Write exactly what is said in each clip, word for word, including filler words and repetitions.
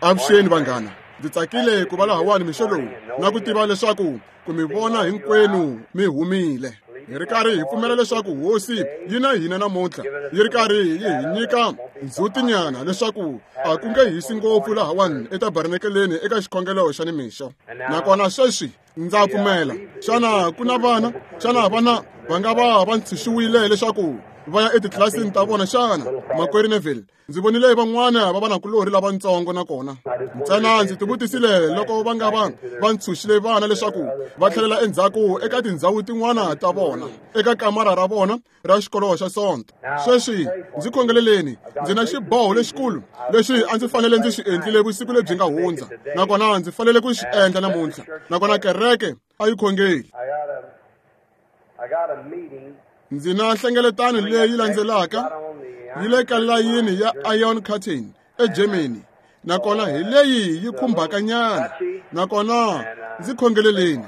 Avuxeni vanghana, ndzi tsakile ku va lahawani mixo lowu na ku tiva leswaku ku mi vona hinkwenu mi humile. Hi ri karhi hi pfumela leswaku hosi yi na hina namuntlha, yi ri karhi yi hi nyika ndzhutinyana leswaku a ku nge hisi ngopfu lahawani etabernakeleni eka xikhongelo xa nimixo. Nakona sweswi ndza pfumela, xana ku na vana? Xana vana va nga va va ntshunxiwile leswaku va ya etitlilasini ta vona xana? Makwerhu Neville, ndzi vonile van'wana va vanakulorhi lavatsongo nakona ntsena ndzi tivutisile loko va nga va va ntshunxile vana leswaku va tlhelela endzhaku eka tindhawu tin'wana ta vona eka kamara ra vona ra xikolo xa Sonto. Sweswi ndzi khongeleleni, ndzi na xiboho lexikulu lexi a ndzi fanele ndzi xi endlile vusiku lebyi nga hundza, nakona ndzi fanele ku xi endla namuntlha, nakona kereke a yi khongeli. Ndzi na nhlengeletano leyi landzelaka yi le ka layini ya Iron Curtain eGermany, nakona hi leyi yi khumbaka nyana, nakona ndzi khongeleleni.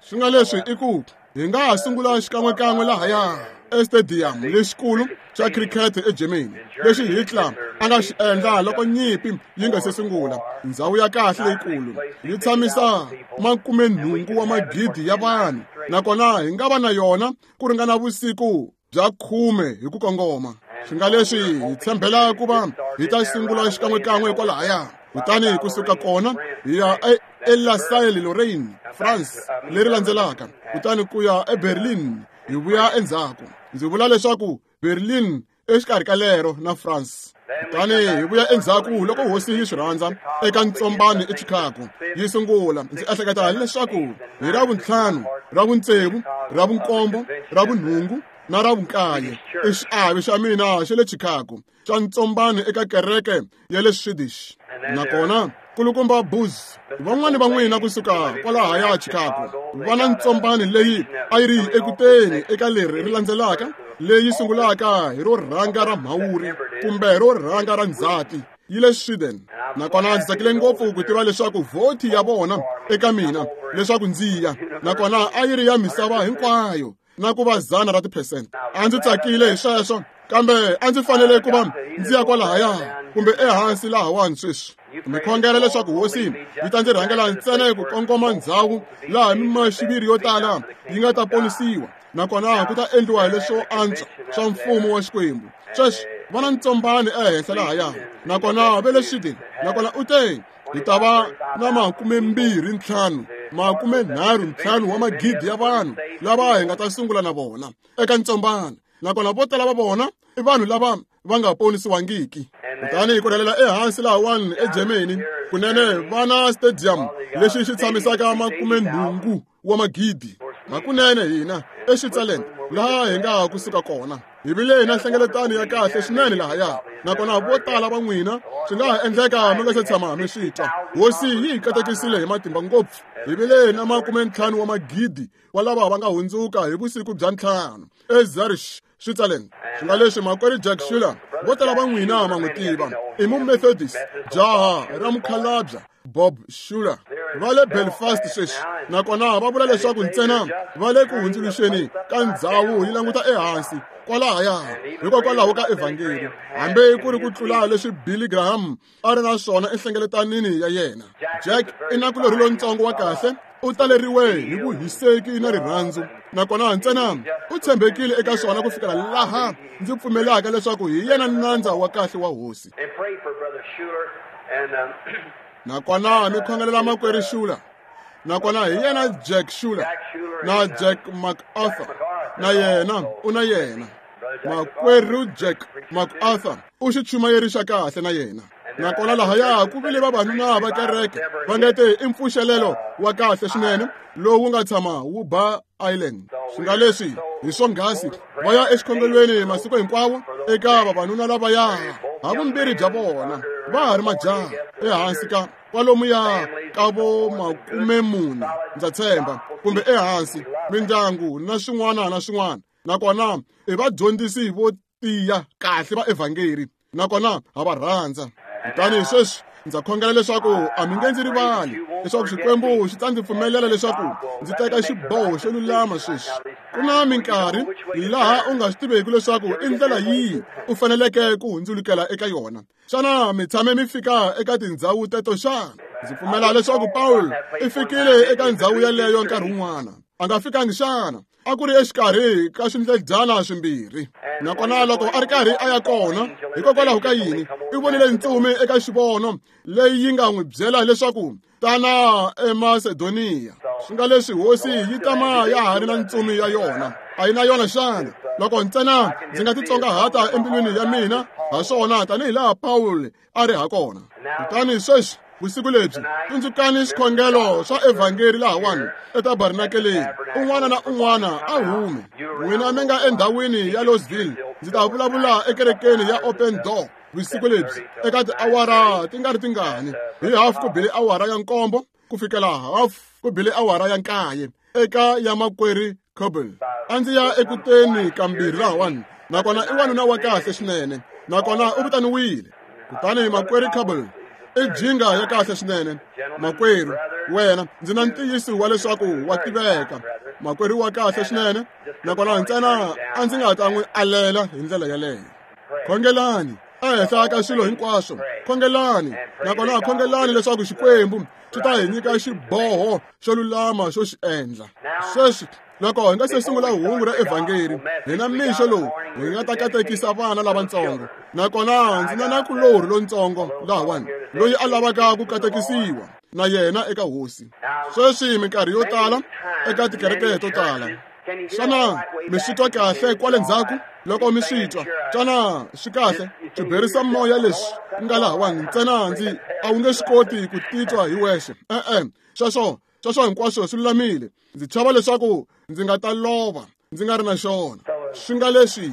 Swi nga leswi i ku hi nga ha sungula xikan'wekan'we lahaya estadium lexikulu xa cricket eGermany lexi Hitler a nga xi endla loko nyimpi yi nga se sungula. Ndhawu ya kahle leyikulu yi tshamisa makumenhungu wa magidi ya vanhu, nakona hi nga va na yona ku ringana vusiku bya khume hi ku kongoma. Swi nga leswi hi tshembela ku va hi ta sungula xikan'wekan'we kwalahaya, kutani kusuka kona hi ya eLasalle-Lorraine, France leri landzelaka, kutani ku ya eBerlin hi vuya endzhaku. Ndzi vula leswaku Berlin exikarhi ka lero na France. Kutani hi vuya endzhaku loko hosi yi swi rhandza eka ntsombano eChicago yi sungula. Ndzi ehleketa leswaku hi ra vuntlhanu, ra vutsevu, ra vunkombo, ra vunhungu na ra vunkaye i xiave xa mina xa le Chicago xa ntsombano eka kereke ya le Swedish. Nakona kulukumba Booz, van'wani va n'wina kusuka kwalahaya Chicago va na ntsombano leyi a yi ri ekuteni eka leri ri landzelaka, leyi sungulaka hi ro rhanga ra Mhawuri kumbe ro rhanga ra Ndzhati yi le Sweden. Nakona ndzi tsakile ngopfu ku tiva leswaku vhoti ya vona eka mina leswaku ndzi ya, nakona a yi ri ya misava hinkwayo na ku va zana ra tiphesente. A ndzi tsakile hi sweswo, kambe a ndzi fanele ku va ndzi ya kwalahaya kumbe ehansi lahawani sweswi. Mi khongela leswaku hosi yi ta ndzi rhangela ntsena hi ku kongoma ndzhawu laha mimaxiviri yo tala yi nga ta ponisiwa, nakona ku ta endliwa leswo antswa swa mfumo wa Xikwembu. Sweswi va na ntsombano ehenhla lahaya, nakona va le Sweden, nakona u te hi ta va na makumembirhi ntlhanu makumenharhu ntlhanu wa magidi ya vanhu lava hi nga ta sungula na vona eka ntsombano, nakona vo tala va vona i vanhu lava va nga ponisiwangiki. Kutani ku rhelela ehansi lahawani eGermany, kunene va na stadium lexi xi tshamisaka makumenhungu wa magidi. Hakunene hina eSwitzerland laha hi nga kusuka kona hi vile na nhlengeletano ya kahle swinene lahaya, nakona vo tala va n'wina swi nga ha endleka mi nga se tshama mi swi twa. Hosi yi hi katekisile hi matimba ngopfu. Hi vile na makumentlhanu wa magidi wa lava va nga hundzuka hi vusiku bya ntlhanu eZurich, Switzerland. Swi nga leswi makwerhu Jack Schuler, vo tala va n'wina ma n'wi tiva, i Mumethodist, jaha ra mukhalabya Bob Schuler, va le Belfast sweswi, nakona va vula leswaku ntsena va le ku hundzuluxeni ka ndzhawu yi languta ehansi kwalahaya hikokwalaho ka evhangeli, hambi ku ri ku tlula leswi Billy Graham a ri na swona enhlengeletanini ya yena. Jack i nakulorhi lontsongo wa kahle, u taleriwe hi vuhiseki na rirhandzu, nakona ntsena u tshembekile eka swona ku fikela laha ndzi pfumelaka leswaku hi yena nandza wa kahle wa hosi. Nakona mi khongelela makwerhu Schuler, nakona hi yena Jack Schuler na Jack MacArthur, na yena u na yena makwerhu Jack MacArthur u xichumayeri xa kahle na yena. Nakona lahaya ku vile vavanuna va kereke va nge te i mpfuxelelo wa kahle swinene lowu nga tshama wu ba Island. Swi nga leswi hi swonghasi va ya exikhongelweni masiku hinkwawo eka vavanuna lavaya havumbirhi bya vona va ha ri majaha ehansi ka kwalomuya ka vo makumemune ndza tshemba kumbe ehansi mindyangu na swin'wana na swin'wana, nakona i vadyondzisi vo tiya kahle va evhangeli, nakona ha va rhandza. Kutani sweswi ndza khongela leswaku a mi nge ndzi rivali leswaku Xikwembu xi ta ndzi pfumelela leswaku ndzi teka xiboho xo lulama sweswi. Ku na minkarhi laha u nga swi tiveki leswaku i ndlela yihi u faneleke ku hundzulukela eka yona. Xana mi tshame mi fika eka tindhawu teto xana? Ndzi pfumela leswaku Paul i fikile eka ndhawu yeleyo nkarhi wun'wana. A nga fikangi xana? A ku ri exikarhi ka swindledyana swimbirhi. Nakona loko a ri karhi a ya kona, hikokwalaho ka yini, i vonile ntsumi eka xivono leyi yi nga n'wi byela leswaku tana eMasedoniya. Swi nga leswi hosi yi tama ya ha ri na ntsumi ya yona. A yi na yona xana? Loko ntsena ndzi nga titsongahata embilwini ya mina ha swona tanihi laha Paul a ri ha kona. Kutani sweswi vusiku lebyi tsundzukani xikhongelo swa evhangeri lahawani etabernakeleni. Un'wana na un'wana a hume. N'wina mi nga endhawini ya Louisville, ndzi ta vulavula ekerekeni ya Open Door vusiku lebyi eka tiawara ti nga ri tingani, hi hafu ku bile awara ya nkombo ku fikela hafu ku bile awara ya nkaye eka ya makwerhu Coble. A ndzi ya ekuteni kambirhi lahawani, nakona i wanuna wa kahle swinene, nakona u vitaniwile. Kutani makwerhu Coble i jinga ya kahle swinene. Makwerhu, wena ndzi na ntiyiso wa leswaku wa tiveka. Makwerhu wa kahle swinene, nakona ntsena a ndzi nga ta n'wi alela hi ndlela yaleyo. Khongelani ehenhla ka swilo hinkwaswo. Khongelani, nakona khongelani leswaku Xikwembu xi ta hi nyika xiboho xo lulama xo xi endla. Sweswi loko hi nga se sungula hungu ra evhangeri, hina mixo lowu hi nga ta katekisa vana lavatsongo. Nakona ndzi na nakulorhi lontsongo lahawani loyi a lavaka ku katekisiwa na yena eka hosi. Sweswi minkarhi yo tala eka tikereke to tala, xana mi swi twa kahle kwale ndzhaku? Loko mi swi twa, xana swi kahle? Swiberisa moya leswi nga lahawani ntsena ndzi a wu nge swi koti ku titwa hi wexe. E-e, sweswo sweswo hinkwaswo swi lulamile. Ndzi chava leswaku ndzi nga ta lova ndzi nga ri na xona. Swi nga leswi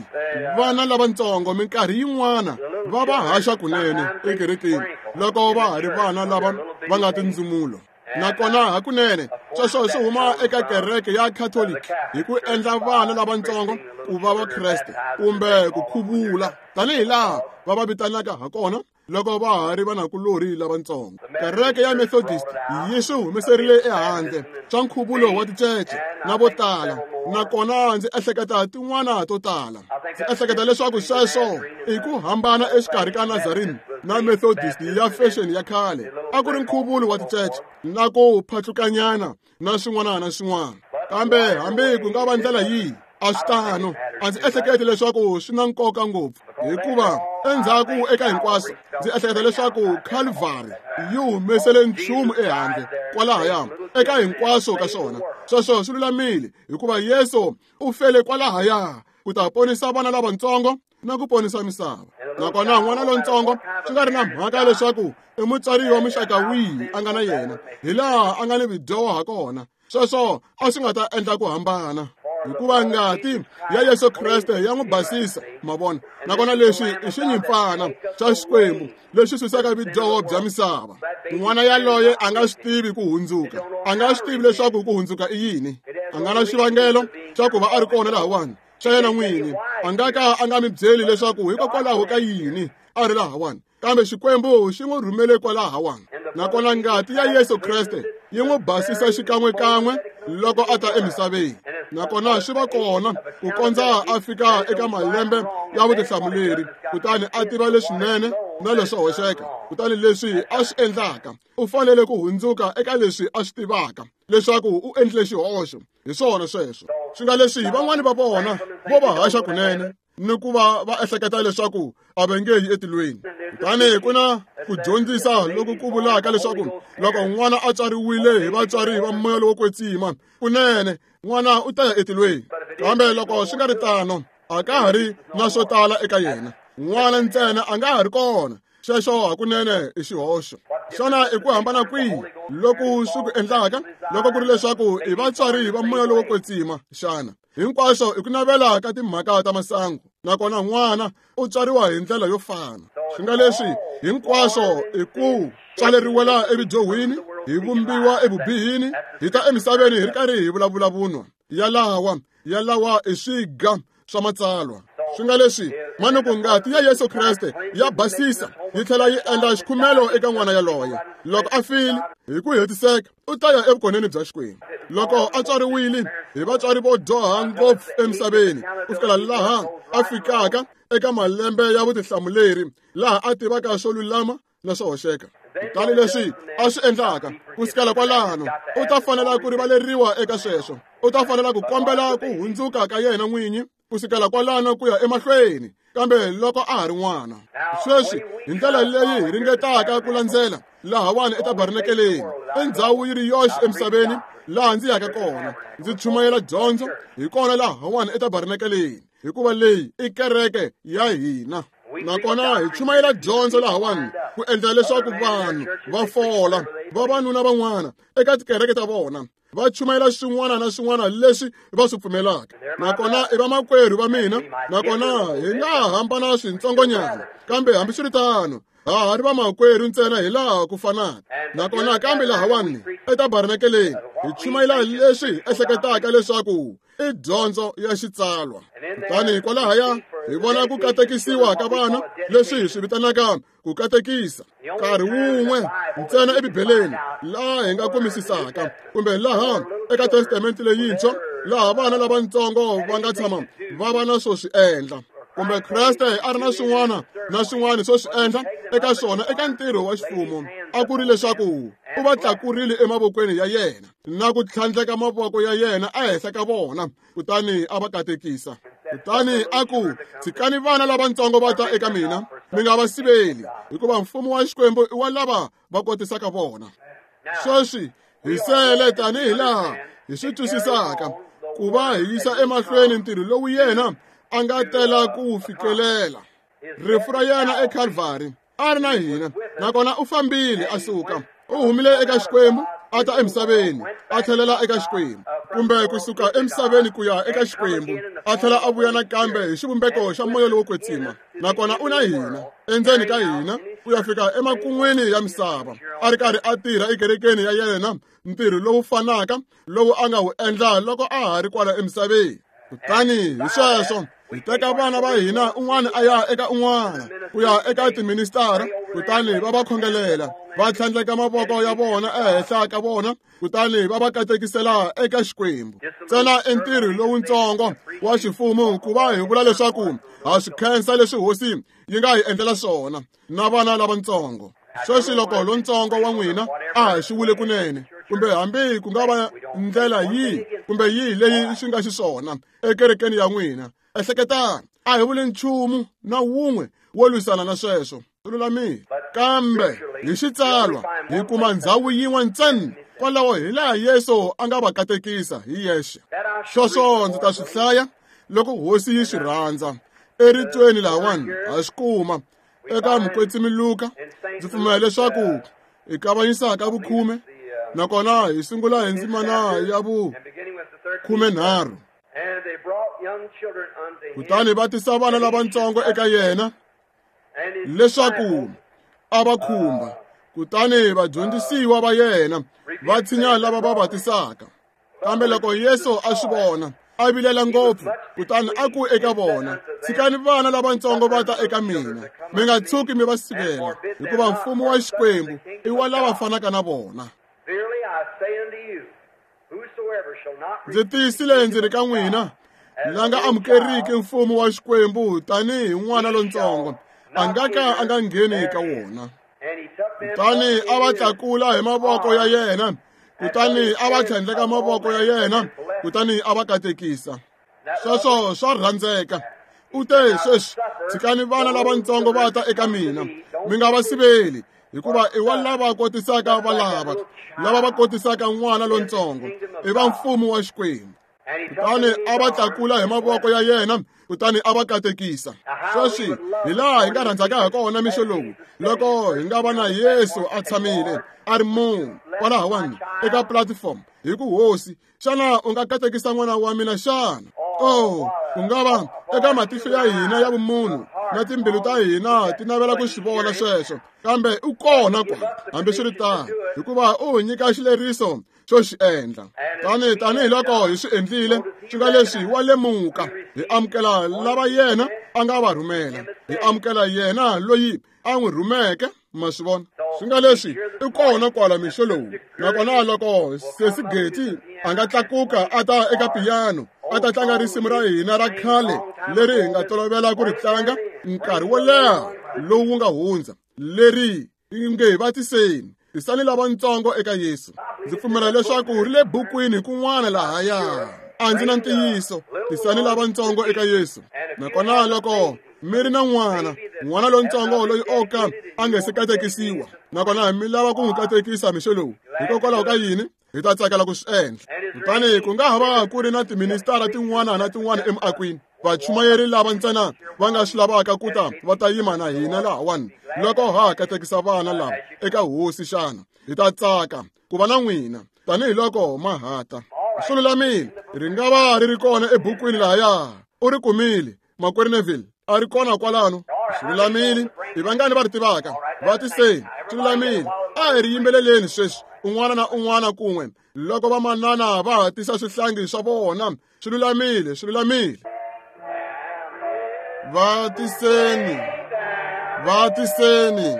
vana lavatsongo minkarhi yin'wana va va haxa kunene ekerekeni loko va ha ri vana lava va nga tindzumulo. Nakona hakunene sweswo swi huma eka kereke ya Catholic hi ku endla vana lavatsongo ku va Vakreste kumbe ku khuvula tanihi laha va va vitanaka ha kona loko va ha ri vanakulorhi lavatsongo. Kereke ya Methodist yi swi humeserile ehandle swa nkhuvulo wa ticece na vo tala, nakona ndzi ehleketa tin'wana to tala. Ndzi ehleketa leswaku sweswo i ku hambana exikarhi ka Nazarene na Methodist ya fashion ya khale. A ku ri nkhuvulo wa ticece na ku phatlukanyana na swin'wana na swin'wana. Kambe hambi ku nga va ndlela yihi, a swi tano. A ndzi ehleketi leswaku swi na nkoka ngopfu, hikuva endzhaku eka hinkwaswo ndzi ehleketa leswaku Calvary yi humesele nchumu ehandle kwalahaya eka hinkwaswo ka swona. Sweswo swi lulamile, hikuva Yesu u fele kwalahaya ku ta ponisa vana lavatsongo na ku ponisa misava. Nakona n'wana lontsongo swi nga ri na mhaka leswaku i mutswari wa muxaka wihi a nga na yena, hi laha a nga ni vudyoho ha kona, sweswo a swi nga ta endla ku hambana, hikuva ngati ya Yesu Kreste ya n'wi basisa, ma vona. Nakona leswi i xinyimpfana xa Xikwembu lexi susaka vudyoho bya misava. N'wana yaloye a nga swi tivi ku hundzuka, a nga swi tivi leswaku ku hundzuka i yini. A nga na xivangelo xa ku va a ri kona lahawani xa yena n'wini. A nga ka a nga mi byeli leswaku hikokwalaho ka yini a ri lahawani, kambe Xikwembu xi n'wi rhumele kwalahawani. Nakona ngati ya Yesu Kreste yi n'wi basisa xikan'wekan'we loko a ta emisaveni. Nakona swi va kona ku kondza a fika eka malembe ya vutihlamuleri, kutani a tiva leswinene na leswo hoxeka. Kutani leswi a swi endlaka, u fanele ku hundzuka eka leswi a swi tivaka leswaku u endlile xihoxo. Hi swona sweswo. Swi nga leswi van'wani va vona vo va haxa kunene ni ku va va ehleketa leswaku a va nge yi etilweni. Kutani ku na ku dyondzisa loku ku vulaka leswaku loko n'wana a tswariwile hi vatswari va moya lowo kwetsima, kunene n'wana u ta ya etilweni. Kambe loko swi nga ri tano, a ka ha ri na swo tala eka yena. N'wana ntsena a nga ha ri kona. Sweswo hakunene i xihoxo. Xana i ku hambana kwihi loku swi ku endlaka loko ku ri leswaku i vatswari va moya lowo kwetsima xana? Hinkwaswo i ku navela ka timhaka ta masangu, nakona n'wana u tswariwa hi ndlela yo fana. Swi nga leswi hinkwaswo i ku tswaleriwela evudyohweni, hi vumbiwa evubihini, hi ta emisaveni hi ri karhi hi vulavula vunwa. Yalawa yalawa i swiga swa matsalwa. Swi nga leswi manuku ngati ya Yesu Kreste ya basisa yi tlhela yi endla xikhumelo eka n'wana yaloye. Loko a file hi ku hetiseka u ta ya evukoneni bya Xikwembu. Loko a tswariwile hi vatswari vo dyoha ngopfu emisaveni ku fikela laha a fikaka eka malembe ya vutihlamuleri laha a tivaka swo lulama na swo hoxeka. Kutani leswi a swi endlaka ku sukela kwalano u ta fanela ku rivaleriwa eka sweswo. U ta fanela ku kombela ku hundzuka ka yena n'winyi ku sukela kwalano ku ya emahlweni, kambe loko a ha ri n'wana. Sweswi hi ndlela leyi hi ringetaka ku landzela lahawani etabarnakeleni, i ndhawu yi ri yoxe emisaveni laha ndzi yaka kona ndzi chumayela dyondzo hi kona lahawani etabarnakeleni, hikuva leyi i kereke ya hina. Nakona hi chumayela dyondzo lahawani ku endla leswaku vanhu va fola vavanuna van'wana eka tikereke ta vona va chumayela swin'wana na swin'wana leswi va swi pfumelaka. Nakona i vamakwerhu va mina, nakona hi nga hambana swintsongonyana, kambe hambiswiritano ha ha ri vamakwerhu ntsena hi laha ku fanaka. Nakona kambe lahawani etabarnakeleni hi chumayela leswi hi ehleketaka leswaku i dyondzo ya xitsalwa. Kutani kwalahaya hi vona ku katekisiwa ka vana leswi hi swi vitanaka ku katekisa nkarhi wun'we ntsena eBibeleni laha hi nga kumisisaka, kumbe laha eka Testamente leyintshwa laha vana lavatsongo va nga tshama va va na swo swi endla, kumbe Kreste a ri na swin'wana na swin'wana swo swi endla eka swona eka ntirho wa xifumo. A ku ri leswaku u va tlakurile emavokweni ya yena na ku tlhandleka mavoko ya yena ehenhla ka vona, kutani a va katekisa. Kutani a ku, tshikani vana lavatsongo va ta eka mina, mi nga va siveli, hikuva mfumo wa Xikwembu i wa lava va kotisaka vona. Sweswi hi sele tanihi laha hi swi twisisaka ku va hi yisa emahlweni ntirho lowu yena a nga tela ku wu fikelela. Rifu ra yena eKalvari a ri na hina, nakona u fambile a suka. U humile eka Xikwembu a ta emisaveni, a tlhelela eka Xikwembu, kumbe kusuka emisaveni ku ya eka Xikwembu, a tlhela a vuya nakambe hi xivumbeko xa moya lowo kwetsima. Nakona u na hina endzeni ka hina ku ya fika emakun'wini ya misava, a ri karhi a tirha ekerekeni ya yena ntirho lowu fanaka lowu a nga wu endla loko a ha ri kwala emisaveni. Kutani hi sweswo hi teka vana va hina un'wana a ya eka un'wana ku ya eka tiministara, kutani va va khongelela, va tlhandleka mavoko ya vona ehenhla ka vona, kutani va va katekisela eka Xikwembu. Ntsena i ntirho lowuntsongo wa xifumo ku va hi vula leswaku ha swi khensa leswi hosi yi nga hi endlela swona na vana lavatsongo. Sweswi loko lontsongo wa n'wina a ha xiwile kunene, kumbe hambi ku nga va ndlela yihi kumbe yihi leyi swi nga xiswona ekerekeni ya n'wina, ehleketani, a hi vuli nchumu na wun'we wo lwisana na sweswo, swi lulamile. Kambe hi xitsalwa hi kuma ndhawu yin'we ntsena kwalaho hi laha Yesu a nga va katekisa hi yexe. Sweswo ndzi ta swi hlaya loko hosi yi swi rhandza. Eritweni lahawani ha swi kuma eka Mukwetsimi Luka. Ndzi pfumela leswaku hi kavanyisaka vukhume, nakona hi sungula hi ndzimana ya vu khumenharhu. Kutani va tisa vana lavatsongo eka yena leswaku a va khumba, kutani vadyondzisiwa va yena va tshinya lava va va tisaka. Kambe loko Yesu a swi vona, a vilela ngopfu, kutani a ku eka vona, tshikani vana lavatsongo va ta eka mina, mi nga tshuki mi va sivela, hikuva mfumo wa Xikwembu i wa lava fanaka na vona. Ndzi tiyisile ndzi ri ka n'wina, la nga amukeriki mfumo wa Xikwembu tanihi n'wana lontsongo a nga ka a nga ngheni ka wona. Kutani a va tlakula hi mavoko ya yena, kutani a va tlhandleka mavoko ya yena, kutani a va katekisa. Sweswo swa rhandzeka. U te, sweswi tshikani vana lavatsongo va ta eka mina, mi nga va siveli, hikuva i wa lava kotisaka valava, lava va kotisaka n'wana lontsongo i va mfumo wa Xikwembu. Kutani a va tlakula hi mavoko ya yena, kutani a va katekisa. Sweswi hi laha hi nga rhandzaka ha kona mixo lowu, loko hi nga va na Yesu a tshamile a ri munhu kwalahawani eka platform, hi ku, Hosi, xana u nga katekisa n'wana wa mina xana? Oh, ku nga va eka matihlo ya hina ya vumunhu na timbilu ta hina ti navela ku swi vona sweswo, kambe u kona kwala hambiswiritano, hikuva u hi nyika xileriso xo xi endla. Tani tanihiloko hi swi endlile, swi nga leswi wa lemuka, Hi amukela lava yena a nga va rhumela. Hi amukela yena loyi a n'wi rhumeke, ma swi vona. Swi nga leswi i kona kwala mixo lowu. Nakona loko Sesi Geti a nga tlakuka a ta eka piyano, a ta tlanga risimu ra hina ra khale leri hi nga tolovela ku ri tlanga nkarhi wo leha lowu wu nga hundza, leri nge va tiseni, tisani lavatsongo eka Yesu. Ndzi pfumela leswaku ri le bukwini kun'wana lahaya. A ndzi na ntiyiso, tisani lavatsongo eka Yesu. Nakona loko mi ri na n'wana, n'wana lontsongo loyi o ka a nga se katekisiwa, nakona mi lava ku n'wi katekisa mixo lowu, hikokwalaho ka yini hi ta tsakela ku swi endla. Kutani ku nga ha va ku ri na tiministara tin'wana na tin'wana emiakweni, vachumayeri lava ntsena va nga swi lavaka ku ta va ta yima na hina lahawani loko ha katekisa vana lava eka hosi xana. Hi ta tsaka ku va na n'wina tanihiloko ma hata. Swi lulamile, ri nga va ri ri kona ebukwini lahaya. U ri kumile, makwerhu Neville, a ri kona kwalano. Swi lulamile, hi vangani va ri tivaka? Va tiseni, swi lulamile. A hi ri yimbeleleni sweswi, un'wana na un'wana kun'we, loko vamanana va hatisa swihlangi swa vona. Swi lulamile, swi lulamile. Va tiseni, va tiseni,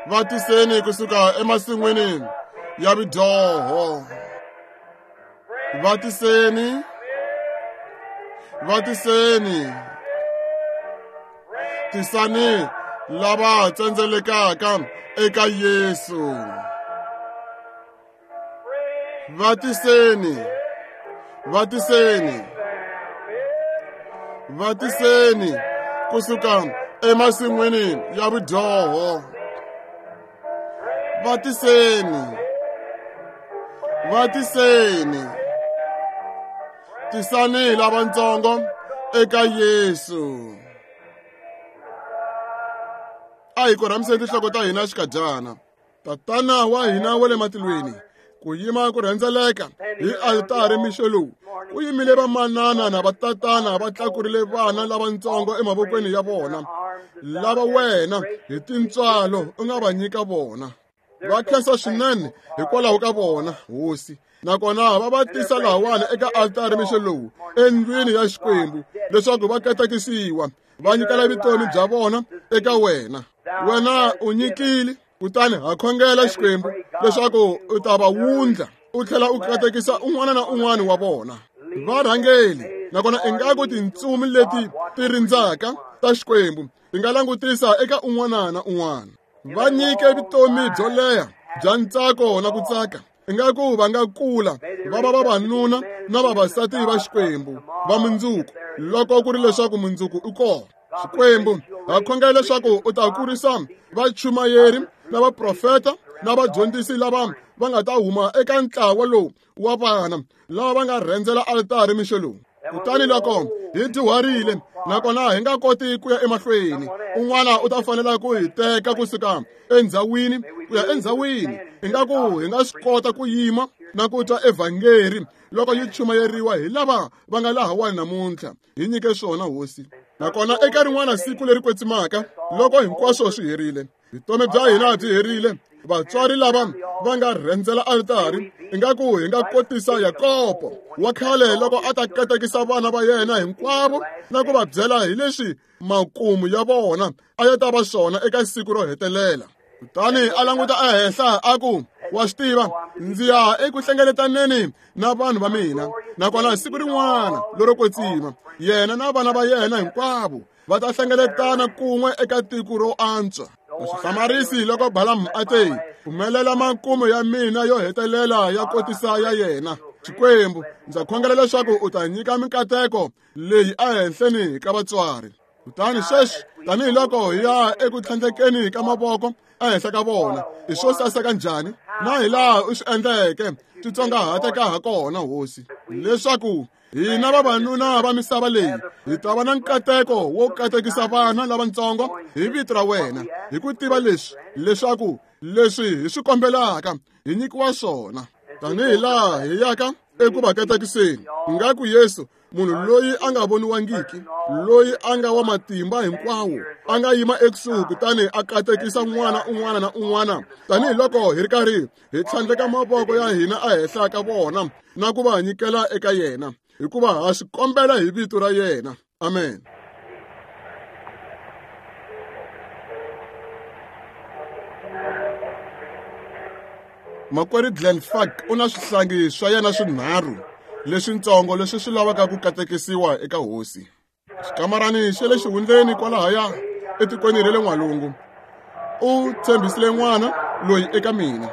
va tiseni kusuka emasin'wini ya vidyoho. Va tiseni, va tiseni, tisani lava tsendzelekaka eka Yesu. Va tiseni, va tiseni, va tiseni kusuka emasin'wini ya vudyoho. Va tiseni, va tiseni, tisani lavatsongo eka Yesu. A hi korhamiseni tinhloko ta hina xikadyana. Tatana wa hina wa le matilweni, ku yima ku rhendzeleka hi altari mixo lowu, ku yimile vamanana na vatatana va tlakurile vana lavatsongo emavokweni ya vona, lava wena hi tintswalo u nga va nyika vona. Va khensa swinene hikwalaho ka vona, Hosi. Nakona va va tisa lahawani eka altari mixo lowu endlwini ya Xikwembu leswaku va katekisiwa, va nyikela vutomi bya vona eka wena. Wena u nyikile, kutani ha khongela Xikwembu leswaku u ta va wundla, u tlhela u katekisa un'wana na un'wana wa vona. Va rhangeli, nakona ingaku tintsumi leti ti rindzaka ta Xikwembu ti nga langutisa eka un'wana na un'wana. Va nyike vutomi byo leha bya ntsako na ku tsaka. Ingaku va nga kula va va vavanuna na vavasati va Xikwembu va mundzuku, loko ku ri leswaku mundzuku i kona. Xikwembu, ha khongela leswaku u ta kurisa vachumayeri na vaprofeta na vadyondzisi lava va nga ta huma eka ntlawa lowu wa vana lava va nga rhendzela altari mixo lowu. Kutani loko hi dyuharile nakona hi nga koti ku ya emahlweni, un'wana u ta fanela ku hi teka kusuka endzhawini ku ya endzhawini. Ingaku hi nga swi kota ku yima na ku twa evhangeri loko yi chumayeriwa hi lava va nga lahawani namuntlha. Hi nyike swona, Hosi. Nakona eka rin'wana siku leri kwetsimaka, loko hinkwaswo swi herile, vutomi bya hina byi herile, vatswari lava va nga rhendzela altari, ingaku hi nga kotisa Yakobo wa khale loko a ta katekisa vana va yena hinkwavo na ku va byela hi leswi makumu ya vona a ya ta va swona eka siku ro hetelela. Kutani a languta ehenhla a ku, wa swi tiva, ndzi ya eku hlengeletaneni na vanhu va mina, nakona siku rin'wana lero kwetsima yena na vana va yena hinkwavo va ta hlengeletana kun'we eka tiko ro antswa. A swi hlamarisi loko Balamu a te, pfumelela makumu ya mina yo hetelela ya kotisa ya yena. Xikwembu, ndza khongela leswaku u ta nyika mikateko leyi ehenhleni ka vatswari. Kutani sweswi, tanihiloko hi ya eku tlhandlekeni ka mavoko ehenhla ka vona, i swo saseka njhani na hi laha u swi endleke swi tsongahateka ha kona, Hosi, leswaku hina vavanuna va misava leyi hi ta va na nkateko wo katekisa vana lavatsongo hi vito ra wena, hi ku tiva leswi leswaku leswi hi swi kombelaka hi nyikiwa swona. Tanihi laha hi yaka eku va katekiseni, ingaku Yesu, munhu loyi a nga voniwangiki, loyi a nga wa matimba hinkwawo, a nga yima ekusuhi kutani a katekisa n'wana un'wana na un'wana, tanihiloko hi ri karhi hi tlhandleka mavoko ya hina ehenhla ka vona na ku va nyikela eka yena. hikuva ha swi kombela hi vito ra yena. Amen. Makwerhu Glenn Fak u na swihlangi swa yena swinharhu leswintsongo leswi swi lavaka ku katekisiwa eka hosi. Xikamarani xa le xihundleni kwalahaya etikweni ra le n'walungu. U tshembisile n'wana loyi eka mina.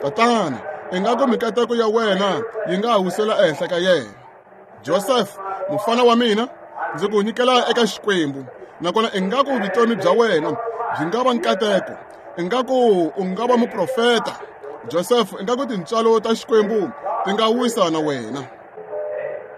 Tatana, ingaku mikateko ya wena yi nga wisela ehenhla ka yena. Joseph, mufana wa mina, ndzi ku nyikela eka Xikwembu, nakona ingaku vutomi bya wena byi nga va nkateko, ingaku u nga va muprofeta. Joseph, ingaku tintswalo ta Xikwembu ti nga wisa na wena.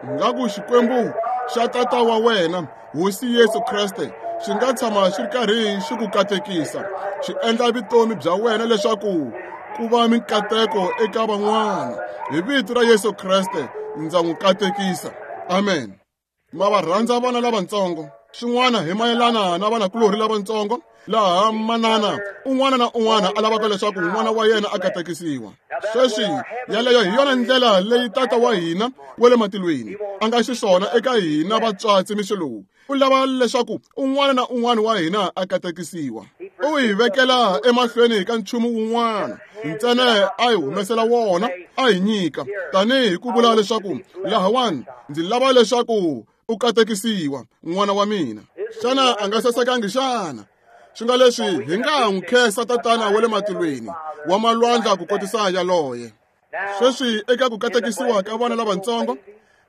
Ingaku Xikwembu xa tata wa wena, Hosi Yesu Kreste, xi nga tshama xi ri karhi xi ku katekisa, xi endla vutomi bya wena leswaku ku va minkateko eka van'wana. Hi vito ra Yesu Kreste ndza n'wi katekisa. Amen. Ma va rhandza vana lavatsongo. Xin'wana hi mayelana na vanakulorhi lavatsongo, laha manana un'wana na un'wana a lavaka leswaku n'wana wa yena a katekisiwa. Sweswi yaleyo hi yona ndlela leyi tata wa hina wa le matilweni a nga xiswona eka hina vatswatsi mixo lowu. U lava leswaku un'wana na un'wana wa hina a katekisiwa. U hi vekela emahlweni ka nchumu wun'wana ntsena a hi humesela wona a hi nyika, tanihi ku vula leswaku lahawani ndzi lava leswaku u katekisiwa n'wana wa mina. Xana a nga sasekangi xana? Swi nga leswi hi nga n'wi khensa tatana wa le matilweni wa malwandla ku kotisa yaloye. Sweswi eka ku katekisiwa ka vana lavatsongo,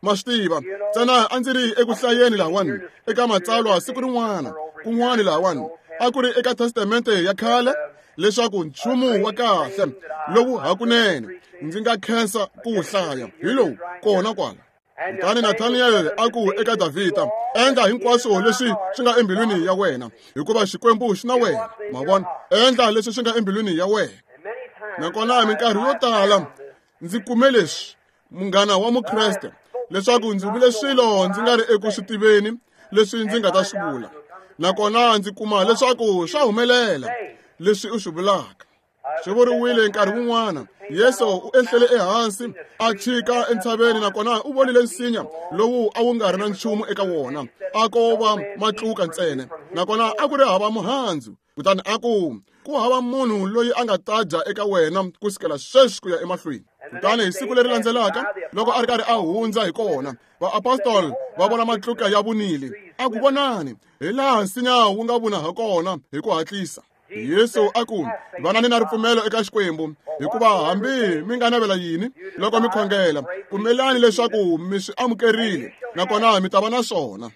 ma swi tiva ntsena a ndzi ri eku hlayeni lahawani eka matsalwa siku rin'wana kun'wana lahawani a ku ri eka testamente ya khale leswaku nchumu wa kahle lowu hakunene ndzi nga khensa ku wu hlaya hi lowu kona kwala. Kutani Nathaniel a ku eka Davhida, endla hinkwaswo leswi swi nga embilwini ya wena, hikuva Xikwembu xi na wena. Ma vona, endla leswi swi nga embilwini ya wena. Nakona minkarhi yo tala ndzi kume leswi, munghana wa Mukreste, leswaku ndzi vule swilo ndzi nga ri eku swi tiveni leswi ndzi nga ta swi vula. Nakona ndzi kuma leswaku swa humelela leswi u swi vulaka. Swi vuriwile nkarhi wun'wana, Yesu u ehlele ehansi a chika entshaveni, nakona u vonile nsinya lowu a wu nga ri na nchumu eka wona, a ko va matluka ntsena, nakona a ku ri hava muhandzu. Kutani a ku, ku hava munhu loyi a nga ta dya eka wena ku sukela sweswi ku ya emahlweni. Kutani hi siku leri landzelaka, loko a ri karhi a hundza hi kona, vaapostoli va vona matluka ya vunile. A ku, vonani hi laha nsinya wu nga vuna ha kona hi ku hatlisa. Yesu a ku, vanani na ripfumelo eka Xikwembu, hikuva hambi mi nga navela yini loko mi khongela, pfumelani leswaku mi swi amukerile, nakona mi ta va na swona.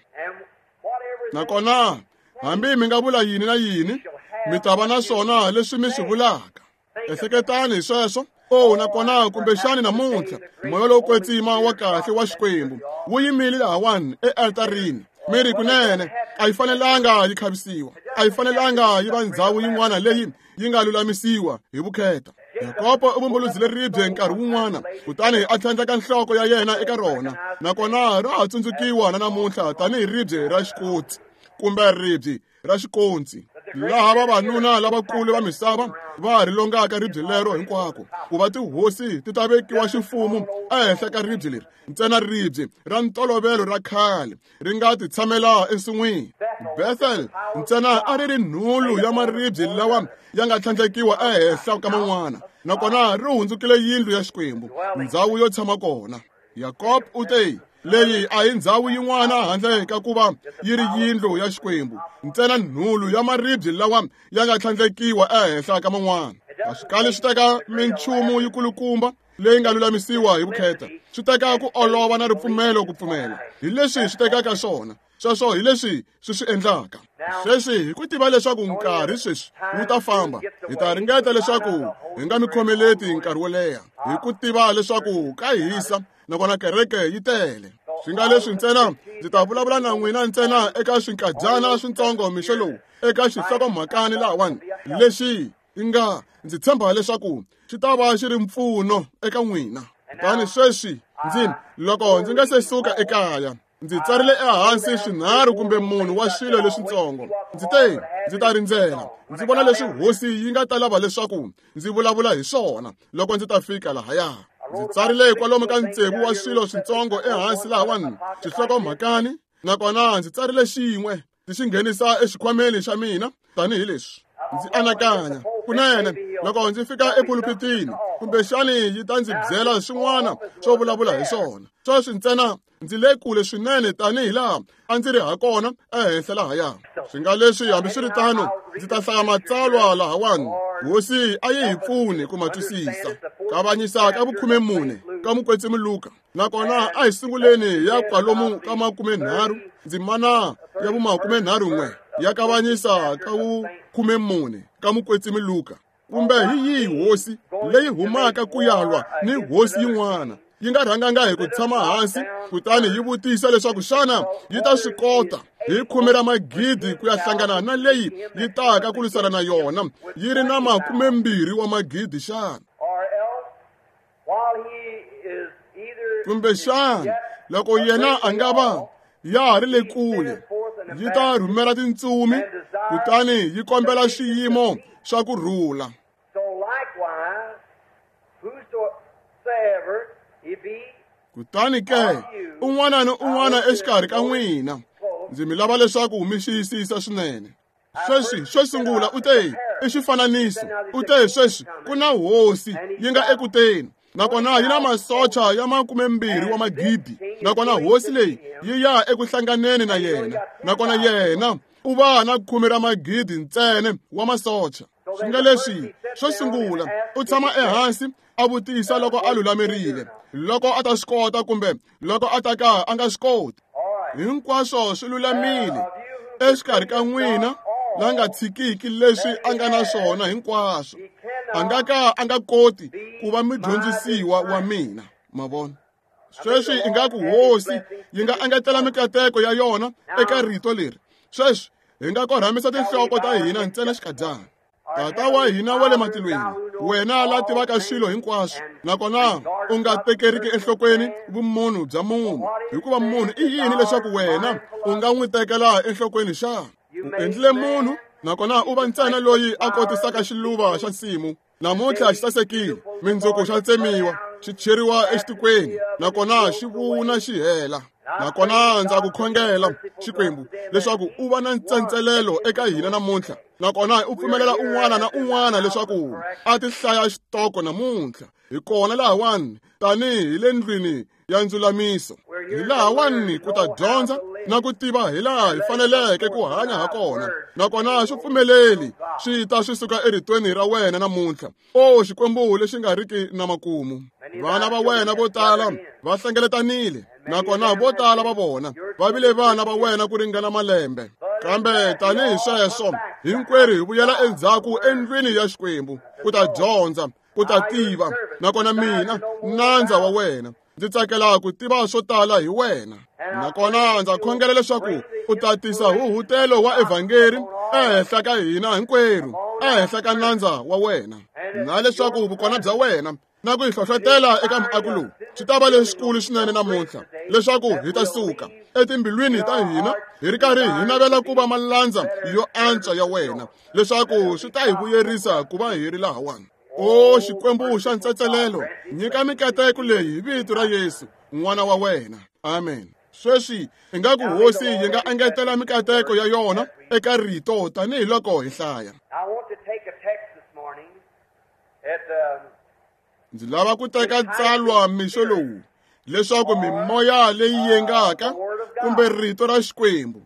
Nakona hambi mi nga vula yini na yini, mi ta va na swona leswi mi swi vulaka. Ehleketani hi sweswo. Oh, nakona kumbexani namuntlha moya lowo kwetsima wa kahle wa Xikwembu wu yimile lahawani ealtarini. Mi ri kunene a yi fanelanga yi khavisiwa, a yi fanelanga yi va ndhawu yin'wana leyi yi nga lulamisiwa hi vukheta. Yakobo u vumbuludzile ribye nkarhi wun'wana, kutani a tlhandleka nhloko ya yena eka rona, nakona ra ha tsundzukiwa na namuntlha tanihi ribye ra xikotsi kumbe ribye ra xikontsi, laha vavanuna lavakulu va misava va ri longaka ribye lero hinkwako, ku va tihosi ti ta vekiwa ximfumo ehenhla ka ribye leri. Ntsena ribye ra ntolovelo ra khale ri nga ti tshamela ensin'wini. Bethel ntsena a ri ri nhulu ya maribye lawa ya nga tlhandlekiwa ehenhla ka man'wana, nakona ri hundzukile yindlu ya Xikwembu, ndhawu yo tshama kona. Yakob u te, leyi a hi ndhawu yin'wana handle ka ku va yi ri yindlu ya Xikwembu, ntsena nhulu ya maribye lawa ya nga tlhandlekiwa ehenhla ka man'wana. A swi kali swi teka minchumu yikulukumba leyi nga lulamisiwa hi vukheta, swi teka ku olova na ripfumelo ku pfumela. Hi leswi swi tekaka swona, sweswo hi leswi swi swi endlaka. Sweswi hi ku tiva leswaku nkarhi sweswi wu ta famba, hi ta ringeta leswaku hi nga mi khomeleti nkarhi wo leha, hi ku tiva leswaku ka hisa nakona kereke yi tele. Swi nga leswi ntsena ndzi ta vulavula na n'wina ntsena eka swinkadyana swintsongo mixo lowu, eka xihlokomhakani lahawani lexi nga ndzi tshemba leswaku xi ta va xi ri mpfuno eka n'wina. Kutani sweswi ndzi loko ndzi nga se suka ekaya, ndzi tsarile ehansi swinharhu kumbe munhu wa swilo leswintsongo. Ndzi te ndzi ta rindzela ndzi vona leswi hosi yi nga ta lava leswaku ndzi vulavula hi swona loko ndzi ta fika lahaya. Ndzi tsarile kwalomu ka tsevu wa swilo switsongo ehansi lahawani xihlokomhakani, nakona ndzi tsarile xin'we ndzi xi nghenisa exikhwameni xa mina tanihileswi. Ndzi anakanya kunene loko ndzi fika epulupitini kumbexani yi ta ndzi byela swin'wana swo vulavula hi swona. Sweswi ntsena ndzi le kule swinene tanihi laha a ndzi ri hakona ehenhla lahaya. Swi nga leswi hambiswiritano ndzi ta hlaya matsalwa lahawani. Hosi a yi hi pfuni ku ma twisisa. Kavanyisa ka vukhumemune ka mukwetsimi Luka, nakona a hi sunguleni ya kwalomu ka makumenharhu ndzimana ya vumakumenharhu-n'we ya kavanyisa ka vukhumemune ka mukwetsimi Luka. Kumbe hi yihi hosi leyi humaka ku ya lwa ni hosi yin'wana yi nga rhanganga hi ku tshama hansi kutani yi vutisa leswaku xana yi ta swi kota hi khume ra magidi ku ya hlangana na leyi yi taka ku lwisana na yona yi ri na makumembirhi wa magidi xana? Kumbe xana loko yena a nga va ya ha ri le kule yi ta rhumela tintsumi kutani yi kombela xiyimo xa ku rhula. Kutani ke un'wana ni un'wana exikarhi ka n'wina ndzi mi lava leswaku mi xiyisisa swinene. Sweswi xo sungula u te i xifananiso, u te sweswi ku na hosi yi nga ekuteni, nakona yi na masocha ya makumembirhi wa magidi, nakona hosi leyi yi ya eku hlanganeni na yena, nakona yena u va na khume ra magidi ntsena wa masocha. Swi nga leswi xo sungula u tshama ehansi a vutisa loko a lulamerile, loko a ta swi kota kumbe loko a ta ka a nga swi koti. Hinkwaswo swi lulamile exikarhi ka n'wina la nga tshikiki leswi a nga na swona hinkwaswo, a nga ka a nga koti ku va mudyondzisiwa wa mina. Ma vona? Sweswi ingaku hosi yi nga engetela mikateko ya yona eka rito leri. Sweswi hi nga korhamisa tinhloko ta hina ntsena xikadyana. Tata wa hina wa le matilweni, wena la tivaka swilo hinkwaswo, nakona u nga tekeriki enhlokweni vumunhu bya munhu, hikuva munhu i yini leswaku wena u nga n'wi tekela enhlokweni xana? U endlile munhu, nakona u va ntsena loyi a kotisaka xiluva xa nsimu. Namuntlha xi sasekile, mindzuku xa tsemiwa, xi cheriwa exitikweni, nakona xi vuna xi hela. Nakona ndza ku khongela Xikwembu leswaku u va na ntsentselelo eka hina namuntlha, nakona u pfumelela un'wana na un'wana leswaku a ti hlaya xitoko namuntlha. Hi kona lahawani tanihi le ndlwini ya ndzulamiso, hi lahawani ku ta dyondza na ku tiva hi laha hi faneleke ku hanya ha kona, nakona swi pfumeleli swi ta swi suka eritweni ra wena namuntlha. O Xikwembu lexi nga riki na makumu, vana va wena vo tala va hlengeletanile, nakona vo tala va vona va vile vana va wena ku ringana malembe. Kambe tanihi sweswo hinkwerhu hi vuyela endzhaku endlwini ya Xikwembu ku ta dyondza, ku ta tiva. Nakona mina nandza wa wena ndzi tsakela ku tiva swo tala hi wena, nakona ndza khongela leswaku u ta tisa huhutelo wa evhangeri ehenhla ka hina hinkwerhu, ehenhla ka nandza wa wena, na leswaku vukona bya wena na ku hi hlohlotela eka muako lowu swi ta va lexikulu swinene namuntlha, leswaku hi ta suka etimbilwini ta hina hi ri karhi hi navela ku va malandza yo antswa ya wena, leswaku swi ta hi vuyerisa ku va hi ri lahawani. O Xikwembu xa ntsetselelo, nyika mikateko leyi hi vito ra Yesu n'wana wa wena. Amen. Sweswi ingaku hosi yi nga engetela mikateko ya yona eka rito tanihiloko hi hlaya. Ndzi lava ku teka tsalwa mixo lowu leswaku mimoya leyi yengaka kumbe rito ra Xikwembu.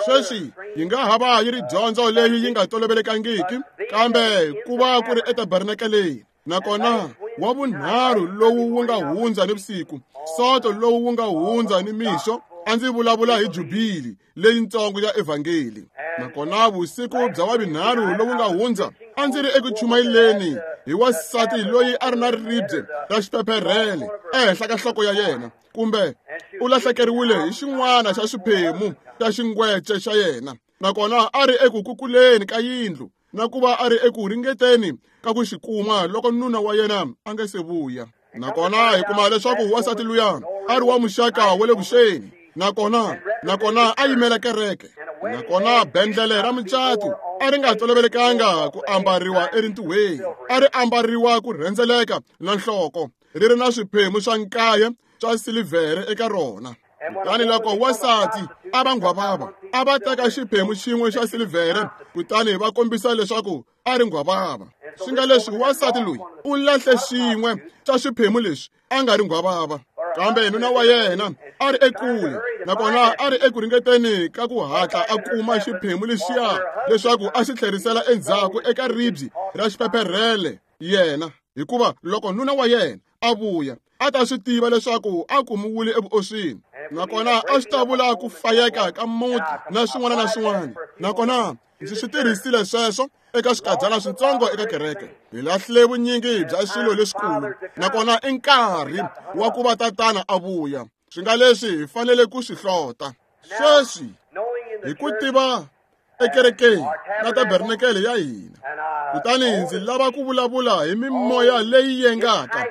Sweswi yi nga ha va yi ri dyondzo leyi yi nga tolovelekangiki, kambe ku va ku ri etabernakeleni, nakona wa vunharhu lowu wu nga hundza ni vusiku, soto lowu wu nga hundza ni mixo, a ndzi vulavula hi jubili leyintsongo ya evhangeli. Nakona vusiku bya wavinharhu lowu nga hundza a ndzi ri eku chumayeleni hi wansati loyi a ri na ribye ra xiphepherhele ehenhla ka nhloko ya yena, kumbe u lahlekeriwile hi xin'wana xa xiphemu xa xingwece xa yena, nakona a ri eku kukuleni ka yindlu na ku va a ri eku ringeteni ka ku xi kuma loko nuna wa yena a nga se vuya. Nakona hi kuma leswaku wansati luya a ri wa muxaka wa le vuxeni, nakona nakona a yimela kereke, nakona bendlele ra mucato a ri nga tolovelekanga ku ambariwa erintiweni, a ri ambariwa ku rhendzeleka na nhloko. ri ri na swiphemu swa nkaye swa silivhere eka rona. Kutani loko wansati a va nghwavava, a va teka xiphemu xin'we xa silivhere kutani va kombisa leswaku a ri nghwavava. Swi nga leswi wansati loyi u lahle xin'we xa swiphemu leswi a nga ri nghwavava, kambe nuna wa yena a ri ekule, nakona a ri eku ringeteni ka ku hatla a kuma xiphemu lexiya leswaku a xi tlherisela endzhaku eka ribye ra xiphepherhele yena, hikuva loko nuna wa yena a vuya a ta swi tiva leswaku a kumiwile evuoswini, nakona a swi ta vula ku fayeka ka muti na swin'wana na swin'wana. Nakona ndzi swi tirhisile sweswo eka swikadzana switsongo eka kereke. Hi lahlile vunyingi bya swilo leswikulu, nakona i nkarhi wa ku va tatana a vuya. Swi nga leswi hi fanele ku swi hlota sweswi hi ku tiva ekerekeni na tabernakele ya hina. Kutani ndzi lava ku vulavula hi mimoya leyi yengaka,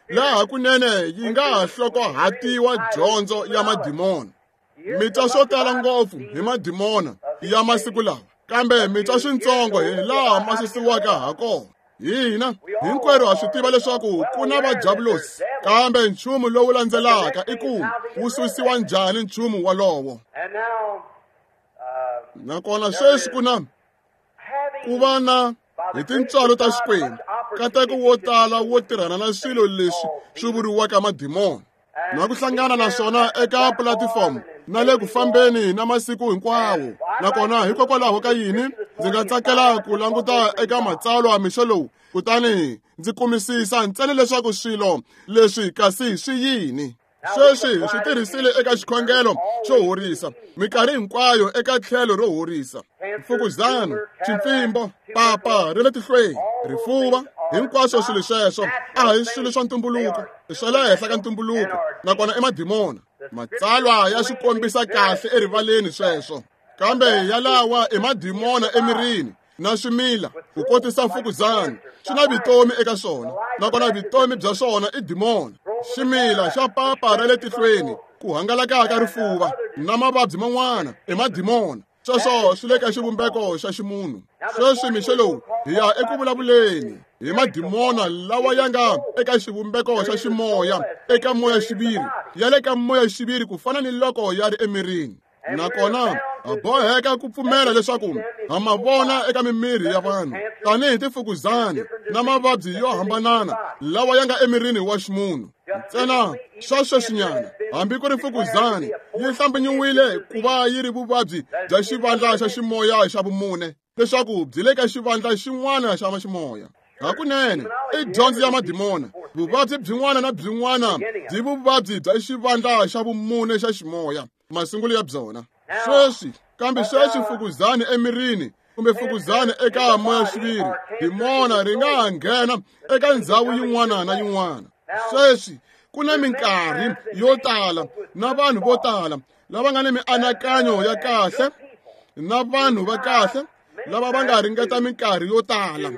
laha kunene yi nga ha hlokohatiwa dyondzo ya madimona. Mi twa swo tala ngopfu hi madimona ya masiku lawa, kambe mi twa swintsongo hi laha ma susiwaka ha kona. Hina hinkwerhu ha swi tiva leswaku ku na vajavulosi, kambe nchumu lowu landzelaka i ku wu susiwa njhani nchumu walowo. Nakona sweswi ku na ku va na hi tintswalo ta Xikwembu nkateko wo tala wo tirhana na swilo leswi swi vuriwaka madimona, na ku hlangana na swona eka pulatifomo na le ku fambeni na masiku hinkwawo. Nakona hikokwalaho ka yini ndzi nga tsakela ku languta eka matsalwa mixo lowu, kutani ndzi kumisisa ntsena leswaku swilo leswi kasi swi yini. Sweswi hi swi tirhisile eka xikhongelo xo horisa minkarhi hinkwayo eka tlhelo ro horisa mfukuzana, ximpfimbo, papa ra le tihlweni, rifuva, hinkwaswo swilo sweswo a hi swilo swa ntumbuluko, i swa le henhla ka ntumbuluko, nakona i madimona. Matsalwa ya swi kombisa kahle erivaleni sweswo, kambe yalawa i madimona emirini na swimila ku kotisa mfukuzana swi na vutomi eka swona, nakona vutomi bya swona i dimona. Ximila xa papa ra le tihlweni, ku hangalaka ka rifuva na mavabyi man'wana i madimona. Sweswo swi le ka xivumbeko xa ximunhu. Sweswi mixo lowu hi ya eku vulavuleni hi madimona lawa ya nga eka xivumbeko xa ximoya, eka moya-xiviri, ya le ka moya-xiviri ku fana ni loko ya ri emirini. Nakona ha boheka ku pfumela leswaku ha ma vona eka mimiri ya vanhu tanihi tifukuzana na mavabyi yo hambanana lawa ya nga emirini wa ximunhu. Ntsena swa sweswinyana, hambi ku ri mfukuzana yi hlambinyiwile ku va yi ri vuvabyi bya xivandla xa ximoya xa vumune, leswaku byi le ka xivandla xin'wana xa ximoya. Hakunene i dyondzo ya madimona. Vuvabyi byin'wana na byin'wana byi vuvabyi bya xivandla xa vumune xa ximoya, masungulo ya byona. Sweswi kambe sweswi mfukuzana emirini kumbe mfukuzana eka moya-xiviri, dimona ri nga ha nghena eka ndhawu yin'wana na yin'wana. Sweswi ku na minkarhi yo tala na vanhu vo tala lava nga ni mianakanyo ya kahle na vanhu va kahle lava va nga ringeta minkarhi yo tala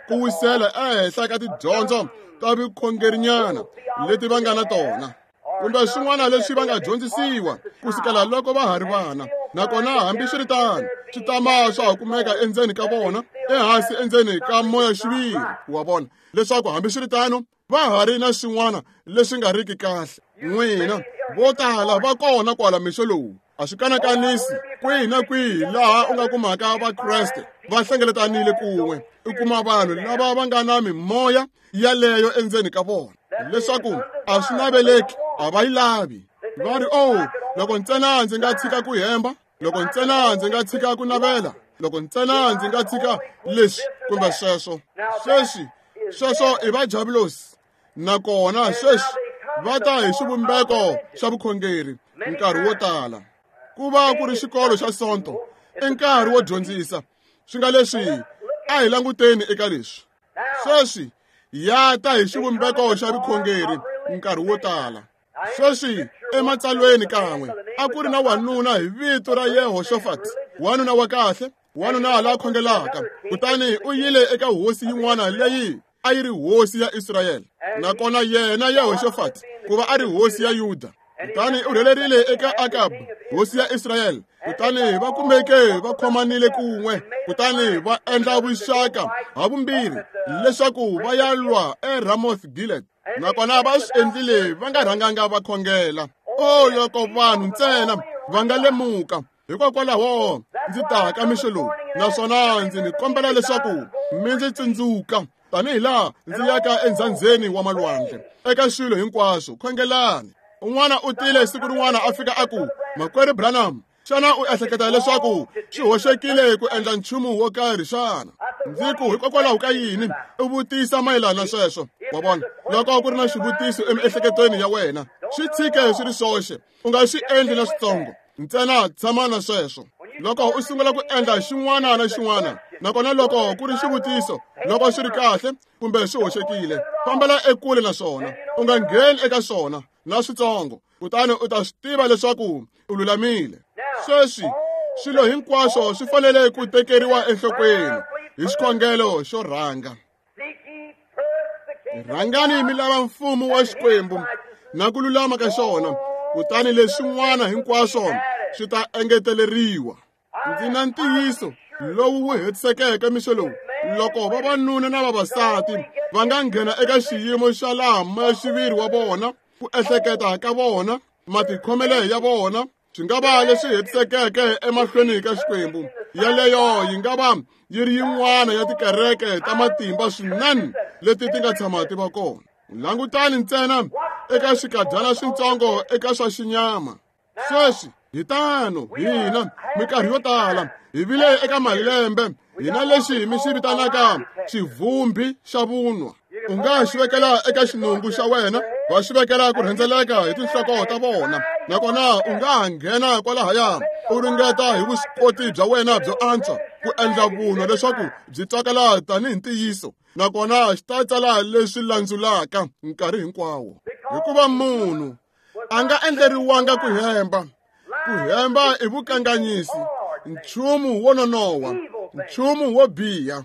ku wisela ehenhla ka tidyondzo ta vukhongerinyana leti va nga na tona, kumbe swin'wana leswi va nga dyondzisiwa ku sukela loko va ha ri vana. Nakona hambiswiritano swi tama swa ha kumeka endzeni ka vona, ehansi endzeni ka moya-xiviri wa vona, leswaku hambiswiritano va ha ri na swin'wana leswi nga riki kahle. N'wina vo tala va kona kwala mixo lowu, a swi kanakanisi kwihi na kwihi laha u nga kumaka Vakreste va hlengeletanile kun'we, u kuma vanhu lava va nga na mimoya yaleyo endzeni ka vona, leswaku a swi naveleki, a va yi lavi. Va ri, oh, loko ntsena ndzi nga tshika ku hemba, loko ntsena ndzi nga tshika ku navela, loko ntsena ndzi nga tshika leswi kumbe sweswo. Sweswi sweswo i vajavulosi, nakona sweswi va ta hi xivumbeko xa vukhongeri nkarhi wo tala. Ku va ku ri xikolo xa Sonto i nkarhi wo dyondzisa. Swi nga leswi a hi languteni eka leswi. Sweswi ya ta hi xivumbeko xa vukhongeri nkarhi wo tala. Sweswi ematsalweni kan'we a ku ri na wanuna hi vito ra Yehoshafat, wanuna wa kahle, wanuna la khongelaka. Kutani u yile eka hosi yin'wana leyi a yi ri hosi ya Israyele, nakona yena Yehoshafat ku va a ri hosi ya Yuda. Kutani u rhelerile eka Akab, hosi ya Israyele. Kutani va kumeke va khomanile kun'we, kutani va endla vuxaka ha vumbirhi leswaku va ya lwa eRamoth Gilead. Nakona va swi endlile va nga rhanganga va khongela. O loko vanhu ntsena va nga lemuka. Hikokwalaho ndzi ta ka mixo lowu, naswona ndzi mi kombela leswaku mi ndzi tsundzuka tanihi laha ndzi yaka endzhandzeni wa malwandle. Eka swilo hinkwaswo khongelani. Un'wana u tile siku rin'wana a fika a ku, Makwerhu Branham, xana u ehleketa leswaku swi hoxekile ku endla nchumu wo karhi xana? Ndzi ku hikokwalaho ka yini u vutisa mayelana na sweswo? Wa vona, loko ku ri na xivutiso emiehleketweni ya wena, swi tshike swi ri swoxe, u nga swi endli na switsongo. Ntsena tshama na sweswo. Loko u sungula ku endla xin'wana na xin'wana, nakona loko ku ri xivutiso, loko swi ri kahle kumbe swi hoxekile, fambela ekule na swona, u nga ngheni eka swona na switsongo, kutani u ta swi tiva leswaku u lulamile. Sweswi swilo hinkwaswo swi fanele ku tekeriwa enhlokweni hi xikhongelo xo rhanga. Rhangani mi lava mfumo wa Xikwembu na ku lulama ka xona, kutani leswin'wana hinkwaswo swi ta engeteleriwa. Ndzi na ntiyiso lowu wu hetisekeke mixo lowu, loko vavanuna na vavasati va nga nghena eka xiyimo xa laha moya-xiviri wa vona, ku ehleketa ka vona, matikhomelo ya vona, swi nga va leswi hetisekeke emahlweni ka Xikwembu. Yaleyo yi nga va yi ri yin'wana ya tikereke ta matimba swinene leti ti nga tshama ti va kona. Langutani ntsena eka swikadyana switsongo eka swa xinyama. Sweswi hi tano hina minkarhi yo tala hi vile eka malembe hina lexi mi xi vitanaka xivumbi xa vunwa. U nga xi vekela eka xinungu xa wena, va xi vekela ku rhendzeleka hi tinhloko ta vona, nakona u nga ha nghena kwalahaya u ringeta hi vuswikoti bya wena byo antswa ku endla vunwa leswaku byi twakala tanihi ntiyiso, nakona xi ta tsala leswi landzulaka nkarhi hinkwawo. Hikuva munhu a nga endleriwanga ku hemba. Ku hemba i vukanganyisi, nchumu wo nonoha, nchumu wo biha.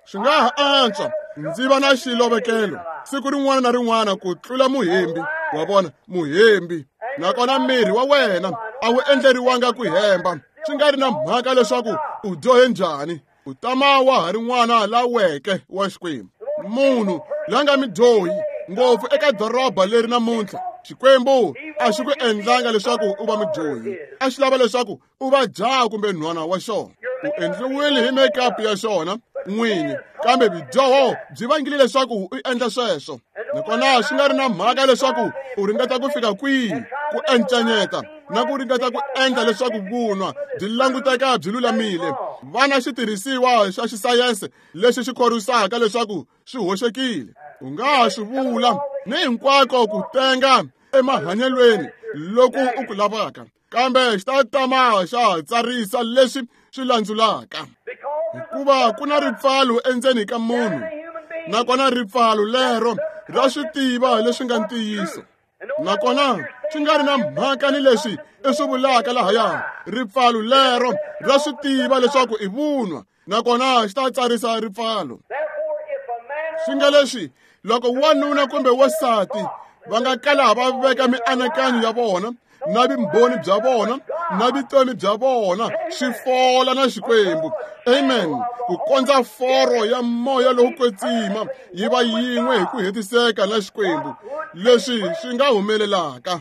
Swi nga ha antswa ndzi va na xilovekelo siku rin'wana na rin'wana ku tlula muhembi. Wa vona, muhembi. Nakona miri wa wena a wu endleriwanga ku hemba, swi nga ri na mhaka leswaku u dyohe njhani, u tama wa ha ri n'wana la weke wa Xikwembu. Munhu la nga midyohi ngopfu eka doroba leri namuntlha, Xikwembu a xi ku endlanga leswaku u va mudyohi, a xi lava leswaku u va jaha kumbe nhwana wa xona. U endliwile hi makeup ya xona n'wini, kambe vudyoho byi vangile leswaku u endla sweswo. Nakona swi nga ri na mhaka leswaku u ringeta ku fika kwihi ku encanyeta na ku ringeta ku endla leswaku vunwa byi languteka byi lulamile, va na xitirhisiwa xa xisayense lexi xi khorwisaka leswaku swi hoxekile. U nga ha swi vula ni hinkwako ku tenga emahanyelweni loku u ku lavaka, kambe xi ta tama xa tsarisa leswi swi landzulaka. Hikuva ku na ripfalo endzeni ka munhu, nakona ripfalo lero ra swi tiva leswi nga ntiyiso, nakona swi nga ri na mhaka ni leswi i swi vulaka lahaya, ripfalo lero ra swi tiva leswaku i vunwa, nakona xi ta tsarisa ripfalo. Swi nga leswi loko wanuna kumbe wansati va nga kala va veka mianakanyo ya vona na vumbhoni bya vona na vutomi bya vona swi fola na Xikwembu, amen, ku kondza foro ya moya lowu kwetsima yi va yin'we hi ku hetiseka na Xikwembu, leswi swi nga humelelaka.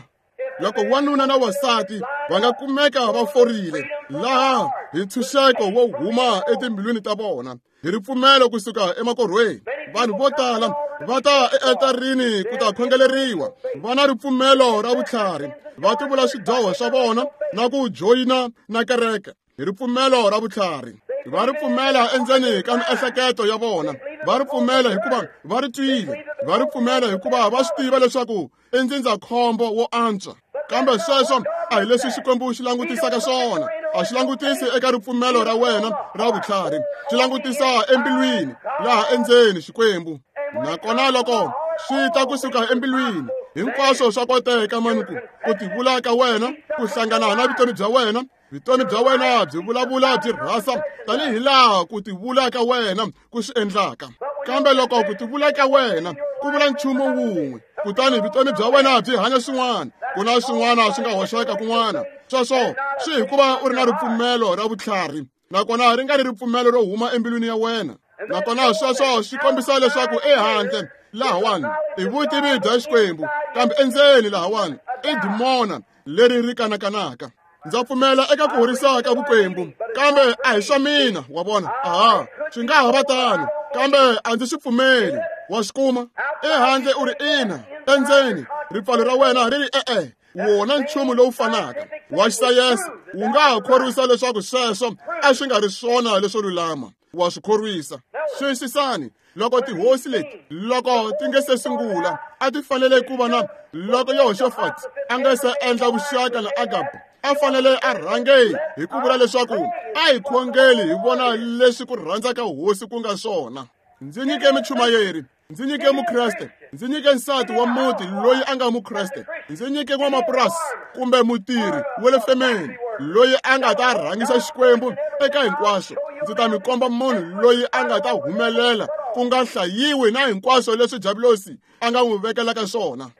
Loko wanuna na wansati va nga kumeka va forile laha hi ntshunxeko wo huma etimbilwini ta vona hi ripfumelo kusuka emakorhweni, vanhu vo tala va ta ealtarini ku ta khongeleriwa, va na ripfumelo ra vutlhari, va tivula swidyoho swa vona na ku joyina na kereke hi ripfumelo ra vutlhari. Va ri pfumela endzeni ka miehleketo ya vona, va ri pfumela hikuva va ri twile, va ri pfumela hikuva va swi tiva leswaku i ndzindzakhombo wo antswa. Kambe sweswo a hi leswi Xikwembu xi langutisaka swona. A xi langutisi eka ripfumelo ra wena ra vutlhari, xi langutisa embilwini laha endzeni Xikwembu. Nakona loko swi ta kusuka embilwini, hinkwaswo swa koteka manuku ku tivula ka wena ku hlangana na vutomi bya wena. Vutomi bya wena byi vulavula byi rhasa tanihi laha ku tivula ka wena ku swi endlaka. Kambe loko ku tivula ka wena ku vula nchumu wun'we, kutani vutomi bya wena byi hanya swin'wana, ku na swin'wana swi nga hoxeka kun'wana. Sweswo swi hikuva u ri na ripfumelo ra vutlhari, nakona ri nga ri ripfumelo ro huma embilwini ya wena. Nakona sweswo swi kombisa leswaku ehandle lahawani i vutivi bya Xikwembu, kambe endzeni lahawani i dimona leri ri kanakanaka. Ndza pfumela eka ku horisa ka vukwembu, kambe a hi swa mina, wa vona. Aha, swi nga ha va tano, kambe a ndzi swi pfumeli. Wa swi kuma ehandle u ri ina, endzeni ripfalo ra wena ri ri e-e. Wona nchumu lowu fanaka wa xisayense wu nga ha khorwisa leswaku sweswo a swi nga ri swona leswo lulama. Wa swi khorwisa. Swisisani, loko tihosi leti loko ti nge se sungula a ti fanele ku va na loko Yehoshafati a nga se endla vuxaka na Akabu, a fanele a rhange hi ku vula leswaku a hi khongeli hi vona leswi ku rhandza ka hosi ku nga swona. Ndzi nyike michumayeri, ndzi nyike mukreste, ndzi nyike nsati wa muti loyi a nga mukreste, ndzi nyike n'wamapurasi kumbe mutirhi wa le femeni loyi a nga ta rhangisa Xikwembu eka hinkwaswo. Ndzi ta mi komba munhu loyi a nga ta humelela ku nga hlayiwi na hinkwaswo leswi Diabulosi a nga n'wi vekelaka swona.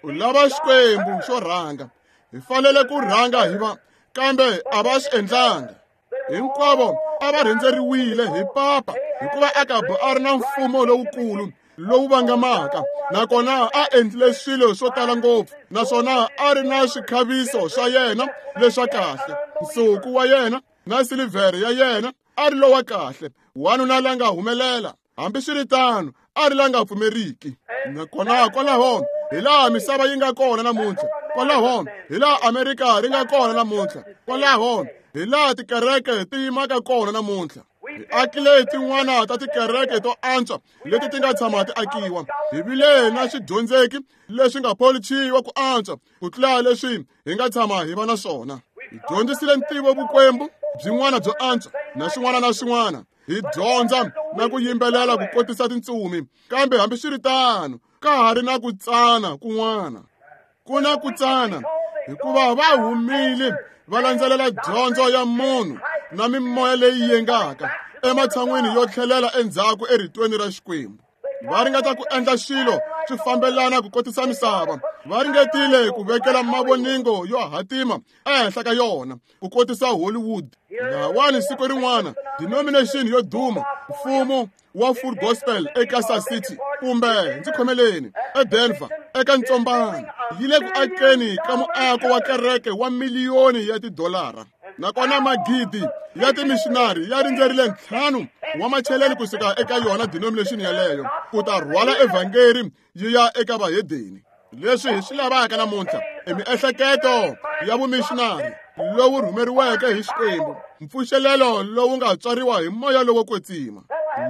U lava Xikwembu xo rhanga. Hi fanele ku rhanga hi va, kambe a va swi endlanga. Hinkwavo a va rhendzeriwile hi papa, hikuva Akabu a ri na mfumo lowukulu lowu vangamaka, nakona a endlile swilo swo tala ngopfu, naswona a ri na swikhaviso swa yena leswa kahle, nsuku wa yena na silivhere ya yena a ri lowa kahle, wanuna la nga humelela. Hambiswiritano a ri la nga pfumeriki. Nakona kwalaho hi laha misava yi nga kona namuntlha, kwalaho hi laha Amerika ri nga kona namuntlha, kwalaho hi laha tikereke ti yimaka kona namuntlha. Hi akile tin'wana ta tikereke to antswa leti ti nga tshama ti akiwa. Hi vile na swidyondzeki leswi nga polichiwa ku antswa ku tlula leswi hi nga tshama hi va na swona. Hi dyondzisile ntivo vukwembu byin'wana byo antswa na swin'wana na swin'wana. Hi dyondza na ku yimbelela ku kotisa tintsumi, kambe hambiswiritano ka ha ri na ku tsana kun'wana. Ku na ku tsana hikuva va humile va landzelela dyondzo ya munhu na mimoya leyi yengaka ematshan'wini yo tlhelela endzhaku eritweni ra Xikwembu. Va ringeta ku endla swilo swi fambelana ku kotisa misava. Va ringetile ku vekela mavoningo yo hatima ehenhla ka yona ku kotisa Hollywood. Lahawani siku rin'wana denomination yo duma, mfumo wa Full Gospel eKansas City kumbe ndzi khomeleni eDenver eka ntsombano, yi le ku akeni ka muako wa kereke wa miliyoni ya tidolara. Nakona magidi ya timishinari ya rindzerile ntlhanu wa macheleni kusuka eka yona denomination yaleyo ku ta rhwala evhangeri yi ya eka vahedeni. Leswi hi swi lavaka namuntlha i miehleketo ya vumishinari lowu rhumeriweke hi Xikwembu, mpfuxelelo lowu nga tswariwa hi moya lowo kwetsima,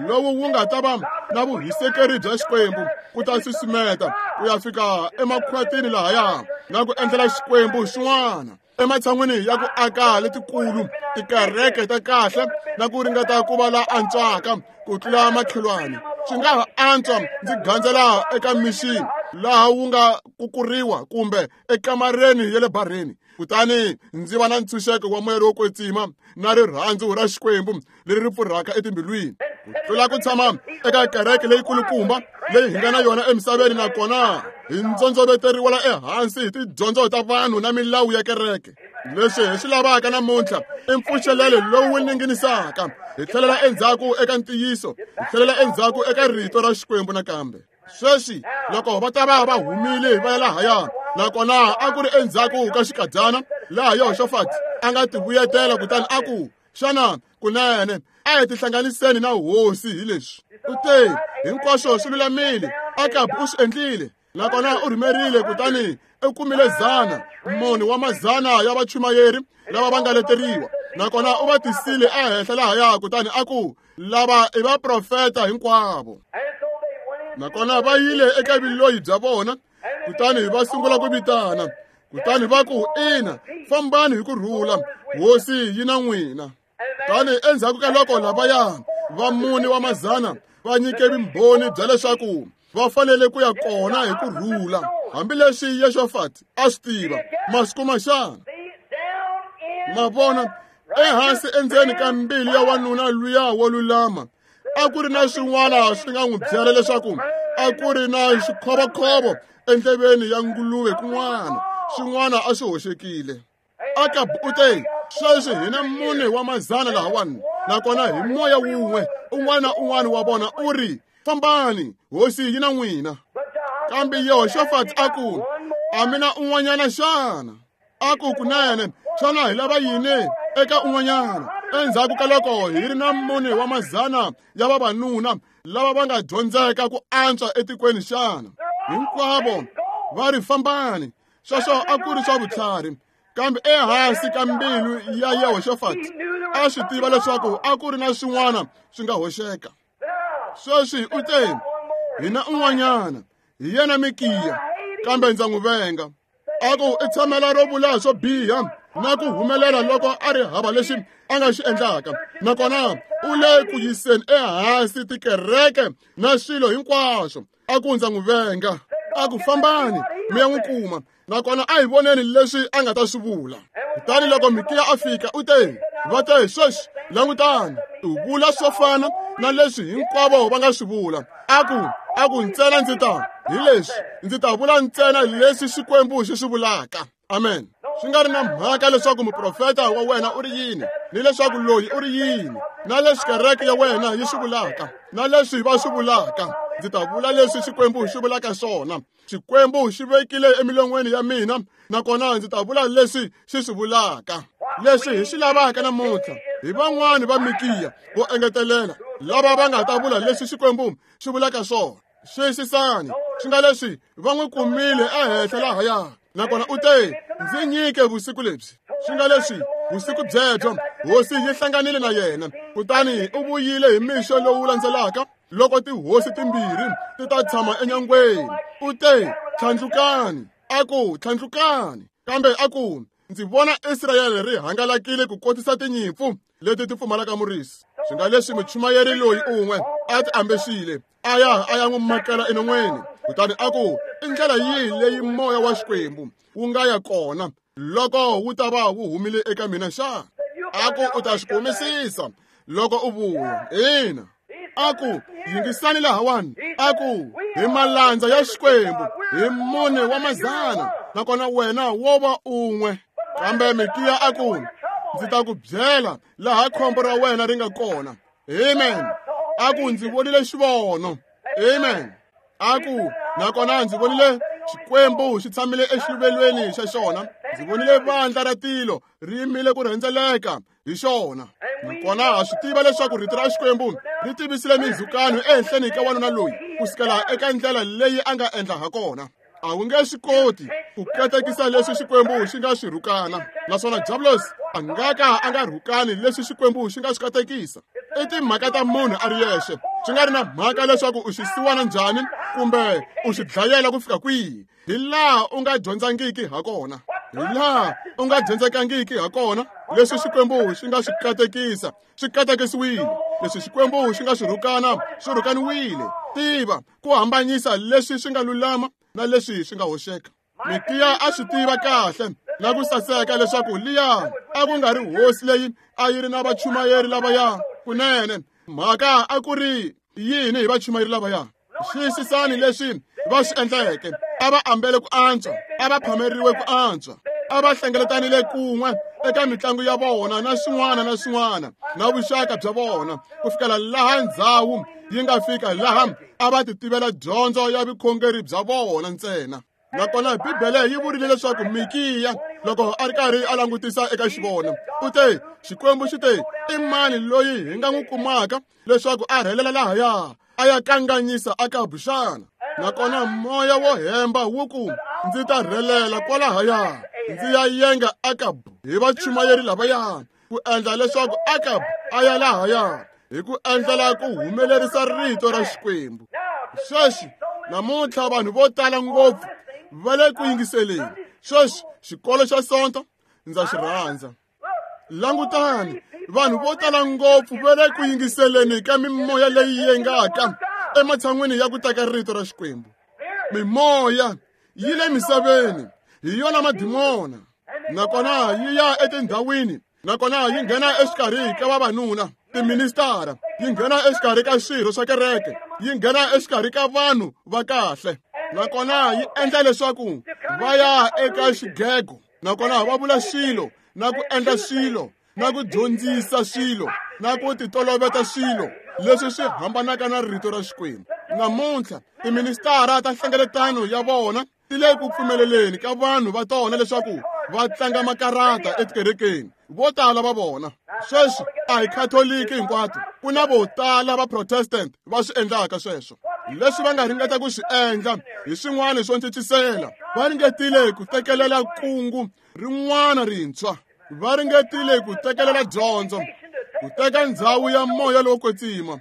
lowu wu nga ta va na vuhisekeri bya Xikwembu ku ta susumeta ku ya fika emakhwatini lahaya na ku endlela Xikwembu xin'wana, ematshan'wini ya ku aka letikulu tikereke ta kahle na ku ringeta ku va la antswaka ku tlula makhelwani. Swi nga ha antswa ndzi gandzela eka mixini laha wu nga kukuriwa kumbe ekamareni ya le bareni, kutani ndzi va na ntshunxeko wa moya lowo kwetsima na rirhandzu ra Xikwembu leri ri pfurhaka etimbilwini, ku tlula ku tshama eka kereke leyikulukumba leyi hi nga na yona emisaveni, nakona hi ndzondzoveteriwa la ehansi hi tidyondzo ta vanhu na milawu ya kereke. Leswi hi swi lavaka namuntlha i mpfuxelelo lowu ninginisaka, hi tlhelela endzhaku eka ntiyiso, hi tlhelela endzhaku eka rito ra Xikwembu nakambe. Sweswi loko va ta va va humile va ya lahaya, nakona a ku ri endzhaku ka xikadyana laha Yehoshafati a nga tivuyetela kutani a ku, xana kunene a hi tihlanganiseni na hosi hi leswi? U te, hinkwaswo swi lulamile, Akabu u swi endlile, nakona u rhumerile kutani u kumile zana mune wa mazana ya vachumayeri lava va nga leteriwa, nakona u va tisile ehenhla lahaya kutani a ku, lava i vaprofeta hinkwavo. Nakona va yile eka vuloyi bya vona kutani va sungula ku vitana, kutani va ku, ina, fambani hi ku rhula, hosi yi na n'wina. Kutani endzhaku ka loko lavaya va mune wa mazana va nyike vumbhoni bya leswaku va fanele ku ya kona hi ku rhula, hambileswi Yehoshafati a swi tiva masiku ma xana. Ma vona, ehansi endzeni ka mbilu ya wanuna luya wo lulama a ku ri na swin'wana swi nga n'wi byela leswaku a ku ri na xikhovokhovo endleveni ya nguluve kun'wana, swin'wana a swi hoxekile. Akabu u te, Sweswi hi na mune wa mazana lahawani, nakona hi moya wun'we un'wana na un'wana wa vona u ri, fambani, hosi yi na n'wina. Kambe Yehoxafati a ku, a mi na un'wanyana xana? A ku, kunene, xana hi lava yini eka un'wanyana? Endzhaku ka loko hi ri na mune wa mazana ya vavanuna lava va nga dyondzeka ku antswa etikweni xana? Hinkwavo va ri, fambani. Sweswo a ku ri swa vutlhari. Kambe ehansi ka mbilu ya Yehoxafati a swi tiva leswaku a ku ri na swin'wana swi nga hoxeka. Sweswi u te, hi na un'wanyana, hi yena Mikiya, kambe ndza n'wi venga. A ku i tshamela ro vula swo biha na ku humelela loko a ri hava lexi a nga xi endlaka, nakona u le ku yiseni ehansi tikereke na swilo hinkwaswo. A ku ndza n'wi venga. A ku fambani mi ya n'wi kuma, nakona a hi voneni leswi a nga ta swi vula. Kutani loko Mikiya a fika, u te, va te, sweswi langutani, u vula swo fana na leswi hinkwavo va nga swi vula. A ku, a ku ntsena ndzi ta hi leswi, ndzi ta vula ntsena leswi Xikwembu xi swi vulaka. Amen. Swi nga ri na mhaka leswaku muprofeta wa wena u ri yini, ni leswaku loyi u ri yini, na leswi kereke ya wena yi swi vulaka, na leswi va swi vulaka, ndzi ta vula leswi Xikwembu xi vulaka swona. Xikwembu xi vekile emilon'weni ya mina, nakona ndzi ta vula leswi xi swi vulaka. Leswi hi swi lavaka namuntlha hi van'wani va Mikiya vo engetelela lava va nga ta vula leswi Xikwembu xi vulaka swona. Xiyisisani, swi nga leswi va n'wi kumile ehenhla lahaya, nakona u te, ndzi nyike vusiku lebyi. Swi nga leswi vusiku byebyo hosi yi hlanganile na yena, kutani u vuyile hi mixo lowu landzelaka loko tihosi timbirhi ti ta tshama enyangweni. U te, tlhandlukani. A ku, tlhandlukani. Kambe a ku, ndzi vona Israyele ri hangalakile ku kotisa tinyimpfu leti ti pfumalaka murisi. Swi nga leswi muchumayeri loyi un'we a ti ambexile, a ya a ya n'wi makela enon'weni. Kutani a ku, i ndlela yihi leyi moya wa Xikwembu wu nga ya kona loko wu ta va wu humile eka mina xana? A ku, u ta swi kumisisa loko u vuya. Ina. A ku, yingisani lahawani. A ku, hi malandza ya Xikwembu, hi mune wa mazana, nakona wena wo va un'we. Kambe Mikiya a ku, ndzi ta ku byela laha khombo ra wena ri nga kona. Amen. A ku, ndzi vonile xivono. Amen. A ku, nakona ndzi vonile Xikwembu xi tshamile exiluvelweni xa xona. Ndzi vonile vandla ra tilo ri yimile ku rhendzeleka hi xona. Nakona ha swi tiva leswaku rito ra Xikwembu ri tivisile mindzhukano ehenhleni ka wanuna loyi ku sukela eka ndlela leyi a nga endla ha kona. A wu nge swi koti ku katekisa leswi Xikwembu xi nga swi rhukana, naswona Diablos a nga ka a nga rhukani leswi Xikwembu xi nga swi katekisa. I timhaka ta munhu a ri yexe, swi nga ri na mhaka leswaku u xi siwana njhani kumbe u xi dlayela ku fika kwihi, hi laha u nga dyondzangiki ha kona, hi laha u nga dyondzekangiki ha kona. Leswi Xikwembu xi nga swi katekisa swi katekisiwile, leswi Xikwembu xi nga swi rhukana swi rhukaniwile. Tiva ku hambanyisa leswi swi nga lulama na leswi swi nga hoxeka. Mikiya a swi tiva kahle na ku saseka leswaku liya a ku nga ri hosi leyi a yi ri na vachumayeri lavaya. Kunene mhaka a ku ri yini hi vachumayeri lavaya? Xiyisisani leswi va swi endleke. A va ambele ku antswa, a va phameriwe ku antswa, a va hlengeletanile kun'we eka mitlangu ya vona na swin'wana na swin'wana na vuxaka bya vona, ku fikela laha ndzhawu yi nga fika laha a va ti tivela dyondzo ya vukhongeri bya vona ntsena. Nakona Bibele yi vurile leswaku Mikiya loko a ri karhi a langutisa eka xivono, u te, Xikwembu xi te, i mani loyi hi nga n'wi kumaka leswaku a rhelela lahaya a ya kanganyisa Akabu xana? Nakona moya wo hemba wu ku, ndzi ta rhelela kwalahaya ndzi ya yenga Akabu hi vachumayeri lavaya, ku endla leswaku Akabu a ya lahaya hi ku endlela ku humelerisa rito ra Xikwembu. Sweswi namuntlha vanhu vo tala ngopfu va le ku yingiseleni. Sweswi xikolo xa Sonto ndza xi rhandza. Langutani, vanhu vo tala ngopfu va le ku yingiseleni ka mimoya leyi yengaka ematshan'wini ya ku teka rito ra Xikwembu. Mimoya yi le misaveni, hi yona madimona, nakona yi ya etindhawini, nakona yi nghena exikarhi ka vavanuna, tiministara, yi nghena exikarhi ka swirho swa kereke, yi nghena exikarhi ka vanhu va kahle, nakona yi endla leswaku va ya eka xigego, nakona va vula swilo na ku endla swilo na ku dyondzisa swilo na ku titoloveta swilo leswi swi hambanaka na rito ra Xikwembu. Namuntlha tiministara ta nhlengeletano ya vona ti le ku pfumeleleni ka vanhu va tona leswaku va tlanga makarata etikerekeni. Vo tala va vona sweswi a hi khatoliki hinkwato, ku na vo tala va protestant va swi endlaka sweswo. Leswi va nga ringeta ku swi endla hi swin'wana swo ncicisela, va ringetile ku tekelela kungu rin'wana rintshwa, va ringetile ku tekelela dyondzo, ku teka ndzhawu ya moya lowo kwetsima.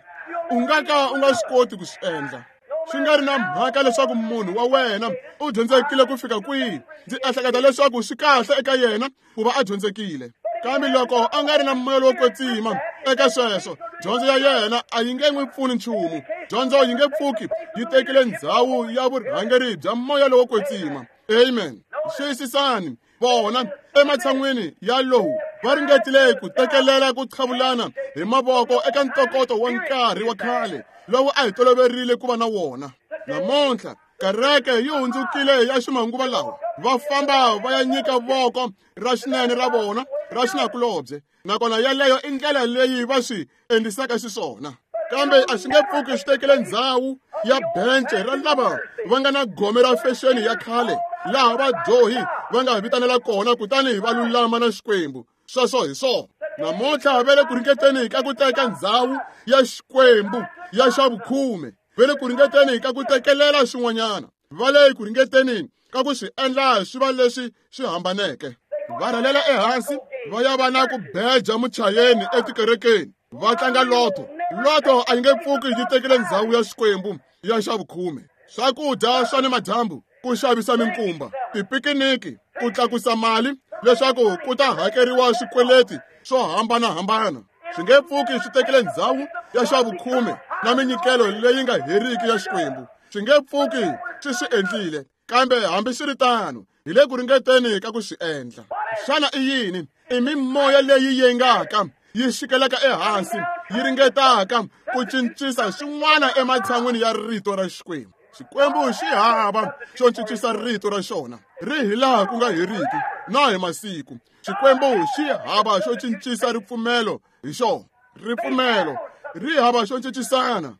U nga ka u nga swi koti ku swi endla. Swi nga ri na mhaka leswaku munhu wa wena u dyondzekile ku fika kwihi, ndzi ehleketa leswaku swi kahle eka yena ku va a dyondzekile, kambe loko a nga ri na moya lowo kwetsima eka sweswo, dyondzo ya yena a yi nge n'wi pfuni nchumu. Dyondzo yi nge pfuki yi tekile ndzhawu ya vurhangeri bya moya lowo kwetsima. Amen. Xiyisisani vona ematshan'wini ya lowu va ringetile ku tekelela ku qhavulana hi mavoko eka ntokoto wa nkarhi wa khale lowu a hi toloverile ku va na wona. Namuntlha kereke yi hundzukile ya ximanguva lawa, va famba va ya nyika voko ra xinene ra vona ra xinakulobye, nakona yeleyo i ndlela leyi va swi endlisaka xiswona. Kambe a swi nge pfuki swi tekile ndzhawu ya bence ra lava va nga na gome ra fexeni ya khale, laha vadyohi va nga vitanela kona kutani va lulama na Xikwembu. Sweswo hi swona. Namuntlha va le ku ringeteni ka ku teka ndzhawu ya Xikwembu ya xa vukhume, va le ku ringeteni ka ku tekelela swin'wanyana, va le ku ringeteni ka ku swi endla swi va leswi swi hambaneke. Va rhalela ehansi va ya va na ku beja muchayeni etikerekeni, va tlanga lotto. Lotto a yi nge pfuki yi tekile ndzhawu ya Xikwembu ya xa vukhume. Swakudya swa ni madyambu, ku xavisa minkumba, tipikiniki, ku tlakusa mali leswaku ku ta hakeriwa swikweleti swo hambanahambana, swi nge pfuki swi tekile ndzhawu ya xa vukhume na minyikelo leyi nga heriki ya Xikwembu. Swi nge pfuki swi swi endlile, kambe hambiswiritano hi le ku ringeteni ka ku swi endla. Xana i yini? I mimoya leyi yengaka yi xikelaka ehansi, yi ringetaka ku cincisa swin'wana ematshan'wini ya rito ra Xikwembu. Xikwembu xi hava xo cincisa rito ra xona, ri hi laha ku nga heriki na hi masiku. Xikwembu xi hava xo cincisa ripfumelo hi xona, ripfumelo ri hava xo cincisana.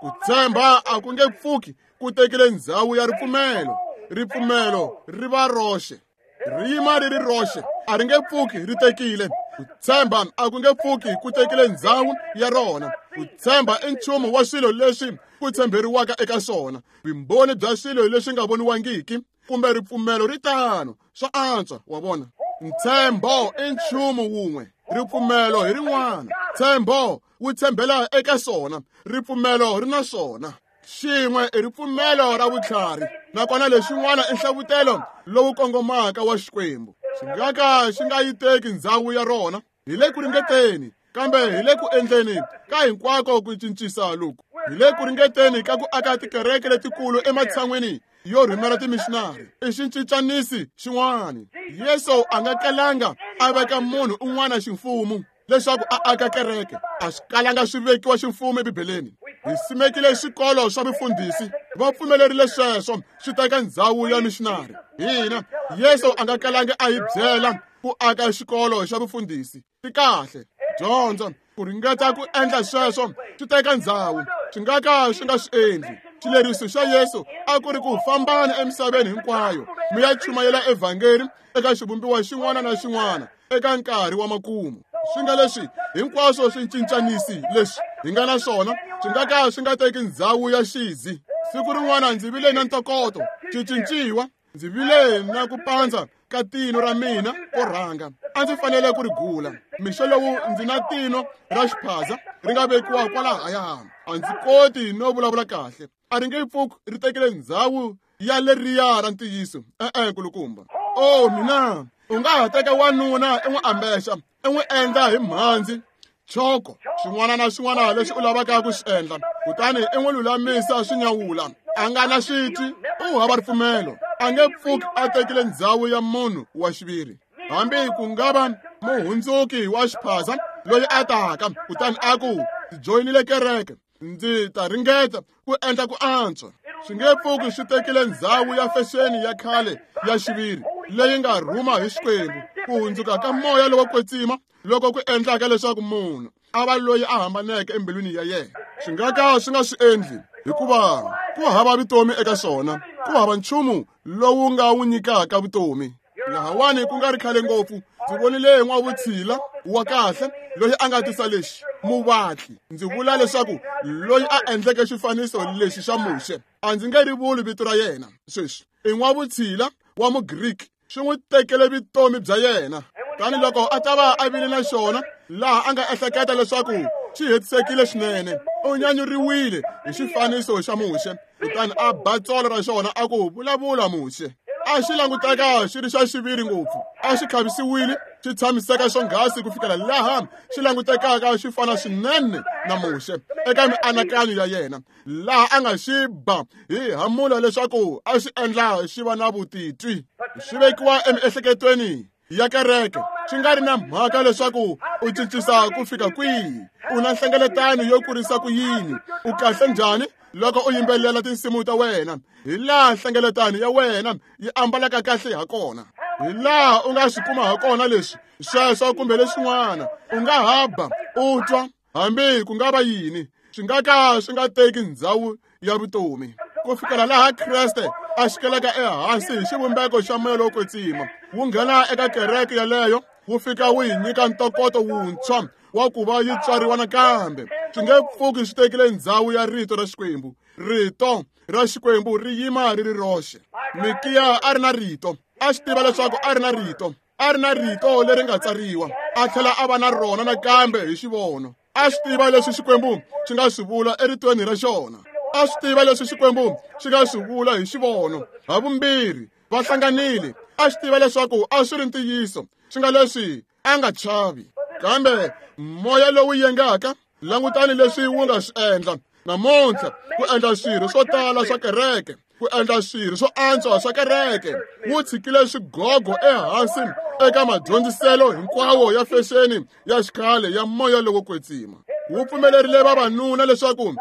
Ku tshemba a ku nge pfuki ku tekile ndzhawu ya ripfumelo. Ripfumelo ri va roxe, ri yima ri ri roxe, a ri nge pfuki ri tekile. Ku tshemba a ku nge pfuki ku tekile ndzhawu ya rona. Ku tshemba i nchumu wa swilo leswi ku tshemberiwaka eka swona, vumbhoni bya swilo leswi nga voniwangiki, kumbe ripfumelo ri tano. Swa antswa, wa vona. Ntshembo i nchumu wun'we, ripfumelo hi rin'wana. Ntshembo wu tshembela eka swona, ripfumelo ri na swona. Xin'we i ripfumelo ra vutlhari, nakona lexin'wana i nhlavutelo lowu kongomaka wa Xikwembu. Xi nga ka xi nga yi teki ndzhawu ya rona. Hi le ku ringeteni, kambe hi le ku endleni ka hinkwako ku cincisa loku. Hi le ku ringeteni ka ku aka tikereke letikulu ematshan'wini yo rhumela timishinari. I xincincanisi xin'wana. Yesu a nga kalanga a veka munhu un'wana ximfumo leswaku a aka kereke. A swi kalanga swi vekiwa ximfumo eBibeleni. Hi simekile swikolo swa vufundhisi, va pfumelerile sweswo swi teka ndzhawu ya mishinari. Hina Yesu a nga kalanga a hi byela ku aka xikolo xa vufundhisi. Swi kahle dyondzo ku ringeta ku endla sweswo swi teka ndzhawu, swi nga ka swi nga swi endli. Xileriso xa Yesu a ku ri ku fambana emisaveni hinkwayo mi ya chumayela evhangeli eka xivumbiwa xin'wana na xin'wana eka nkarhi wa makumu. Swi nga leswi hinkwaswo swi cincanisi leswi hi nga na swona swi nga ka swi nga teki ndzhawu ya xizi. Siku rin'wana ndzi vile na ntokoto xi cinciwa, ndzi vile na ku pandza ka tino ra mina ko rhanga, a ndzi fanele ku ri gula. Mixo lowu ndzi na tino ra xiphaza ri nga vekiwa kwalahaya, a ndzi koti no vulavula kahle. A ri nge pfuki ri tekile ndzhawu ya leriya ra ntiyiso. E-e, nkulukumba. O mina, u nga ha teka wanuna i n'wi ambexa, i n'wi endla hi mhandzi, choko, xin'wana na xin'wana lexi u lavaka ku xi endla, kutani i n'wi lulamisa swi nyawula. A nga na xitwi, u hava ripfumelo, a nge pfuki a tekile ndzhawu ya munhu wa xiviri. Hambi ku nga va muhundzuki wa xiphaza loyi a taka kutani a ku, ndzi joyinile kereke, ndzi ta ringeta ku endla ku antswa. Swi nge pfuki swi tekile ndzhawu ya fexeni ya khale ya xiviri leyi nga rhuma hi Xikwembu, ku hundzuka ka moya lowo kwetsima loko ku endlaka leswaku munhu a va loyi a hambaneke embilwini ya yena. Swi nga ka swi nga swi endli, hikuva ku hava vutomi eka swona, ku hava nchumu lowu nga wu nyikaka vutomi. Lahawani ku nga ri khale ngopfu, ndzi vonile n'wavutshila wa kahle loyi a nga tisa lexi muvatli. Ndzi vula leswaku loyi a endleke xifaniso lexi xa Muxe, a ndzi nge ri vuli vito ra yena sweswi, i n'wavutshila wa Mugriki. Swi n'wi tekele vutomi bya yena. Tani loko a ta va a vile na xona laha a nga ehleketa leswaku xi hetisekile swinene, u nyanyuriwile hi xifaniso xa Muxe, kutani a ba tsolo ra xona a ku, vulavula Muxe. A xi languteka xi ri xa xiviri ngopfu, a xi khavisiwile, xi tshamiseka xonghasi ku fikela laha xi langutekaka xi fana swinene na Muxe eka mianakanyo ya yena, laha a nga xi ba hi hamula leswaku a xi endla xi va na vutitwi. Swi vekiwa emiehleketweni ya kereke, swi nga ri na mhaka leswaku u cincisa ku fika kwihi, u na nhlengeletano yo kurisa ku yini, u kahle njhani loko u yimbelela tinsimu ta wena, hi laha nhlengeletano ya wena yi ambalaka kahle ha kona, hi laha u nga swi kuma ha kona leswi sweswo kumbe leswin'wana. U nga haba u twa hambi ku nga va yini, swi nga ka swi nga teki ndhawu ya vutomi ku fikela laha Kreste a xikelaka ehansi hi xivumbeko xa moya lowo kwetsima, wu nghena eka kereke yaleyo, wu fika wu yi nyika ntokoto wuntshwa wa ku va yi tswariwa nakambe. Swi nge pfuki swi tekile ndhawu ya rito ra Xikwembu. Rito ra Xikwembu ri yima ri ri roxe. Mikiya a ri na rito, a swi tiva leswaku a ri na rito, a ri na rito leri nga tsariwa, a tlhela a va na rona nakambe hi xivono. A swi tiva leswi Xikwembu xi nga swi vula eritweni ra xona, a swi tiva leswi Xikwembu xi nga swi vula hi xivono. Havumbirhi va hlanganile. A swi tiva leswaku a swi ri ntiyiso, swi nga leswi a nga chavi. Kambe moya lowu yengaka, langutani leswi wu nga swi endla namuntlha, ku endla swirho swo tala swa kereke, ku endla swirho swo antswa swa kereke, wu tshikile swigogo ehansi eka madyondziselo hinkwawo ya fexeni ya xikhale ya moya lowo kwetsima. Wu pfumelerile vavanuna leswaku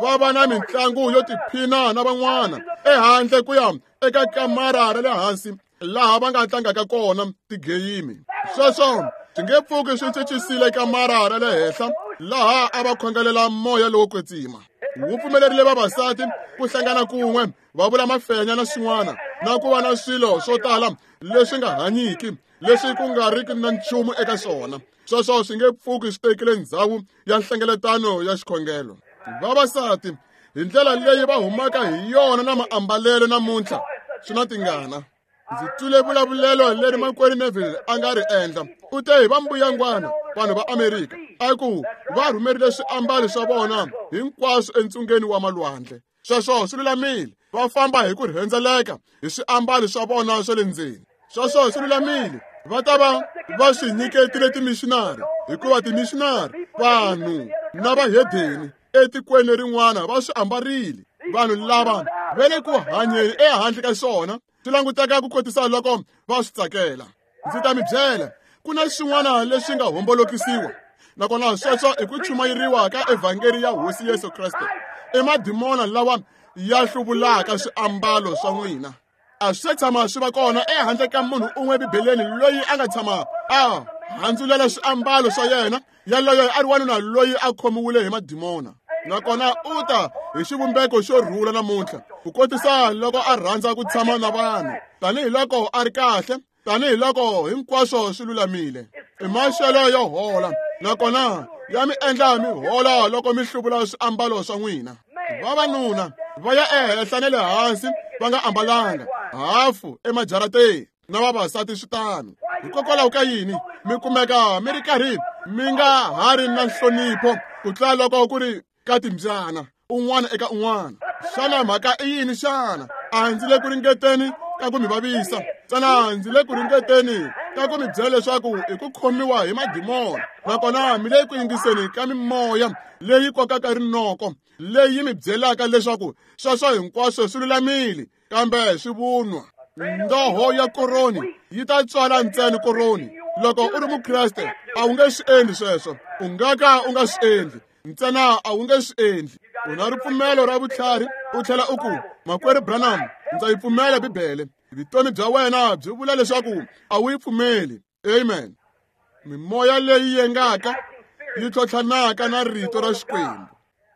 va va na mitlangu yo tiphina na van'wana ehandle ku ya eka kamara ra le hansi laha va nga tlangaka kona tigeyimi. Sweswo swi nge pfuki swi cincisile kamara ra le henhla laha a va khongelela moya lowo kwetsima. Wu pfumelerile vavasati ku hlangana kun'we va vula mafenya na swin'wana, na ku va na swilo swo tala leswi nga hanyiki, leswi ku nga riki na nchumu eka swona. Sweswo swi nge pfuki swi tekile ndhawu ya nhlengeletano ya xikhongelo. Vavasati hi ndlela leyi va humaka hi yona na maambalelo namuntlha swi na tingana. Ndzi twile vulavulelo leri makwerhu Neville a nga ri endla. U te hi va mbuyangwana vanhu va Amerika, a ku va rhumerile swiambalo swa vona hinkwaswo entsungeni wa malwandle. Sweswo swi lulamile, va famba hi ku rhendzeleka hi swiambalo swa vona swa le ndzeni. Sweswo swi lulamile, va ta va va swi nyiketile timishinari, hikuva timishinari vanhu na vahedeni etikweni rin'wana va swi ambarile. Vanhu lava va le ku hanyeni ehandle ka swona, swi languteka ku kotisa loko va swi tsakela. Ndzi ta mi byela, ku na swin'wana leswi nga hombolokisiwa, nakona sweswo i ku chumayeriwa ka evhangeli ya Hosi Yesu Kreste. I madimona lawa ya hluvulaka swiambalo swa n'wina. A swi tshama swi va kona ehandle ka munhu un'we Bibeleni loyi a nga tshama a handzulela swiambalo swa yena, yaloye a ri wanuna loyi a khomiwile hi madimona. Nakona u ta hi xivumbeko xo rhula namuntlha, ku kotisa loko a rhandza ku tshama na vanhu, tanihiloko a ri kahle, tanihiloko hinkwaswo swi lulamile. I maxelo yo hola, nakona ya mi endla mi hola loko mi hluvula swiambalo swa n'wina. Vavanuna va ya ehenhla na le hansi va nga ambalanga hafu emajarateni, na vavasati swi tano. Hikokwalaho ka yini mi kumeka mi ri karhi mi nga ha ri na nhlonipho ku tlula loko ku ri ka timbyana un'wana eka un'wana? Xana mhaka i yini xana? A ndzi le ku ringeteni ka ku mi vavisa, ntsena ndzi le ku ringeteni ka ku mi byela leswaku i ku khomiwa hi madimona, nakona mi le ku yingiseni ka mimoya leyi kokaka rinoko, leyi mi byelaka leswaku sweswo hinkwaswo swi lulamile, kambe swi vunwa. Ndoho ya koroni yi ta tswala ntsena koroni. Loko u ri Mukreste a wu nge swi endli sweswo, u nga ka u nga swi endli, ntsena a wu nge swi endli. U na ripfumelo ra vutlhari, u tlhela u ku, Makwerhu Branham, ndza yi pfumela Bibele. Vutomi bya wena byi vula leswaku a wu yi pfumeli. Amen. Mimoya leyi yengaka yi tlhotlhanaka na rito ra Xikwembu.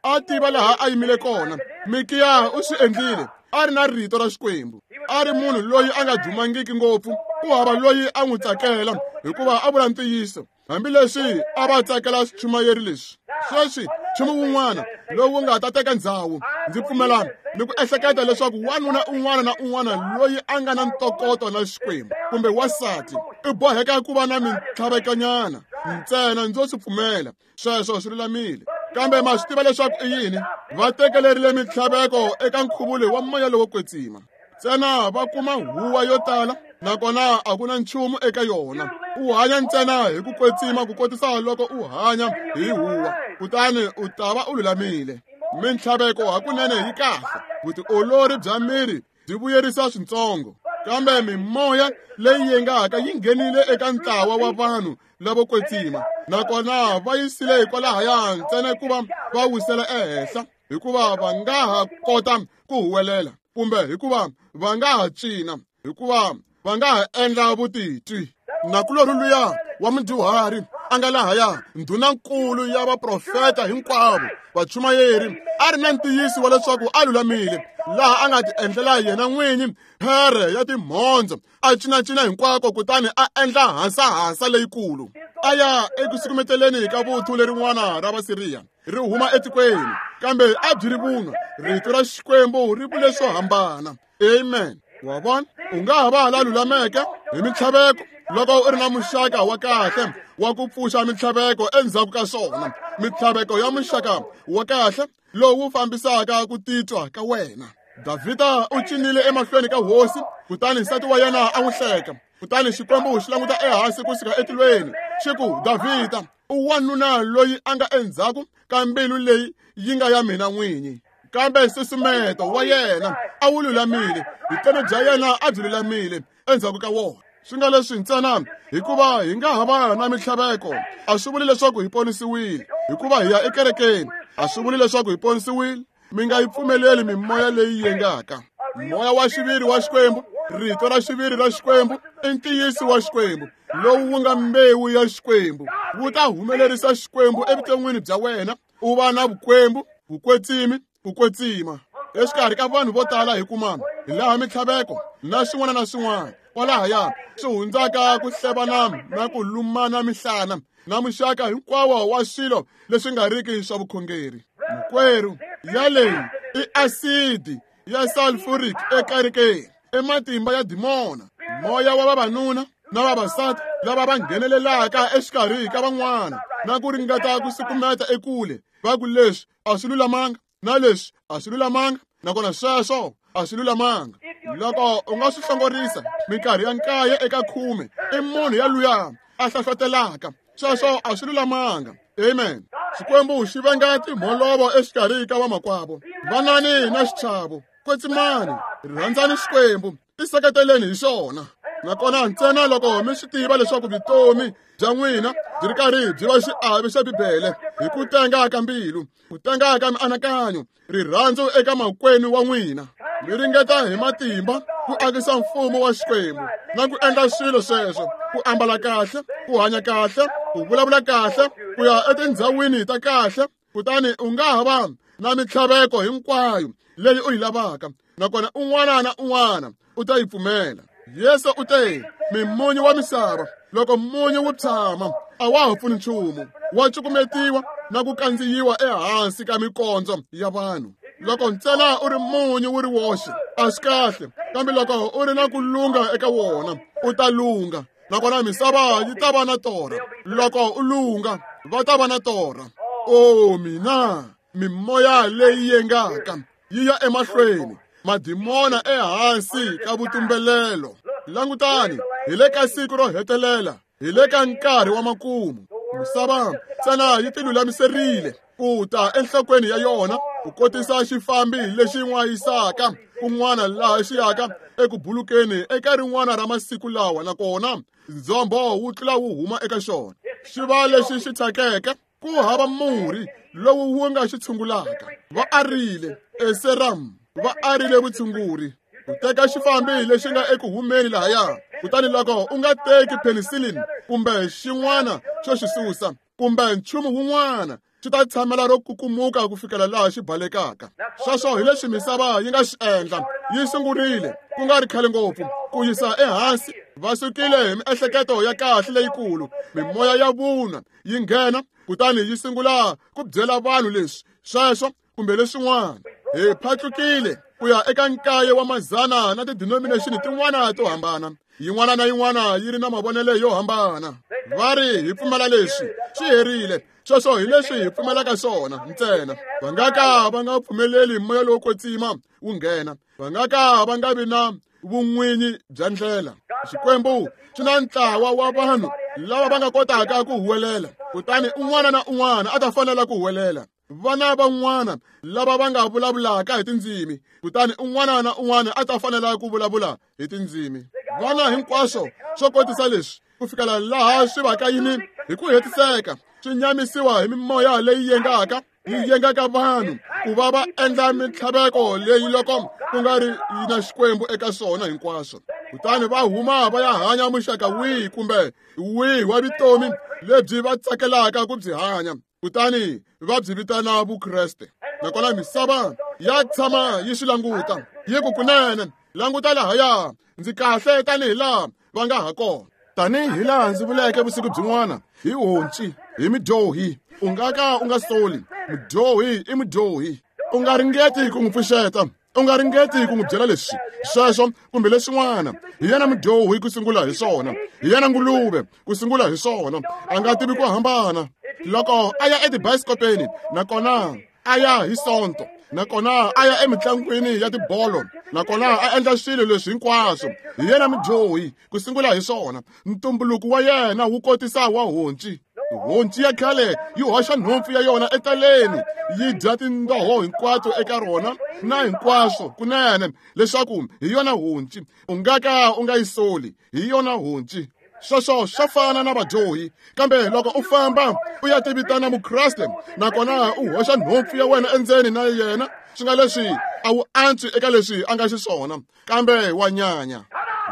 A tiva laha a yimile kona. Mikiya u swi endlile. A ri na rito ra Xikwembu. A ri munhu loyi a nga dumangiki ngopfu. Ku hava loyi a n'wi tsakela hikuva a vula ntiyiso. Hambileswi a va tsakela swichumayeri leswi. Sweswi nchumu wun'wana lowu nga ta teka ndzhawu, ndzi pfumela ni ku ehleketa leswaku wanuna un'wana na un'wana loyi a nga na ntokoto na Xikwembu kumbe wansati u boheka ku va na mintlhavekonyana. Ntsena ndzo swi pfumela. Sweswo swi lulamile. Kambe ma swi tiva leswaku i yini? Va tekelerile mintlhaveko eka nkhuvulo wa moya lowo kwetsima. Ntsena va kuma huwa yo tala nakona a ku na nchumu eka yona. U hanya ntsena hi ku kwetsima ku kotisa loko u hanya hi huwa, kutani u ta va u lulamile. Mintlhaveko hakunene yi kahle. Vutiolori bya miri byi vuyerisa swintsongo. Kambe mimoya leyi yengaka yi nghenile eka ntlawa wa vanhu lavo kwetsima, nakona va yisile hikwalahaya ntsena ku va va wisela ehenhla, hikuva va nga ha kota ku huwelela, kumbe hikuva va nga ha cina, hikuva va nga ha endla vutitwi. Nakulorhi luya wa mudyuhari a nga lahaya, ndhunankulu ya vaprofeta hinkwavo, vachumayeri, a ri na ntiyiso wa leswaku a lulamile, laha a nga ti endlela yena n'winyi phere ya timhondzo, a cinacina hinkwako kutani a endla hasahasa leyikulu. A ya eku sukumeteleni ka vuthu lerin'wana ra Vasiriya ri huma etikweni, kambe a byi ri vunwa. Rito ra Xikwembu ri vule swo hambana. Amen. Wa vona, u nga ha va la lulameke hi mintlhaveko loko u ri na muxaka wa kahle wa ku pfuxa mintlhaveko endzhaku ka swona, mintlhaveko ya muxaka wa kahle lowu fambisaka ku titwa ka wena. Davhida u cinile emahlweni ka hosi, kutani nsati wa yena a n'wi hleka. Kutani Xikwembu xi languta ehansi kusuka etilweni, xi ku, Davhida, u wanuna loyi a nga endzhaku ka mbilu leyi yi nga ya mina n'winyi. Kambe nsusumeto wa yena a wu lulamile, vutomi bya yena a byi lulamile endzhaku ka wona. Swi nga leswi ntsena hikuva hi nga ha va na mintlhaveko a swi vuli leswaku hi ponisiwile. Hikuva hi ya ekerekeni a swi vuli leswaku hi ponisiwile. Mi nga yi pfumeleli mimoya leyi yengaka. Moya wa xiviri wa Xikwembu, rito ra xiviri ra Xikwembu, i ntiyiso wa Xikwembu lowu wu nga mbewu ya Xikwembu, wu ta humelerisa Xikwembu evuton'wini bya wena. U va na vukwembu, vukwetsimi, ku kwetsima. Exikarhi ka vanhu vo tala hi kuma hi laha mintlhaveko na swin'wana na swin'wana kwalahaya swi hundzaka ku hlevana na ku lumana mihlana na muxaka hinkwawo wa swilo leswi nga riki swa vukhongeri. Makwerhu, yaleyi i asidi ya sulfuric ekerekeni, i matimba ya dimona, moya wa vavanuna na vavasati lava va nghenelelaka exikarhi ka van'wana na ku ringeta ku sukumeta ekule, va ku leswi a swi lulamanga na leswi a swi lulamanga, nakona sweswo a swi lulamanga. Loko u nga swi hlongorisa minkarhi ya nkaye eka khume, i munhu ya luya a hlahlotelaka. Sweswo a swi lulamanga. Amen. Xikwembu xi venga timholovo exikarhi ka vamakwavo. Vanani na xichavo, kwetsimani, rhandzani Xikwembu, tiseketeleni hi xona. Nakona ntsena loko mi swi tiva leswaku vutomi bya n'wina byi ri karhi byi va xiave xa Bibele hi ku tenga ka mbilu, ku tenga ka mianakanyo, rirhandzu eka makwenu wa n'wina, mi ringeta hi matimba ku akisa mfumo wa Xikwembu na ku endla swilo sweswo, ku ambala kahle, ku hanya kahle, ku vulavula kahle, ku ya etindhawini ta kahle, kutani u nga ha va na mintlhaveko hinkwayo leyi u yi lavaka, nakona un'wana na un'wana u ta yi pfumela. Yesu u te, mimunyu wa misava, loko munyu wu tshama a wa ha pfuni nchumu, wa cukumetiwa na ku kandziyiwa ehansi ka mikondzo ya vanhu. Loko ntsena u ri munyu wu ri woxe a swi kahle, kambe loko u ri na ku lunga eka wona u ta lunga, nakona misava yi ta va na torha. Loko u lunga va ta va na torha. O mina, mimoya leyi yengaka yi ya emahlweni, madimona ehansi ka vutumbelelo. Langutani, hi le ka siku ro hetelela, hi le ka nkarhi wa makumu. Misava ntsena yi tilulamiserile ku ta enhlokweni ya yona ku kotisa xifambi lexi n'wayisaka kun'wana laha xi yaka eku bulukeni eka rin'wana ra masiku lawa, nakona ndzhombo wu tlula wu huma eka xona. Xi va lexi xi thyakeke, ku hava murhi lowu wu nga xi tshungulaka. Va arile eseram, va arile vutshunguri. U teka xifambi lexi nga eku humeni lahaya, kutani loko u nga teki penicillin kumbe xin'wana xo xi susa kumbe nchumu wun'wana, xi ta tshamela ro kukumuka ku fikela laha xi balekaka. Sweswo hi leswi misava yi nga xi endla. Yi sungurile ku nga ri khale ngopfu ku yisa ehansi. Va sukile hi miehleketo ya kahle leyikulu, mimoya ya vunwa yi nghena, kutani yi sungula ku byela vanhu leswi sweswo kumbe leswin'wana. Hi phatlukile ku ya eka nkaye wa mazana na ti-denomination tin'wana to hambana, yin'wana na yin'wana yi ri na mavonelo yo hambana. Va ri hi pfumela leswi, swi herile. Sweswo hi leswi hi pfumelaka swona ntsena. Va nga ka va nga pfumeleli moya lowo kwetsima wu nghena. Va nga ka va nga vi na vun'winyi bya ndlela. Xikwembu xi na ntlawa wa vanhu lava va nga kotaka ku huwelela, kutani un'wana na un'wana a ta fanela ku huwelela. Vana van'wana lava va nga vulavulaka hi tindzimi, kutani un'wana na un'wana a ta fanela ku vulavula hi tindzimi. Vana hinkwaswo swo kotisa leswi ku fikela laha swi vaka yini hi ku hetiseka, swi nyamisiwa hi mimoya leyi yengaka, yi yengaka vanhu ku va va endla mintlhaveko leyi loko ku nga ri na Xikwembu eka swona hinkwaswo. Kutani va huma va ya hanya muxaka wihi kumbe wihi wa vutomi lebyi va tsakelaka ku byi hanya, kutani va byi vitana Vukreste. Nakona misava ya tshama yi swi languta, yi ku kunene, languta lahaya, ndzi kahle tanihi laha va nga ha kona. Tanihi laha ndzi vuleke vusiku byin'wana, hi honci, hi midyohi, u nga ka u nga soli. Mudyohi i mudyohi. U nga ringeti ku n'wi pfuxeta, u nga ringeti ku n'wi byela leswi sweswo kumbe leswin'wana. Hi yena mudyohi ku sungula hi swona, hi yena nguluve ku sungula hi swona. A nga tivi ku hambana. Loko a ya etibayisikopeni, nakona a ya hi Sonto, nakona a ya emitlangwini ya tibolo, nakona a endla swilo leswi hinkwaswo, hi yena mudyohi ku sungula hi swona. Ntumbuluko wa yena wu kotisa wa honci. Honci ya khale yi hoxa nhompfu ya yona etaleni, yi dya tindoho hinkwato eka rona na hinkwaswo kunene, leswaku hi yona honci. U nga ka u nga yi soli, hi yona honci. Sweswo swa fana na vadyohi. Kambe loko u famba u ya tivitana Mukreste, nakona u hoxa nhompfu ya wena endzeni na yena, swi nga leswi a wu antswi eka leswi a nga xiswona, kambe wa nyanya.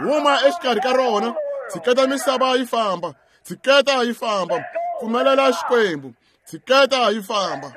Huma exikarhi ka rona, tshiketa misava yi famba, tshiketa yi famba, pfumelela Xikwembu, tshiketa yi famba.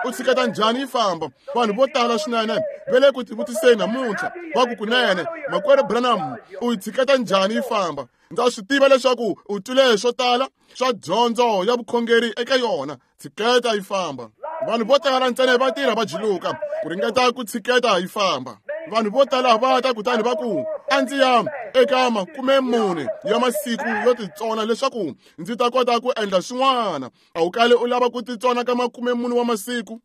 U tshiketa njhani yi famba? Vanhu vo tala swinene va le ku tivutiseni namuntlha, va ku kunene, Makwerhu Branham, u yi tshiketa njhani yi famba? Ndza swi tiva leswaku u twile swo tala swa dyondzo ya vukhongeri eka yona. Tshiketa yi famba. Vanhu vo tala ntsena va tirha va jiluka ku ringeta ku tshiketa yi famba. Vanhu vo tala va ta kutani va ku, a ndzi ya eka makume mune ya masiku yo titsona leswaku ndzi ta kota ku endla swin'wana. A wu kali u lava ku titsona ka makume mune wa masiku.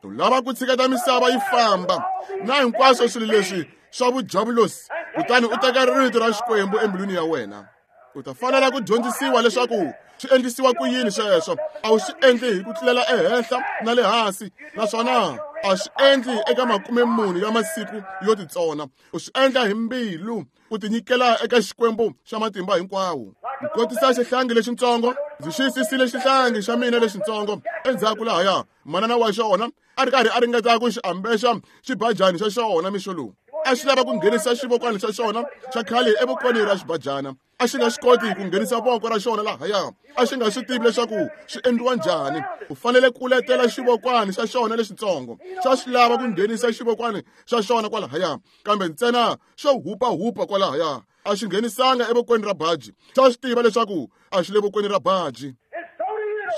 U lava ku tshiketa misava yi famba na hinkwaswo swilo leswi swa vujavulosi, kutani u teka rito ra Xikwembu embilwini ya wena. U ta fanela ku dyondzisiwa leswaku swi endlisiwa ku yini sweswo. A wu swi endli hi ku tlulela ehenhla na le hansi, naswona a swi endli eka makume mune ya masiku yo titsona. U swi endla hi mbilu, u tinyikela eka Xikwembu xa matimba hinkwawo. Ku kotisa xihlangi lexitsongo, ndzi xiyisisile xihlangi xa mina lexitsongo endzhaku lahaya. Manana wa xona a ri karhi a ringeta ku xi ambexa xibajani xa xona mixo lowu. A xi lava ku nghenisa xivokwani xa xona xa khale evokweni ra xibajana. A xi nga swi koti ku nghenisa voko ra xona lahaya. A xi nga swi tivi leswaku swi endliwa njhani. U fanele ku letela xivokwani xa xona lexitsongo. Xa swi lava ku nghenisa xivokwani xa xona kwalahaya, kambe ntsena xo hupahupa kwalahaya. A xi nghenisanga evokweni ra baji. Xa swi tiva leswaku a xi le vokweni ra baji.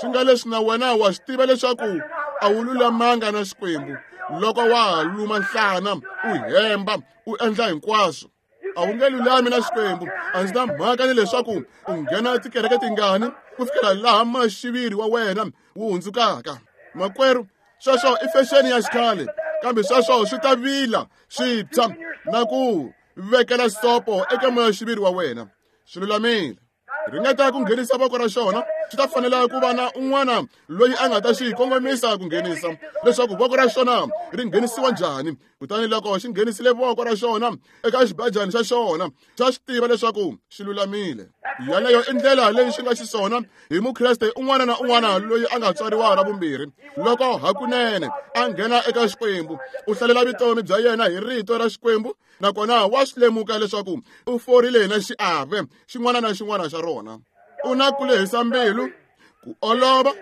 Swi nga leswi na wena wa swi tiva leswaku a wu lulamanga na Xikwembu loko wa ha luma nhlana, u hemba, u endla hinkwaswo. A wu nge lulami na Xikwembu. A ndzi na mhaka ni leswaku u nghena tikereke tingani ku fikela laha maxiviri wa wena wu hundzukaka. Makwerhu, sweswo i fexeni ya xikhale, kambe sweswo swi ta vila swi tshwa na ku vekela sopo eka moya-xiviri wa wena. Swi lulamile. Ringeta ku nghenisa voko ra xona Xi ta fanela ku va na un'wana loyi a nga ta xi kongomisa ku nghenisa leswaku voko ra xona ri nghenisiwa njhani. Kutani loko xi nghenisile voko ra xona eka xibajani xa xona, xa swi tiva leswaku xi lulamile. Yaleyo i ndlela leyi xi nga xiswona hi mukreste un'wana na un'wana loyi a nga tswariwa ra vumbirhi. Loko hakunene a nghena eka Xikwembu, u hlalela vutomi bya yena hi rito ra Xikwembu, nakona wa swi lemuka leswaku u forile na xiave xin'wana na xin'wana xa rona. U na ku lehisa mbilu, ku olova,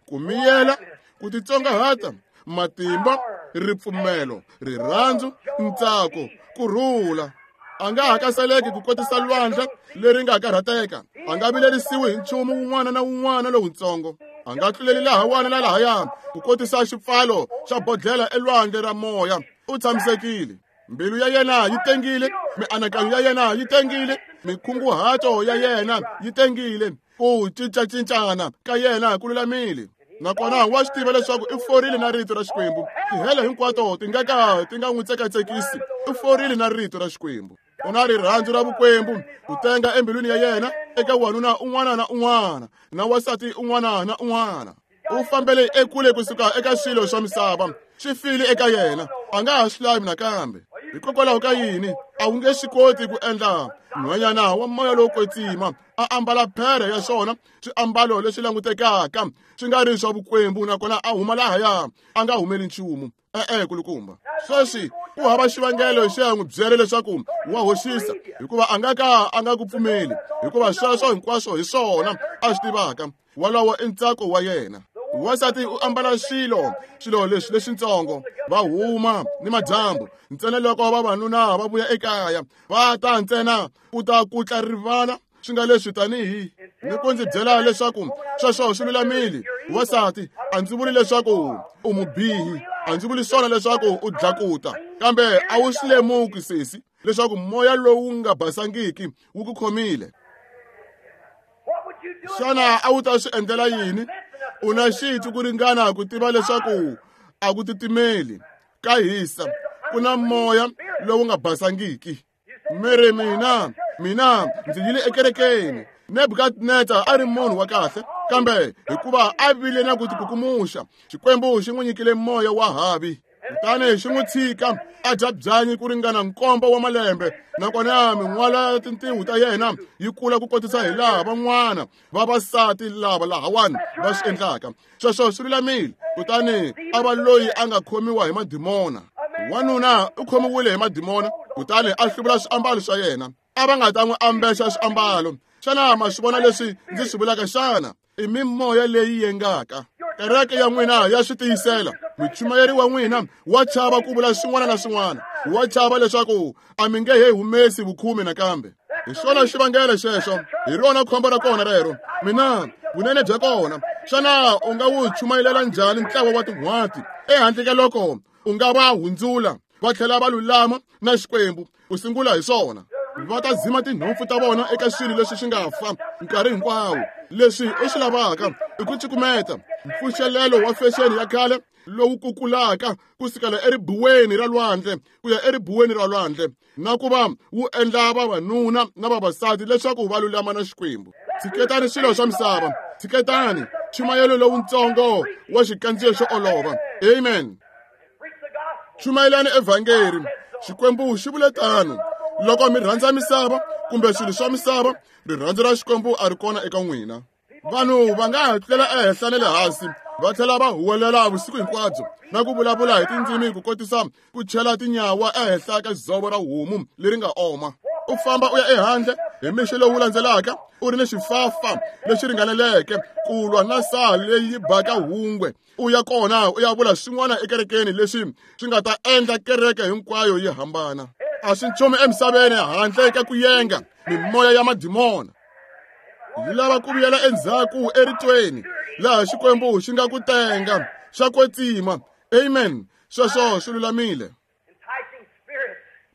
ku miyela, ku titsongahata, matimba, ripfumelo, rirhandzu, ntsako, ku rhula. A nga hakasaleki ku kotisa lwandle leri nga karhateka. A nga vilerisiwi hi nchumu wun'wana na wun'wana lowutsongo. A nga tluleli lahawani na lahaya ku kotisa xipfalo xa bodlhela elwandle ra moya. U tshamisekile. Mbilu ya yena yi tengile, mianakanyo ya yena yi tengile, mikhunguhato ya yena yi tengile, ku cincacincana ka yena ku lulamile. Nakona wa swi tiva leswaku i forile na rito ra Xikwembu. Tihele hinkwato ti nga ka ti nga n'wi tsekatsekisi. I forile na rito ra Xikwembu. U na rirhandzu ra vukwembu ku tenga embilwini ya yena eka wanuna un'wana na un'wana na wansati un'wana na un'wana. U fambele ekule kusuka eka swilo swa misava, swi file eka yena, a nga ha swi lavi nakambe. Hikokwalaho ka yini a wu nge swi koti ku endla nhwanyana wa moya lowo kwetsima a ambala phere ya xona swiambalo leswi langutekaka swi nga ri swa vukwembu, nakona a huma lahaya a nga humeli nchumu? E-e, kulukumba. Sweswi ku hava xivangelo xi ya n'wi byela leswaku wa hoxisa, hikuva a nga ka a nga ku pfumeli, hikuva sweswo hinkwaswo hi swona a swi tivaka. Walowo i ntsako wa yena. Wansati u ambala swilo swilo leswi leswitsongo, va huma ni madyambu ntsena loko vavanuna va vuya ekaya, va ta ntsena ku ta kutla rivala swi nga leswi tanihi ni ku ndzi byela leswaku sweswo swi lulamile. Wansati, a ndzi vuli leswaku u mubihi, a ndzi vuli swona leswaku u dlakuta, kambe a wu swi lemuki sesi leswaku moya lowu nga basangiki wu ku khomile. Xana a wu ta swi endlela yini? U na xitwi ku ringana ku tiva leswaku a ku titimeli, ka hisa, ku na moya lowu nga basangiki. Mere mina, mina ndzi yile ekerekeni. Nebukadnezar a ri munhu wa kahle, kambe hikuva a vile na ku tikukumuxa, Xikwembu xi n'wi nyikile moya wa havi. Kutani xi n'wi tshika a dya byanyi ku ringana nkombo wa malembe, nakona min'wala ya tintiho ta yena yi kula ku kotisa hi laha van'wana vavasati lava lahawani va swi endlaka. Sweswo swi lulamile. Kutani a va loyi a nga khomiwa hi madimona. Wanuna u khomiwile hi madimona, kutani a hluvula swiambalo swa yena. A va nga ta n'wi ambexa swiambalo. Xana ma swi vona leswi ndzi swi vulaka xana? I mimoya leyi yengaka. Kereke ya n'wina ya swi tiyisela. Muchumayeri wa n'wina wa chava ku vula swin'wana na swin'wana, wa chava leswaku a mi nge he humesi vukhume nakambe. Hi xona xivangelo xexo, hi rona khombo ra kona rero. Mina vunene bya kona, xana u nga wu chumayelela njhani ntlawa wa tin'hwati ehandle ka loko u nga va hundzula va tlhela va lulama na Xikwembu ku sungula hi swona? Va ta dzima tinhompfu ta vona eka swilo leswi swi nga fa nkarhi hinkwawo. Leswi u swi lavaka i ku cukumeta mpfuxelelo wa fexeni ya khale lowu kukulaka kusukela eribuweni ra lwandle ku ya eribuweni ra lwandle, na ku va wu endla vavanuna na vavasati leswaku va lulama na Xikwembu. Tshiketani swilo swa misava, tshiketani chumayelo lowutsongo wa xikandziyo xo olova. Amen. Chumayelani evhangeri. Xikwembu xi vule tano. Loko mi rhandza misava kumbe swilo swa misava, rirhandzu ra Xikwembu a ri kona eka n'wina. Vanhu va nga ha tlulela ehenhla na le hansi, va tlhela va huwelela vusiku hinkwabyo na ku vulavula hi tindzimi ku kotisa ku chela tinyawa ehenhla ka dzovo ra homu leri nga oma. U famba u ya ehandle hi mixo lowu landzelaka u ri ni xifafa lexi ringaneleke ku lwa na saha leyi baka hungwe. U ya kona u ya vula swin'wana ekerekeni leswi swi nga ta endla kereke hinkwayo yi hambana. A swi nchumu emisaveni handle ka ku yenga mimoya ya madimona. Yi lava ku vuyela endzhaku eritweni laha Xikwembu xi nga ku tenga xa kwetsima. Amen. Sweswo swi lulamile.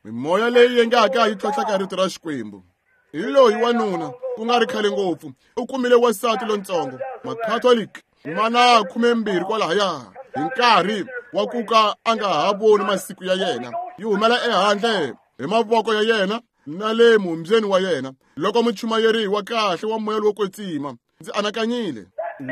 Mimoya leyi yengaka yi tlhontlhaka rito ra Xikwembu. Hi loyi wanuna ku nga ri khale ngopfu u kumile wansati lontsongo Makhatholiki mana khumembirhi kwalahaya hi nkarhi wa ku ka a nga ha voni masiku ya yena. Yi humela ehandle hi mavoko ya yena na le mumbyeni wa yena loko muchumayeri wa kahle wa moya lowo kwetsima Ndzi anakanyile,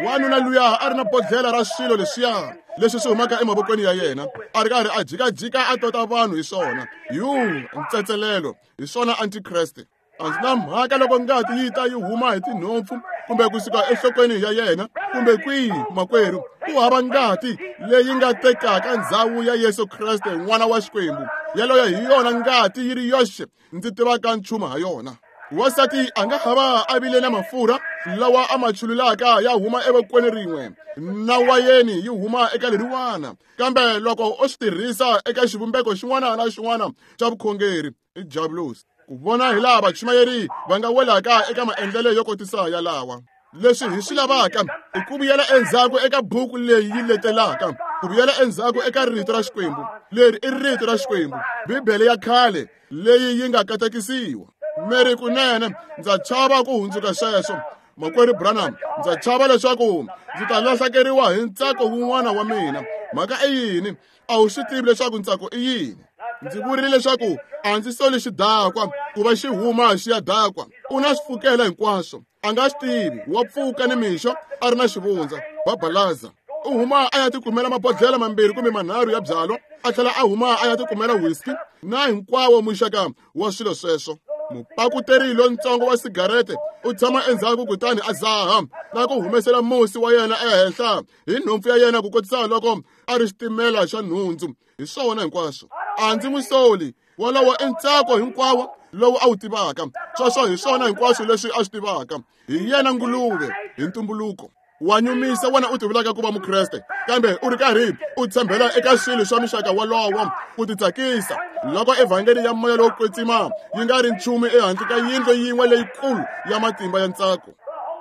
wanuna luya a ri na bodlhela ra swilo leswiya leswi swi humaka emavokweni ya yena, a ri karhi a jikajika a tota vanhu hi swona. Yu, ntsetselelo hi swona antikreste. A ndzi na mhaka loko ngati yi ta yi huma hi tinhompfu kumbe kusuka enhlokweni ya yena kumbe kwihi, makwerhu, ku hava ngati leyi nga tekaka ndzhawu ya Yesu Kreste n'wana wa Xikwembu. Yaloyo hi yona ngati yi ri yoxe ndzi tivaka nchumu ha yona. Wansati a nga hava a vile na mafurha lawa a ma chululaka ya huma evokweni rin'we na wayeni yi huma eka leriwana, kambe loko o swi tirhisa eka xivumbeko xin'wana na xin'wana xa vukhongeri i diabolos. Ku vona hi laha vachumayeri va nga welaka eka maendlelo yo kotisa yalawa. Leswi hi swi lavaka i ku vuyela endzhaku eka buku leyi yi letelaka, ku vuyela endzhaku eka rito ra Xikwembu. Leri i rito ra Xikwembu, Bibele ya khale leyi yi nga katekisiwa. Meri kunene ndza chava ku hundzuka sweswo, makwerhu Branham, ndza chava leswaku ndzi ta lahlekeriwa hi ntsako wun'wana wa mina. Mhaka i yini? A wu swi tivi leswaku ntsako i yini. Ndzi vurile leswaku a ndzi soli xidakwa ku va xi huma xi ya dakwa. U na swipfukela hinkwaswo, a nga swi tivi, wa pfuka nimixo a ri na xivundza, babalaza. U huma a ya tikumela mabodlhela mambirhi kumbe manharhu ya byalwa, a tlhela a huma a ya tikumela whisky na hinkwawo muxaka wa swilo sweswo. Mupakuteri lontsongo wa sigarete u tshama endzhaku kutani a zaha na ku humesela musi wa yena ehenhla hi nhompfu ya yena ku kotisa loko a ri xitimela xa nhundzu. Hi swona hinkwaswo. A ndzi n'wi soli, wolowo i ntsako hinkwawo lowu a wu tivaka. Sweswo hi swona hinkwaswo leswi a swi tivaka. Hi yena nguluve hi ntumbuluko. Wa nyumisa wena u tivulaka ku va mukreste, kambe u ri karhi u tshembela eka swilo swa mixaka wolowo ku titsakisa. Loko evhangeli ya moya lowo kwetsima yi nga ri nchumu ehandle ka yindlu yin'we leyikulu ya matimba ya ntsako.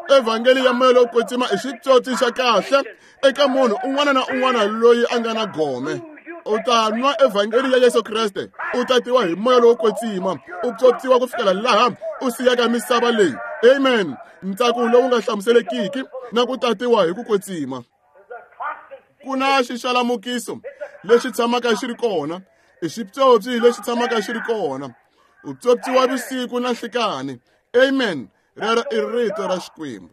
Evhangeli ya moya lowo kwetsima i xitsotsi xa kahle eka munhu un'wana na un'wana loyi a nga na gome. U ta nwa evhangeli ya Yesu Kreste, u tatiwa hi moya lowo kwetsima, u pyopyiwa ku fikela laha u siyaka misava leyi. Amen. Ntsako lowu nga hlamuselekiki na ku tatiwa hi ku kwetsima. Ku na xixalamukiso lexi tshamaka xi ri kona, i xipyopyi lexi tshamaka xi ri kona. U pyopyiwa vusiku na nhlikani. Amen. Rero i rito ra Xikwembu.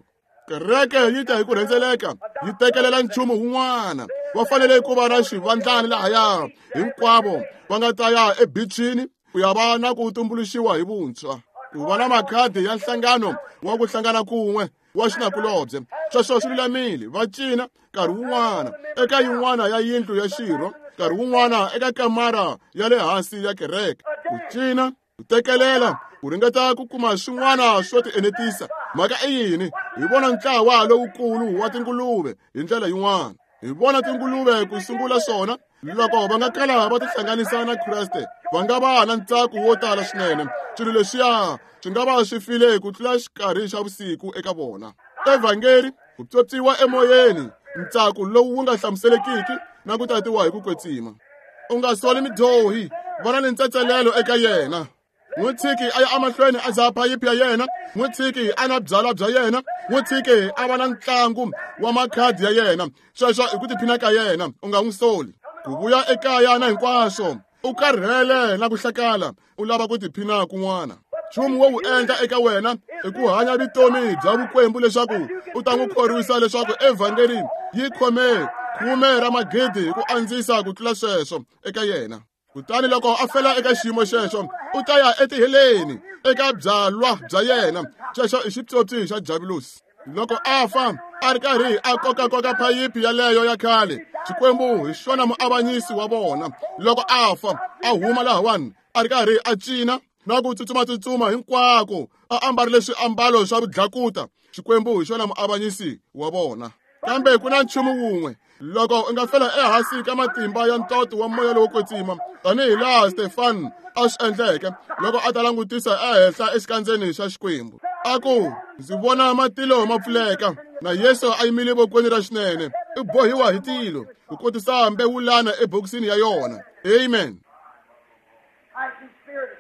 Kereke yi ta hi ku rhendzeleka yi tekelela nchumu wun'wana. Va fanele ku va na xivandlani lahaya hinkwavo va nga ta ya ebichini ku ya va na ku tumbuluxiwa hi vuntshwa, ku va na makhadi ya nhlangano wa ku hlangana kun'we wa xinakulobye. Sweswo swi lulamile. Va cina nkarhi wun'wana eka yin'wana ya yindlu ya xirho, nkarhi wun'wana eka kamara ya le hansi ya kereke. Ku cina, ku tekelela, ku ringeta ku kuma swin'wana swo tienetisa. Mhaka i yini? Hi vona ntlawa lowukulu wa tinguluve hi ndlela yin'wana. Hi vona tinguluve ku sungula swona loko va nga kala va tihlanganisa na Kreste, va nga va na ntsako wo tala swinene. Swilo leswiya swi nga va swi file ku tlula xikarhi xa vusiku eka vona. Evhangeli, ku pyopyiwa emoyeni, ntsako lowu wu nga hlamuselekiki na ku tatiwa hi ku kwetsima. U nga soli midyohi, vona ni ntsetselelo eka yena. N'wi tshiki a ya emahlweni a dzaha phayiphi ya yena, n'wi tshiki a na byalwa bya yena, n'wi tshiki a va na ntlangu wa makhadi ya yena. Sweswo i ku tiphina ka yena, u nga n'wi soli. Ku vuya ekaya na hinkwaswo, u karhele na ku hlakala, u lava ku tiphina kun'wana. Nchumu wo wu endla eka wena i ku hanya vutomi bya vukwembu leswaku u ta n'wi khorwisa leswaku evhangeli yi khome khume ra magidi hi ku andzisa ku tlula sweswo eka yena. Kutani loko a fela eka xiyimo xexo, u ta ya etiheleni eka byalwa bya yena. Xexo i xipyopyi xa diabolos. Loko a fa a ri karhi a kokakoka phayiphi yaleyo ya khale, Xikwembu hi xona muavanyisi wa vona. Loko a fa a huma lahawani a ri karhi a cina na ku tsutsumatsutsuma hinkwako, a ambarile swiambalo swa vudlakuta, Xikwembu hi xona muavanyisi wa vona. Kambe ku na nchumu wun'we, loko u nga fela ehansi ka matimba ya ntoto wa moya lowo kwetsima, tanihi laha Stefan a swi endleke loko a ta langutisa ehenhla exikandzeni xa Xikwembu, a ku, ndzi vona matilo ma pfuleka na Yesu a yimile vokweni ra xinene, u bohiwa hi tilo ku kotisa mbewulana ebokisini ya yona. Amen.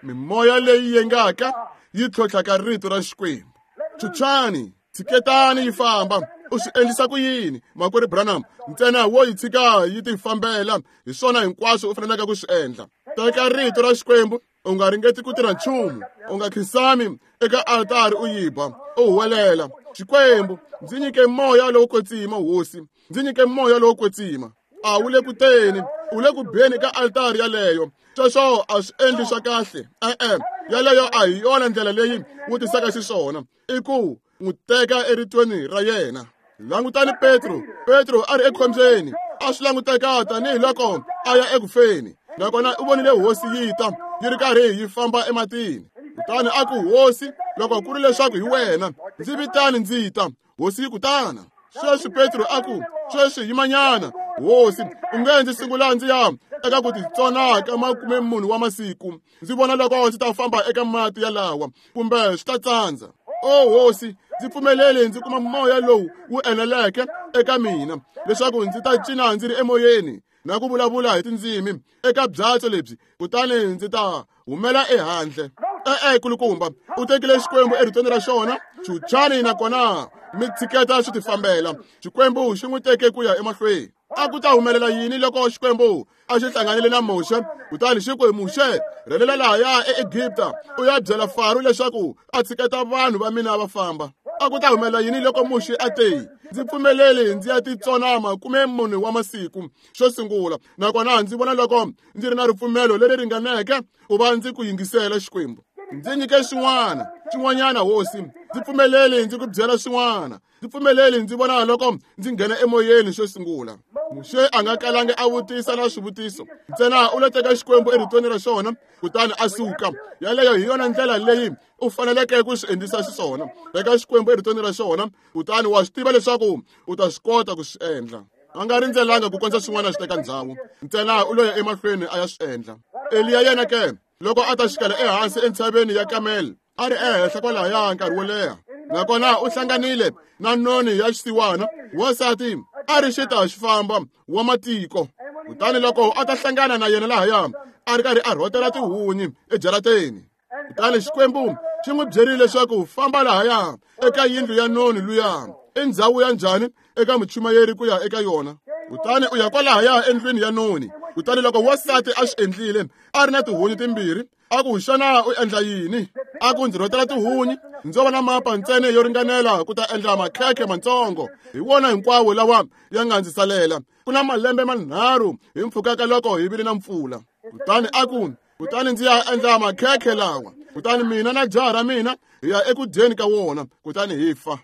Mimoya leyi yengaka yi tlhontlhaka rito ra Xikwembu. Chuchani, tshiketani yi famba. U swi endlisa ku yini, makwerhu Branham? Ntsena wo yi tshika yi tifambela, hi swona hinkwaswo u faneleke ku swi endla. Teka rito ra Xikwembu, u nga ringeti ku tirha nchumu, u nga khinsami eka altari u yi ba, u huwelela. Xikwembu, ndzi nyike moya lowo kwetsima, hosi, ndzi nyike moya lowo kwetsima. A wu le ku teni, u le ku beni ka altari yaleyo. Sweswo a swi endli swa kahle. E-e, yaleyo a hi yona ndlela leyi wu tisaka xiswona. I ku n'wi teka eritweni ra yena. Langutani Petro. Petro a ri ekhombyeni, a swi languteka tanihiloko a ya ekufeni. Nakona u vonile hosi yi ta yi ri karhi yi famba ematini. Kutani a ku, hosi, loko ku ri leswaku hi wena, ndzi vitani ndzi ta. Hosi yi ku, tana. Sweswi Petro a ku, sweswi yimanyana, hosi, u nge ndzi sungula ndzi ya eka ku titsona ka makume mune wa masiku, ndzi vona loko ndzi ta famba eka mati yalawa, kumbe swi ta tsandza. O hosi, ndzi pfumeleli ndzi kuma moya lowu wu eneleke eka mina, leswaku ndzi ta cina ndzi ri emoyeni na ku vulavula hi tindzimi eka byatso lebyi, kutani ndzi ta humela ehandle. E-e, kulukumba, u tekile Xikwembu eritweni ra xona, chuchani nakona mi tshiketa swi tifambela. Xikwembu xi n'wi teke ku ya emahlweni. A ku ta humelela yini loko Xikwembu a xi hlanganile na Muxe, kutani xi ku, Muxe, rhelela lahaya eEgipta u ya byela Faro leswaku a tshiketa vanhu va mina va famba? A ku ta humelela yini loko Muxe a te, ndzi pfumeleli ndzi ya titsona makume mune wa masiku xo sungula, nakona ndzi vona loko ndzi ri na ripfumelo leri ringaneke ku va ndzi ku yingisela Xikwembu? Ndzi nyike xin'wana, xin'wanyana, hosi, ndzi pfumeleli ndzi ku byela xin'wana, ndzi pfumeleli ndzi vona loko ndzi nghena emoyeni xo sungula. Muxe a nga kalangi a vutisa na swivutiso, ntsena u lo teka Xikwembu eritweni ra xona, kutani a suka. Yaleyo hi yona ndlela leyi u faneleke ku swi endlisa xiswona. Teka Xikwembu eritweni ra xona, kutani wa swi tiva leswaku u ta swi kota ku swi endla. A nga rindzelanga ku kondza swin'wana swi teka ndhawu, ntsena u lo ya emahlweni a ya swi endla. Eliya yena ke, loko a ta xikela ehansi entshaveni ya Kamel, a ri ehenhla kwalahaya nkarhi wo leha, nakona u hlanganile na noni ya xisiwana, wansati a ri xita xi famba wa matiko. Kutani loko a ta hlangana na yena lahaya, a ri karhi a rhotela tihunyi ejarateni. Kutani Xikwembu xi n'wi byerile leswaku famba lahaya eka yindlu ya noni luya. I ndhawu ya njhani eka muchumayeri ku ya eka yona? Kutani u ya kwalahaya endlwini ya noni. Kutani loko wansati a swi endlile, a ri na tihunyi timbirhi, a ku, xana u endla yini? A ku, ndzi rhotela tihunyi, ndzo va na mapa ntsena yo ringanela ku ta endla makhekhe matsongo, hi wona hinkwawo lawa ya nga ndzi salela. Ku na malembe manharhu hi mpfhuka ka loko hi vile na mpfula. Kutani a ku, kutani ndzi ya endla makhekhe lawa, kutani mina na jaha ra mina hi ya eku dyeni ka wona, kutani hi fa.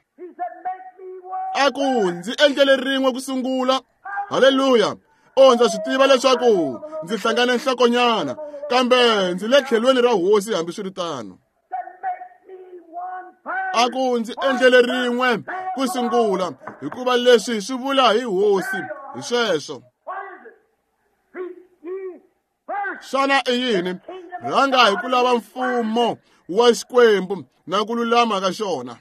A ku, ndzi endlele rin'we ku sungula. Haleluya! O, ndza swi tiva leswaku ndzi hlangane nhlokonyana, kambe ndzi le tlhelweni ra hosi hambiswiritano. A ku, ndzi endlele rin'we ku sungula, hikuva leswi swi vula hi hosi, hi sweswo. Xana i yini? Rhanga hi ku lava mfumo wa Xikwembu na ku lulama ka xona.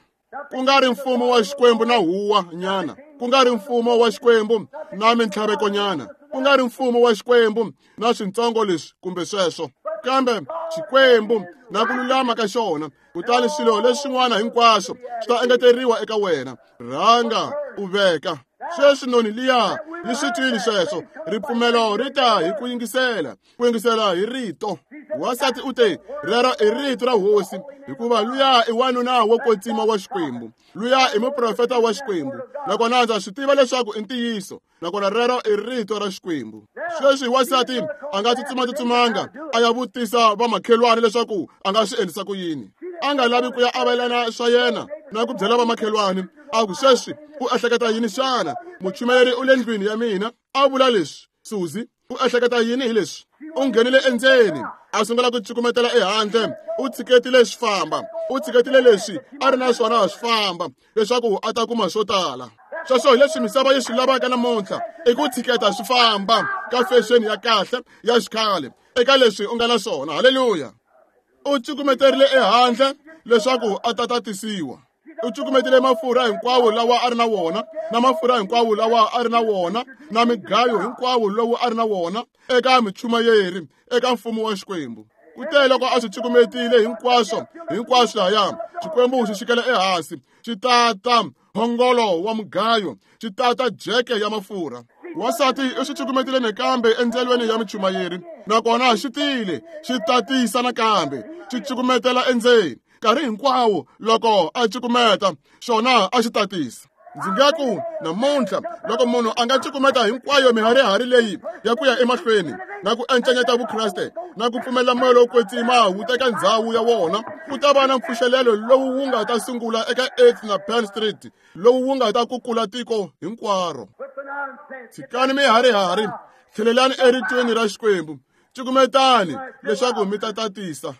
Ku nga ri mfumo wa Xikwembu na huwa nyana, ku nga ri mfumo wa Xikwembu na mintlhaveko nyana, ku nga ri mfumo wa Xikwembu na swintsongo leswi kumbe sweswo, kambe Xikwembu na ku lulama ka xona. Kutani swilo leswin'wana hinkwaswo swi ta engeteriwa eka wena. Rhanga u veka. Sweswi noni liya yi swi twile sweswo. Ripfumelo ri ta hi ku yingisela, ku yingisela hi rito. Wansati u te, rero i rito ra hosi, hikuva luya i wanuna wo kwetsima wa Xikwembu, luya i muprofeta wa Xikwembu, nakona ndza swi tiva leswaku i ntiyiso, nakona rero i rito ra Xikwembu. Sweswi wansati a nga tsutsuma-tsutsumanga a ya vutisa vamakhelwani leswaku a nga swi endlisa ku yini. A nga lavi ku ya avelana swa yena na ku byela vamakhelwani. A ku, sweswi u ehleketa yini xana? Muchumayeri u le ndlwini ya mina a vula leswi. Suzi, u ehleketa yini hi leswi? U nghenile endzeni, a sungula ku cukumetela ehandle. U tshiketile swi famba, u tshiketile leswi a ri na swona swi famba, leswaku a ta kuma swo tala. Sweswo hi leswi misava yi swi lavaka namuntlha, i ku tshiketa swi famba ka fexeni ya kahle ya xikhale eka leswi u nga na swona. Haleluya! U cukumeterile ehandle leswaku a ta tatisiwa. U cukumetile mafurha hinkwawo lawa a ri na wona, na mafurha hinkwawo lawa a ri na wona, na migayo hinkwawo lowu a ri na wona eka michumayeri, eka mfumo wa Xikwembu. Kute loko a swi cukumetile hinkwaswo, hinkwaswo lahaya, Xikwembu xi xikela ehansi, xi tata mphongolo wa mugayo, xi tata jeke ya mafurha. Wansati u swi cukumetile nakambe endlelweni ya michumayeri, nakona xi tile, xi tatisa nakambe, xi cukumetela endzeni. Nkarhi hinkwawo loko a cukumeta, xona a xi tatisa. Ndzi nga ku namuntlha loko munhu a nga cukumeta hinkwayo miharihari leyi ya ku ya emahlweni na ku encenyeta Vukreste na ku pfumela moya lowo kwetsima wu teka ndzhawu ya wona, ku ta va na mpfuxelelo lowu wu nga ta sungula eka eighth na Penn Street, lowu wu nga ta kukula tiko hinkwaro. Tshikani miharihari, tlhelelani eritweni ra Xikwembu, cukumetani leswaku mi ta tatisa.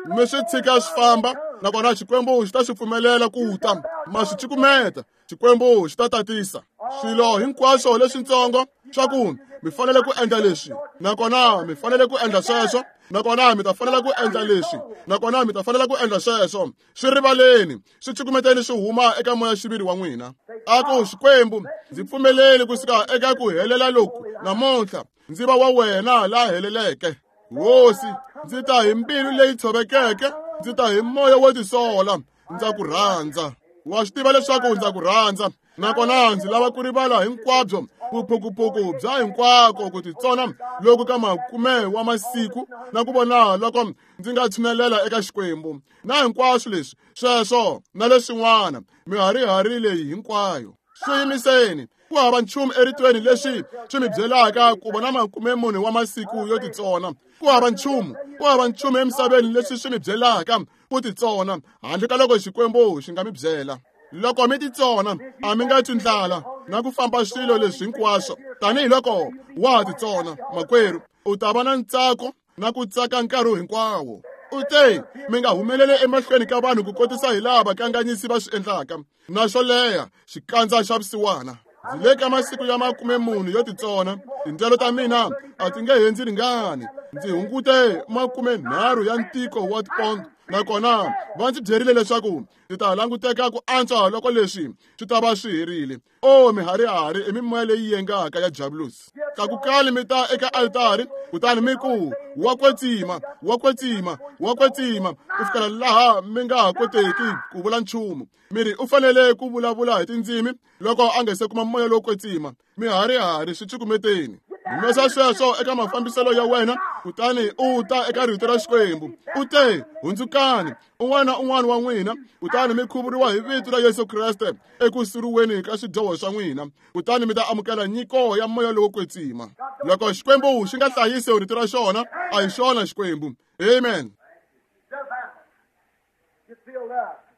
Mi swi tshika swi famba, nakona Xikwembu xi ta swi pfumelela ku ta. Ma swi cukumeta, Xikwembu xi ta tatisa. Swilo hinkwaswo leswitsongo swa ku mi fanele ku endla leswi, nakona mi fanele ku endla sweswo, nakona mi ta fanela ku endla leswi, nakona mi ta fanela ku endla sweswo, swi rivaleni, swi cukumeteni swi huma eka moya-xiviri wa n'wina. A ku Xikwembu, ndzi pfumeleli kusuka eka ku helela loku namuntlha, ndzi va wa wena la heleleke. Hosi, ndzi ta hi mbilu leyi tshovekeke, ndzi ta hi moya wo tisola, ndza ku rhandza. Wa swi tiva leswaku ndza ku rhandza, nakona ndzi lava ku rivala hinkwabyo vuphukuphuku bya hinkwako ku titsona loku ka makume wa masiku na ku vona loko ndzi nga tshinelela eka Xikwembu na hinkwaswo leswi sweswo na leswin'wana miharihari leyi hinkwayo. Swi yimiseni. Ku hava nchumu eritweni leswi swi mi byelaka ku vona makume mune wa masiku yo titsona. Ku hava nchumu, ku hava nchumu emisaveni leswi swi mi byelaka ku titsona handle ka loko Xikwembu xi nga mi byela. Loko mi titsona, a mi nga twi ndlala na ku famba swilo leswi hinkwaswo. Tanihiloko wa ha titsona, makwerhu, u ta va na ntsako na ku tsaka nkarhi hinkwawo. U te, mi nga humeleli emahlweni ka vanhu ku kotisa hi laha vakanganyisi va swi endlaka, na xo leha xikandza xa vusiwana. Ndzi le ka masiku ya makume mune yo titsona, tindyelo ta mina a ti nge he ndzi ringani. Ndzi hungute makume nharhu ya ntiko wa tipondo, nakona va ndzi byerile leswaku ndzi ta languteka ku antswa loko leswi swi ta va swi herile. O miharihari i mimoya leyi yengaka ya Diabolosi. Tlakukani mi ta eka altari, kutani mi ku, wa kwetsima, wa kwetsima, wa kwetsima, ku fikela laha mi nga ha koteki ku vula nchumu. Mi ri u fanele ku vulavula hi tindzimi loko a nga se kuma moya lowo kwetsima. Miharihari swi cukumeteni. Humesa sweswo eka mafambiselo ya wena, kutani u ta eka rito ra Xikwembu. U te, hundzukani, un'wana na un'wana wa n'wina, kutani mi khuvuriwa hi vito ra Yesu Kreste eku suriweni ka swidyoho swa n'wina, kutani mi ta amukela nyiko ya moya lowo kwetsima. Loko Xikwembu xi nga hlayisi rito ra xona, a hi xona Xikwembu. Amen.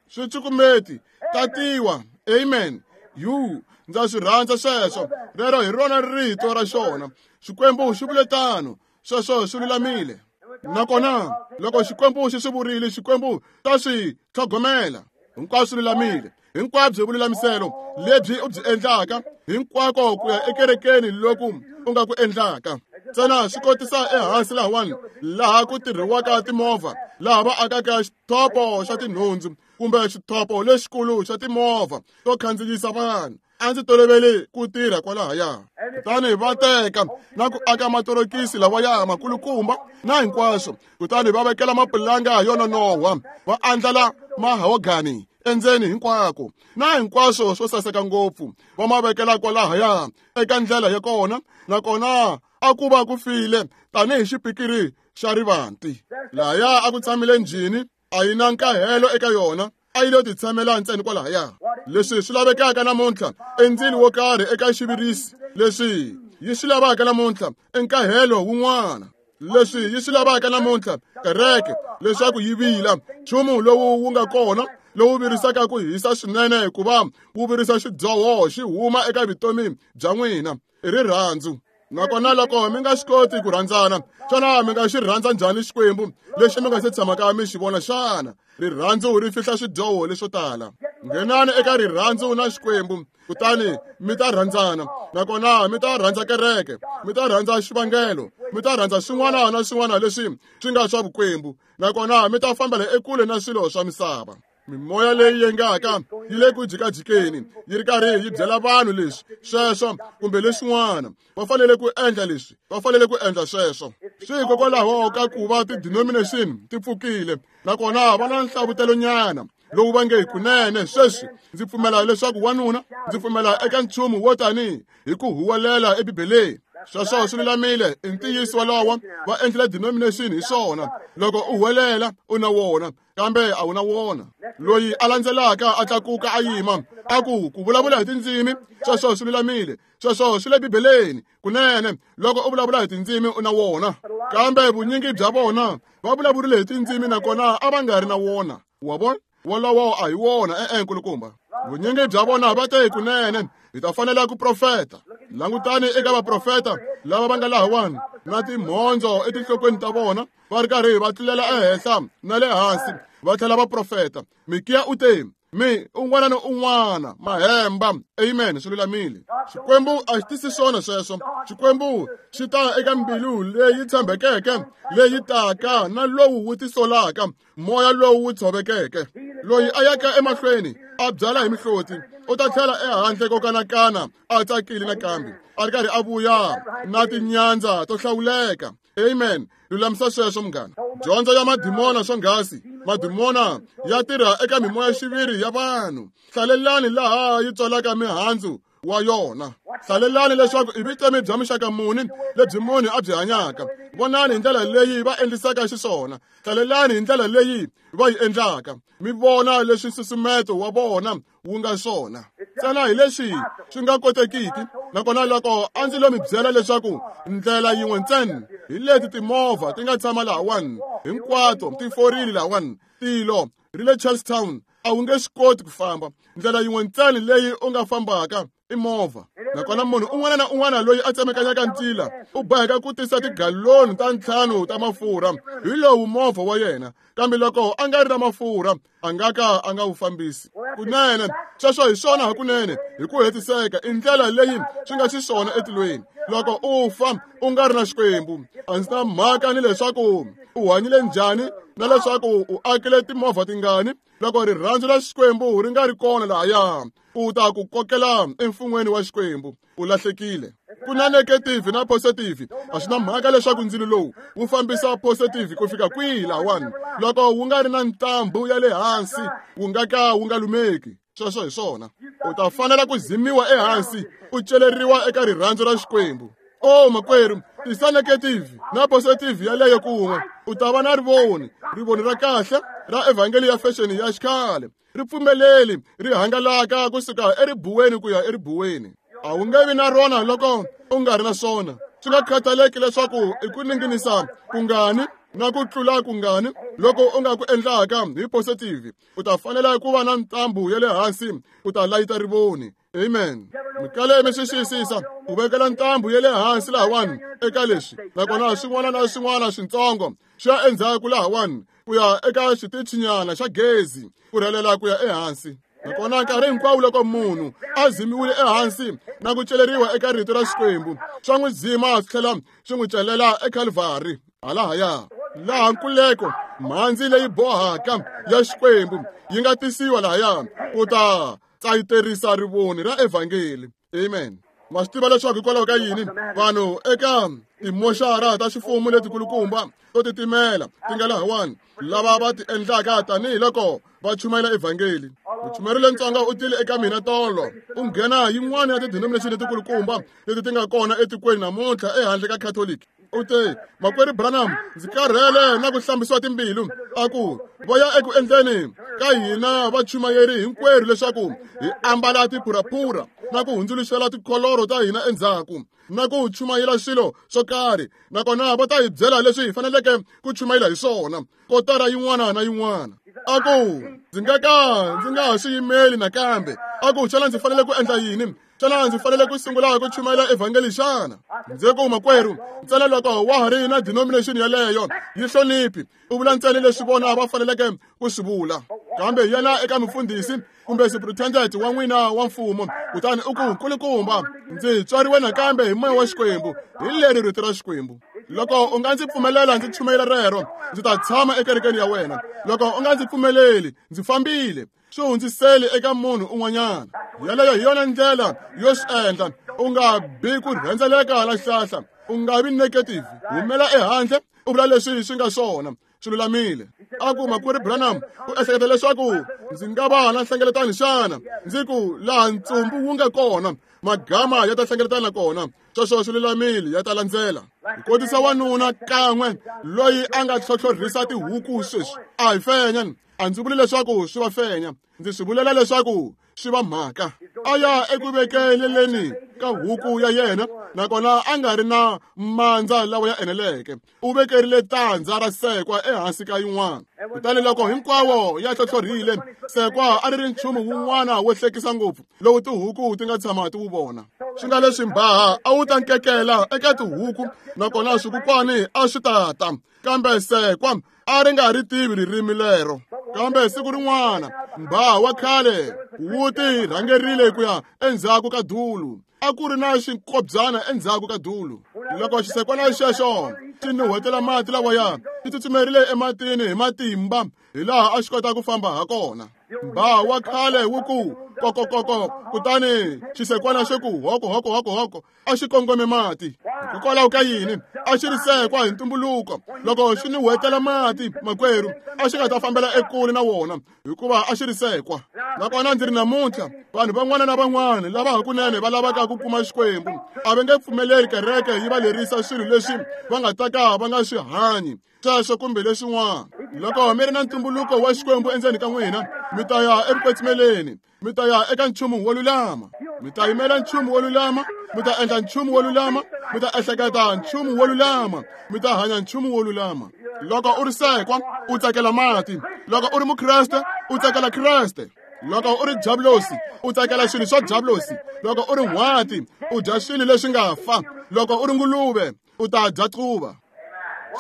Swi cukumeti, tatiwa. Amen. Yu, ndza swi rhandza sweswo. Rero hi rona rito ra xona. Xikwembu xi vule tano, sweswo swi lulamile. Nakona loko Xikwembu xi swi vurile, Xikwembu ta swi tlhogomela. Hinkwaswo swi lulamile. Hinkwabyo vululamiselo lebyi u byi endlaka, hinkwako ku ya ekerekeni loku u nga ku endlaka. Ntsena swi kotisa ehansi lahawani, laha ku tirhiwaka timovha, laha va akaka xithopo xa tinhundzu kumbe xithopo lexikulu xa timovha to khandziyisa vanhu. A ndzi tolovele ku tirha kwalahaya. Kutani va teka na ku aka matorokisi lawaya makulukumba na hinkwaswo, kutani va vekela mapulanga yo nonohwa, va andlala mahogani endzeni hinkwako na hinkwaswo swo saseka ngopfu, va ma vekela kwalahaya eka ndlela ya kona, nakona a ku va ku file tanihi xipikiri xa rivanti. Lahaya a ku tshamile njhini, a yi na nkahelo eka yona, a yi lo titshamela ntsena kwalahaya. Leswi swi lavekaka namuntlha i ndzilo wo karhi eka xivirisi. Leswi yi swi lavaka namuntlha i nkahelo wun'wana. Leswi yi swi lavaka namuntlha kereke leswaku yi vila, nchumu lowu wu nga kona lowu virisaka ku hisa swinene hikuva wu virisa xidyoho xi huma eka vutomi bya n'wina, i rirhandzu. Nakona loko mi nga swi koti ku rhandzana, xana mi nga xi rhandza njhani Xikwembu lexi mi nga se tshamaka mi xi vona xana? Rirhandzu ri fihla swidyoho leswo tala. Nghenani eka rirhandzu na Xikwembu, kutani mi ta rhandzana, nakona mi ta rhandza kereke, mi ta rhandza xivangelo, mi ta rhandza swin'wana na swin'wana leswi swi nga swa vukwembu, nakona mi ta fambela ekule na swilo swa misava. Mimoya leyi yengaka yi le ku jikajikeni, yi ri karhi yi byela vanhu leswi sweswo kumbe leswin'wana. Va fanele ku endla leswi, va fanele ku endla sweswo. Swi hikokwalaho ka ku va ti-denomination ti pfukile, nakona va na nhlavutelo-nyana lowu va nge kunene sweswi ndzi pfumela leswaku wanuna, ndzi pfumela eka nchumu wo tani hi ku huwelela eBibeleni. Sweswo swi lulamile, i ntiyiso wolowo. Va endlile denomination hi swona. Loko u huwelela u na wona, kambe a wu na wona. Loyi a landzelaka a tlakuka a yima a ku ku vulavula hi tindzimi, sweswo swi lulamile, sweswo swi le Bibeleni kunene. Loko u vulavula hi tindzimi u na wona, kambe vunyingi bya vona va vulavurile hi tindzimi nakona a va nga ri na wona. Wa vona? Wolowo a hi wona, e-e nkulukumba. Vunyingi bya vona va te kunene hi ta fanela ku profeta. Langutani eka vaprofeta lava va nga lahawani na timhondzo etinhlokweni ta vona, va ri karhi va tlulela ehenhla na le hansi, va tlhela va profeta. Mikiya u te, mi un'wana na un'wana mahemba. Amen, swi lulamile. Xikwembu a xi tisi swona sweswo. Xikwembu xi ta eka mbilu leyi tshembekeke, leyi taka na lowu wu tisolaka, moya lowu wu tshovekeke. Loyi a yaka emahlweni a byala hi mihloti, u ta tlhela ehandle ko kanakana a tsakile nakambe, a ri karhi a vuya na tinyandza to hlawuleka. Amen. Lulamisa sweswo munghana. Dyondzo ya madimona swonghasi. Madimona ya tirha eka mimoya xiviri ya vanhu. Hlalelani laha yi tswalaka mihandzu wa yona. Hlalelani leswaku i vutomi bya muxaka muni lebyi munhu a byi hanyaka. Vonani hi ndlela leyi va endlisaka xiswona. Hlalelani hi ndlela leyi va yi endlaka. Mi vona leswi nsusumeto wa vona wu nga swona. Ntsena hi leswi swi nga kotekiki. Nakona loko a ndzi lo mi byela leswaku ndlela yin'we ntsena hi leti timovha ti nga tshama lahawani hinkwato ti forile lahawani, tilo ri le Charlestown, a wu nge swi koti ku famba. Ndlela yin'we ntsena leyi u nga fambaka i movha. Nakona munhu un'wana na un'wana loyi a tsemekanyaka ntila u boheka ku tisa tigaloni ta ntlhanu ta mafurha hi lowu movha wa yena, kambe loko a nga ri na mafurha a nga ka a nga wu fambisi. Kunene sweswo hi swona hakunene hi ku hetiseka i ndlela leyi swi nga xiswona etilweni. Loko u fa u nga ri na Xikwembu, a ndzi na mhaka ni leswaku u hanyile njhani na leswaku u akile timovha tingani, loko rirhandzu ra Xikwembu ri nga ri kona lahaya, u ta ku kokela emfun'weni wa Xikwembu, u lahlekile. Ku na negative na positive, a swi na mhaka leswaku ndzilo lowu wu fambisa positive ku fika kwihi lahawani. Loko wu nga ri na ntambu ya le hansi, wu nga ka wu nga lumeki. Sweswo hi swona. U ta fanela ku zimiwa ehansi, u celeriwa eka rirhandzu ra Xikwembu. O makwerhu, tisa negative na positive yaleyo kun'we, u ta va na rivoni, rivoni ra kahle ra evhangeli ya fashion ya xikhale. Ri pfumeleli ri hangalaka kusuka eribuweni ku ya eribuweni. A wu nge vi na rona loko u nga ri na swona. Swi nga khathaleki leswaku i ku ninginisa kungani na ku tlula kungani loko u nga ku endlaka hi positive, u ta fanela ku va na ntambu ya le hansi u ta layita rivoni. Amen. Mikale mi swi xiyisisa, u vekela ntambu ya le hansi lahawani eka leswi, nakona swin'wana na swin'wana swintsongo swi ya endzhaku lahawani ku ya eka xitichinyana xa gezi ku rhelela ku ya ehansi. Nakona nkarhi hinkwawo loko munhu a zimiwile ehansi na ku celeriwa eka rito ra Xikwembu, swa n'wi zima swi tlhela swi n'wi celela eKalvari halahaya, laha nkuleko mhandzi leyi bohaka ya Xikwembu yi nga tisiwa lahaya ku ta tsayiterisa rivoni ra evhangeli. Amen. Ma swi tiva leswaku hikwalaho ka yini vanhu eka timoxara ta ximfumo letikulukumba to titimela ti nga lahawani, lava va ti endlaka tanihiloko va chumayela evhangeli. Muchumayeri lentsongo u tile eka mina tolo, u nghena yin'wana ya tidenomination letikulukumba leti ti nga kona etikweni namuntlha ehandle ka Catholic. U te, makwerhu Branham, ndzi karhele na ku hlambisiwa timbilu. A ku va ya eku endleni ka hina vachumayeri hinkwerhu leswaku hi ambala tiphuraphura na ku hundzuluxela tikholoro ta hina endzhaku na ku chumayela swilo swo karhi, nakona va ta hi byela leswi hi faneleke ku chumayela hi swona kotara yin'wana na yin'wana. A ku ndzi nga ka ndzi nga ha swi yimeli nakambe. A ku xana ndzi fanele ku endla yini? Xana ndzi fanele ku sungula ku chumayela evhangeli xana? Ndzi ku makwerhu, ntsena loko wa ha ri na denomination yaleyo yi hloniphi, u vula ntsena leswi vona va faneleke ku swi vula. Kambe yena eka mufundhisi kumbe superintendent wa n'wina wa mfumo, kutani u ku nkulukumba, ndzi tswariwe nakambe hi moya wa Xikwembu, hi leri rito ra Xikwembu. Loko u nga ndzi pfumelela ndzi chumayela rero, ndzi ta tshama ekerekeni ya wena. Loko u nga ndzi pfumeleli, ndzi fambile. Swi hundziseli eka munhu un'wanyana. Yaleyo hi yona ndlela yo swi endla. U nga bi ku rhendzeleka la xihlahla. U nga vi negative, humela ehandle u vula leswi swi nga swona. Swi lulamile. A ku makwerhu Branham, u ehleketa leswaku ndzi nga va na nhlengeletano xana? Ndzi ku laha ntsumbu wu nga kona, magama ya ta hlengeletana kona. Sweswo swi lulamile, ya ta landzela. Hi kotisa wanuna kan'we loyi a nga tlhotlhorhisa tihuku sweswi. A hi fenya, a ndzi vuli leswaku swi va fenya, ndzi swi vulela leswaku swi va mhaka. A ya eku vekeleleni ka huku ya yena, nakona a nga ri na mandza lawa ya eneleke. U vekerile tandza ra sekwa ehansi ka yin'wana. Kutani loko hinkwawo ya tlhotlhorhile, sekwa a ri ri nchumu wun'wana wo hlekisa ngopfu lowu tihuku ti nga tshama ti wu vona. Swi nga leswi mbhaha a wu ta nkekela eka tihuku, nakona swikukwani a swi ta ta, kambe sekwa a ri nga ri tivi ririmi lero. Kambe siku rin'wana mbhaha wa khale wu ti rhangerile ku ya endzhaku ka dulu. A ku ri na xinkobyana endzhaku ka dulu. Loko xisekwana xexo xi nuhwetela mati lawaya, xi tsutsumerile ematini hi matimba hi laha a xi kota ku famba ha kona. Mbhaha wa khale wu ku kokokoko, kutani xisekwana xi ku hoko hoko hoko hoko, a xi kongome mati. Hikokwalaho ka yini? A xi ri sekwa hi ntumbuluko. Loko xi nuhwetela mati, makwerhu, a xi nga ta fambela ekule na wona, hikuva a xi ri sekwa. Nakona ndzi ri namuntlha, vanhu van'wana na van'wana lava hakunene va lavaka ku kuma Xikwembu a va nge pfumeleli kereke yi va lerisa swilo leswi va nga ta ka va nga swi hanyi, sweswo kumbe leswin'wana. Loko mi ri na ntumbuluko wa Xikwembu endzeni ka n'wina, mi ta ya evukwetsimeni, mi ta ya eka nchumu wo lulama, mi ta yimela nchumu wo lulama, mi ta endla nchumu wo lulama, mi ta ehleketa nchumu wo lulama, mi ta hanya nchumu wo lulama. Loko u ri sekwa, u tsakela mati. Loko u ri mukreste, u tsakela Kreste. Loko u ri diablosi, u tsakela swilo swa diablosi. Loko u ri n'hwati, u dya swilo leswi nga fa. Loko u ri nguluve, u ta dya quva.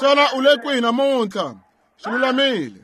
Xana u le kwihi namuntlha? Swi lulamile.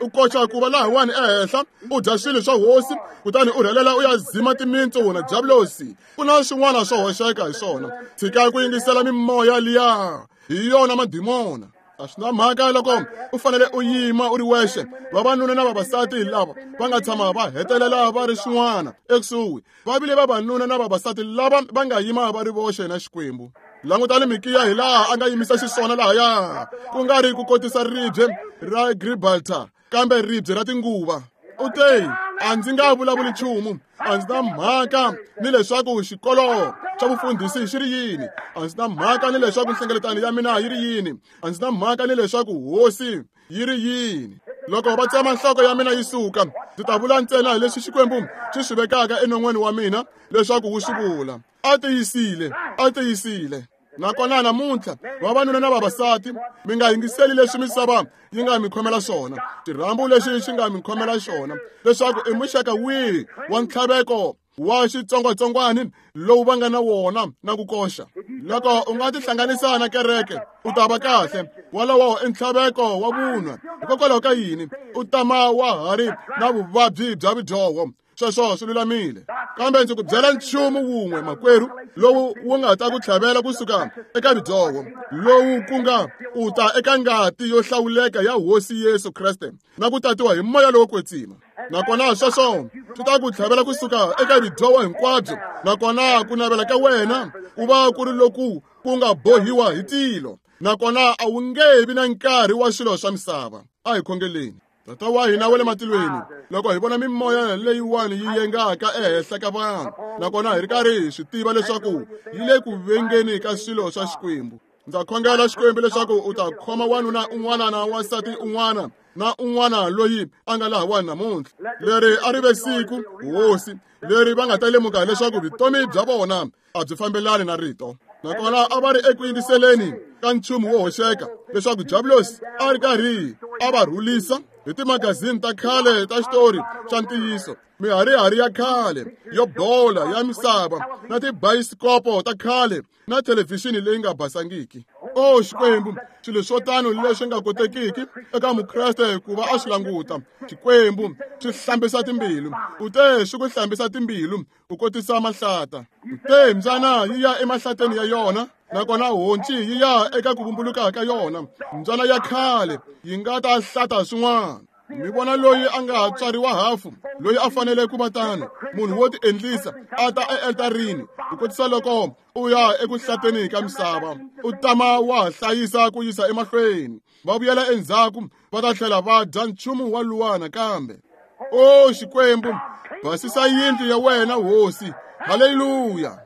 U koxa ku va lahawani ehenhla, u dya swilo swa hosi, kutani u rhelela u ya zima timintsu na diablosi. Ku na swin'wana swo hoxeka hi swona. Tshika ku yingisela mimoya liya, hi yona madimona. A swi na mhaka loko u fanele u yima u ri wexe. Vavanuna na vavasati lava va nga tshama va hetelela va ri swin'wana ekusuhi, va vile vavanuna na vavasati lava va nga yima va ri voxe na Xikwembu. Langutani Mikiya hi laha a nga yimisa xiswona lahaya, ku nga ri ku kotisa ribye ra Gibraltar, kambe ribye ra tinguva. U te, a ndzi nga vulavuli nchumu, a ndzi na mhaka ni leswaku xikolo xa vufundhisi xi ri yini, a ndzi na mhaka ni leswaku nhlengeletano ya mina yi ri yini, a ndzi na mhaka ni leswaku hosi yi ri yini. Loko va tsema nhloko ya mina yi suka, ndzi ta vula ntsena hi leswi Xikwembu xi swi vekaka enon'weni wa mina leswaku wu swi vula. A tiyisile, a tiyisile. Nakona namuntlha vavanuna na vavasati, mi nga yingiseli leswi misava yi nga mi khomela swona, xirhambo lexi xi nga mi khomela xona, leswaku i muxaka wihi wa ntlhaveko wa xitsongwatsongwana lowu va nga na wona na ku koxa. Loko u nga tihlanganisa na kereke, u ta va kahle. Walowo i ntlhaveko wa vunwa. Hikokwalaho ka yini? U tama wa ha ri na vuvabyi bya vudyoho. Sweswo swi lulamile. Kambe ndzi ku byela nchumu wun'we, makwerhu, lowu wu nga ta ku tlhavela kusuka eka vudyoho, lowu ku nga u ta eka ngati yo hlawuleka ya Hosi Yesu Kreste na ku tatiwa hi moya lowo kwetsima. Nakona sweswo swi ta ku tlhavela kusuka eka vudyoho hinkwabyo, nakona ku navela ka wena ku va ku ri loku ku nga bohiwa hi tilo, nakona a wu nge vi na nkarhi wa swilo swa misava. A hi khongeleni. Tata wa hina wa le matilweni, loko hi vona mimoya leyiwani yi yengaka ehenhla ka vanhu, nakona hi ri karhi hi swi tiva leswaku yi le ku vengeni ka swilo swa Xikwembu, ndza khongela Xikwembu leswaku u ta khoma wanuna un'wana na wansati un'wana na un'wana loyi a nga lahawani namuntlha. Leri a ri ve siku, Hosi, leri va nga ta lemuka leswaku vutomi bya vona a byi fambelani na rito. Nakona a va ri eku yingiseleni ka nchumu wo hoxeka, leswaku diablosi a ri karhi a va rhulisa hi timagazini ta khale ta xitori xa ntiyiso, miharihari ya khale yo bola ya misava, na tibayisikopo ta khale na thelevhixini leyi nga basangiki. O Xikwembu, swilo swo tano leswi nga kotekiki eka mukreste ku va a swi languta. Xikwembu xi hlambisa timbilu. U te xi ku hlambisa timbilu u kotisa mahlata. U te mbyana yi ya emahlateni ya yona, nakona honci yi ya eka ku vumbuluka ka yona. Mbyana ya khale yi nga ta hlata swin'wana. Mi vona loyi a nga tswariwa hafu, loyi a fanele ku va tano, munhu wo tiendlisa a ta ealtarini ku kotisa loko u ya eku hlateni ka misava, u tama wa hlayisa ku yisa emahlweni, va vuyela endzhaku va ta tlhela va dya nchumu wa luwa nakambe. O Xikwembu, basisa yindlu ya wena hosi. Haleluya.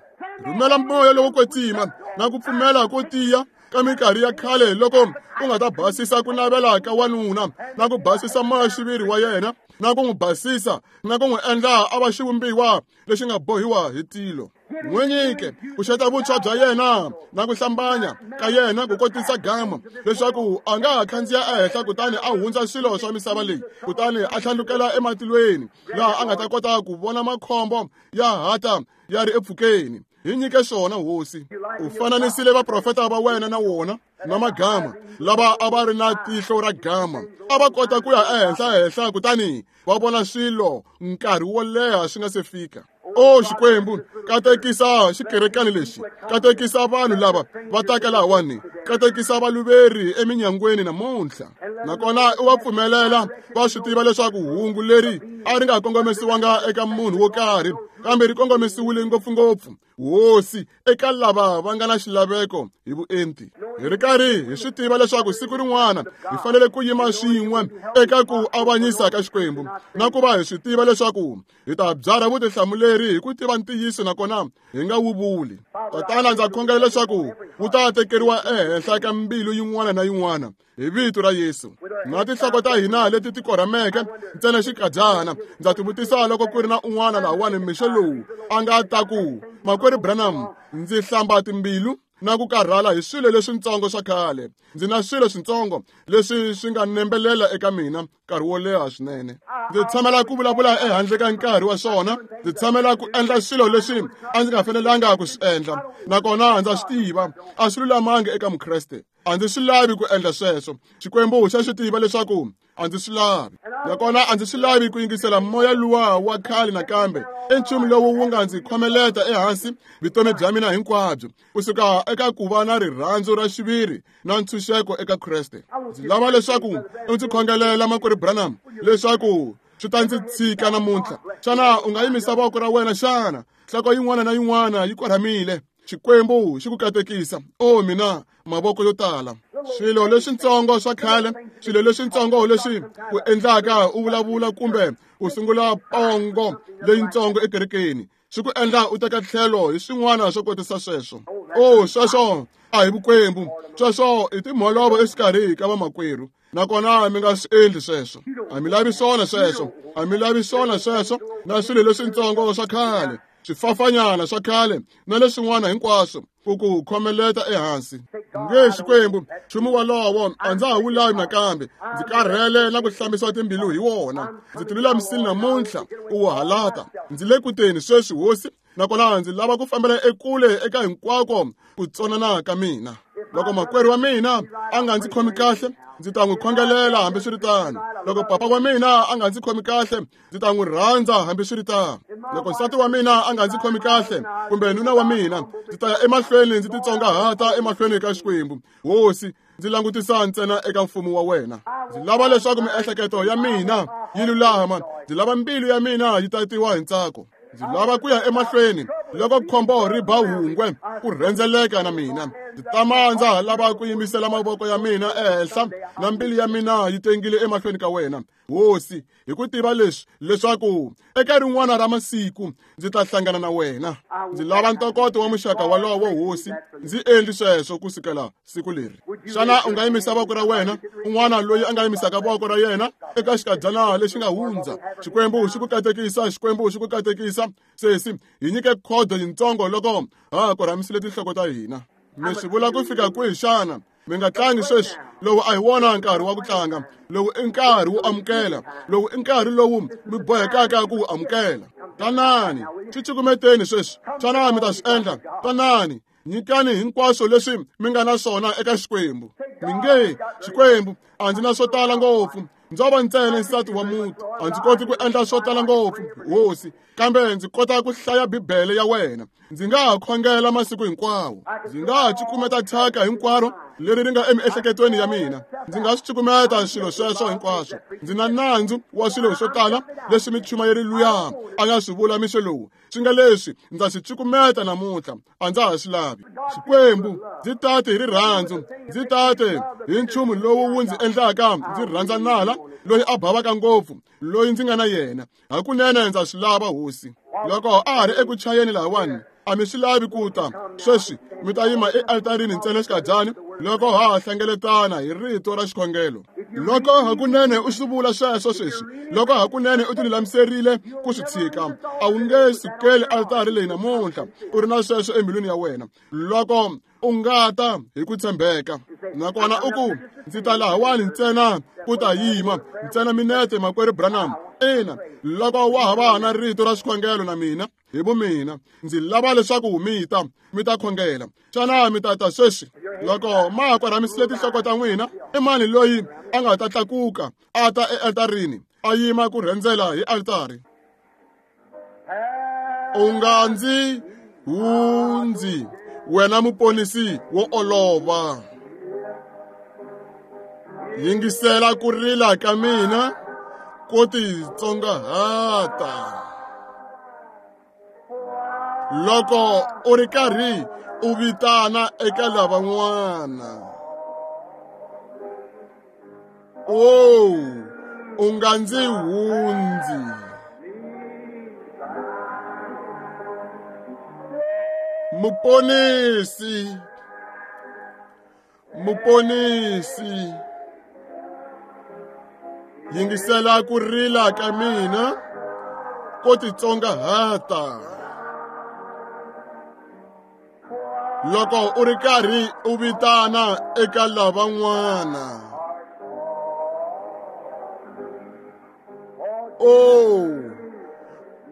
Rhumela moya lowo kwetsima na ku pfumela ko tiya ka minkarhi ya khale loko u nga ta basisa ku navela ka wanuna na ku basisa moya-xiviri wa yena na ku n'wi basisa na ku n'wi endla a va xivumbiwa lexi nga bohiwa hi tilo. N'wi nyike ku xeta vutshwa bya yena na ku hlambanya ka yena ku kotisa gama, leswaku a nga ha khandziya ehenhla kutani a hundza swilo swa misava leyi, kutani a tlhandlukela ematilweni laha a nga ta kota ku vona makhombo ya hata ya ri epfukeni. Hi nyike swona hosi. U fananisile vaprofeta va wena na wona na magama lava a va ri na tihlo ra gama, a va kota ku ya ehenhla henhla kutani va vona swilo nkarhi wo leha swi nga se fika. O Xikwembu, katekisa xikerekani lexi, katekisa vanhu lava va taka lahawani, katekisa valuveri eminyangweni namuntlha. Nakona u va pfumelela va swi tiva leswaku hungu leri a ri nga kongomisiwanga eka munhu wo karhi, kambe ri kongomisiwile ngopfungopfu hosi eka lava va nga na xilaveko hi vuenti. Hi ri karhi hi swi tiva leswaku siku rin'wana hi fanele ku yima swin'we eka ku avanyisa ka Xikwembu, na ku va hi swi tiva leswaku hi ta byarha vutihlamuleri hi ku tiva ntiyiso nakona hi nga wu vuli. Tatana, ndza khongela leswaku wu ta tekeriwa ehenhla ka mbilu yin'wana na yin'wana hi vito ra Yesu. Na tinhloko ta hina leti ti korhameke ntsena xikadyana, ndza tivutisa loko ku ri na un'wana lahawani mixo lowu a nga ta ku, Makwerhu Branham, ndzi hlamba timbilu na ku karhala hi swilo leswintsongo swa khale. Ndzi na swilo swintsongo leswi swi nga nembelela eka mina nkarhi wo leha swinene. Ndzi tshamela ku vulavula ehandle ka nkarhi wa swona. Ndzi tshamela ku endla swilo leswi a ndzi nga fanelanga ku swi endla, nakona ndza swi tiva a swi lulamanga eka Mukreste. A ndzi swi lavi ku endla sweswo. Xikwembu xa swi tiva leswaku a ndzi swi lavi, nakona a ndzi swi lavi ku yingisela moya luwa wa khale nakambe. I nchumu lowu wu nga ndzi khomeleta ehansi vutomi bya mina hinkwabyo, kusuka eka ku va na rirhandzu ra xiviri na ntshunxeko eka Kreste. Ndzi lava leswaku u ndzi khongelela, Makwerhu Branham, leswaku swi ta ndzi tshika namuntlha. Xana u nga yimisa voko ra wena xana? Nhloko yin'wana na yin'wana yi korhamile. Xikwembu xi ku katekisa. O mina, mavoko yo tala. Swilo leswintsongo swa khale, swilo leswintsongo leswi ku endlaka u vulavula kumbe u sungula pongo leyintsongo ekerekeni, swi ku endla u teka tlhelo hi swin'wana swo kotisa sweswo. O sweswo a hi vukwembu, sweswo i timholovo exikarhi ka vamakwerhu, nakona mi nga swi endli sweswo. A mi lavi swona sweswo, a mi lavi swona sweswo na swilo leswintsongo swa khale, swifafanyana swa khale na leswin'wana hinkwaswo ku ku khomeleta ehansi. Nge Xikwembu, nchumu wolowo a ndza ha wu lavi nakambe. Ndzi karhele na ku hlambisiwa timbilu hi wona. Ndzi tilulamisile namuntlha ku wu halata. Ndzi le kuteni sweswi hosi, nakona ndzi lava ku fambela ekule eka hinkwako ku tsonana ka mina. Loko makwerhu wa mina a nga ndzi khomi kahle, ndzi ta n'wi khongelela hambiswiritano. Loko papa wa mina a nga ndzi khomi kahle, ndzi ta n'wi rhandza hambiswiritano. Loko nsati wa mina a nga ndzi khomi kahle kumbe nuna wa mina, ndzi ta ya emahlweni ndzi titsongahata emahlweni ka Xikwembu. Hosi, ndzi langutisa ntsena eka mfumo wa wena. Ndzi lava leswaku miehleketo ya mina yi lulama. Ndzi lava mbilu ya mina yi tatiwa hi ntsako. Ndzi lava ku ya emahlweni loko khombo ri ba hungwe ku rhendzeleka na mina. Ndzi tama ndza ha lava ku yimisela mavoko ya mina ehenhla na mbilu ya mina yi tengile emahlweni ka wena hosi, hi ku tiva leswi leswaku eka rin'wana ra masiku ndzi ta hlangana na wena. Ndzi lava ntokoto wa muxaka walowo hosi, ndzi endli sweswo ku sukela siku leri. Xana u nga yimisa voko ra wena? Un'wana loyi a nga yimisaka voko ra yena eka xikadyana lexi nga hundza. Xikwembu xi ku katekisa, Xikwembu xi ku katekisa. Sesi, hi nyike khodo yintsongo loko ha korhamisile tinhloko ta hina. Mi swi vula ku fika kwihi xana? Mi nga tlangi sweswi. Lowu a hi wona nkarhi wa ku tlanga. Lowu i nkarhi wo amukela. Lowu i nkarhi lowu mi bohekaka ku wu amukela. Tanani, swi cukumeteni sweswi. Xana mi ta swi endla? Tanani, nyikani hinkwaswo leswi mi nga na swona eka Xikwembu. Mi nge, Xikwembu, a ndzi na swo tala ngopfu. Ndzo va ntsena nsati wa muti. A ndzi koti ku endla swo tala ngopfu, hosi, kambe ndzi kota ku hlaya Bibele ya wena. Ndzi nga ha khongela masiku hinkwawo. Ndzi nga ha cukumeta thyaka hinkwaro leri ri nga emiehleketweni ya mina. Ndzi nga swi cukumeta swilo sweswo hinkwaswo. Ndzi na nandzu wa swilo swo tala leswi michumayeri luya a nga swi vula mixo lowu. Swi nga leswi ndza swi cukumeta namuntlha, a ndza ha swi lavi. Xikwembu, ndzi tate hi rirhandzu, ndzi tate hi nchumu lowu wu ndzi endlaka ndzi rhandza nala loyi a bavaka ngopfu, loyi ndzi nga na yena. Hakunene ndza swi lava, hosi. Loko a ha ri eku chayeni lahawani, a mi swi lavi ku ta sweswi, mi ta yima ealtarini ntsena xikadyana loko ha ha hlengeletana hi rito ra xikhongelo. Loko hakunene u swi vula sweswo sweswi, loko hakunene u tilulamiserile ku swi tshika, a wu nge sukeli altari leyi namuntlha u ri na sweswo embilwini ya wena. Loko u nga ta hi ku tshembeka, nakona u ku, ndzi ta lahawani ntsena ku ta yima ntsena minete, makwerhu Branham. Ina, loko wa ha va na rito ra xikhongelo na mina, hi vumina, ndzi lava leswaku mi ta mi ta khongela. Xana mi ta ta sweswi? Loko ma ha korhamisile tinhloko ta n'wina, i mani loyi a nga ta tlakuka a ta ealtarini a yima ku rhendzela hi altari? U nga ndzi hundzi, wena muponisi wo olova. Yingisela ku rila ka mina ko titsongahata. Loko u ri karhi u vitana eka lavan'wana, o u nga ndzi hundzi. Muponisi, muponisi, yingisela ku rila ka mina ko titsongahata. Loko u ri karhi u vitana eka lavan'wana, o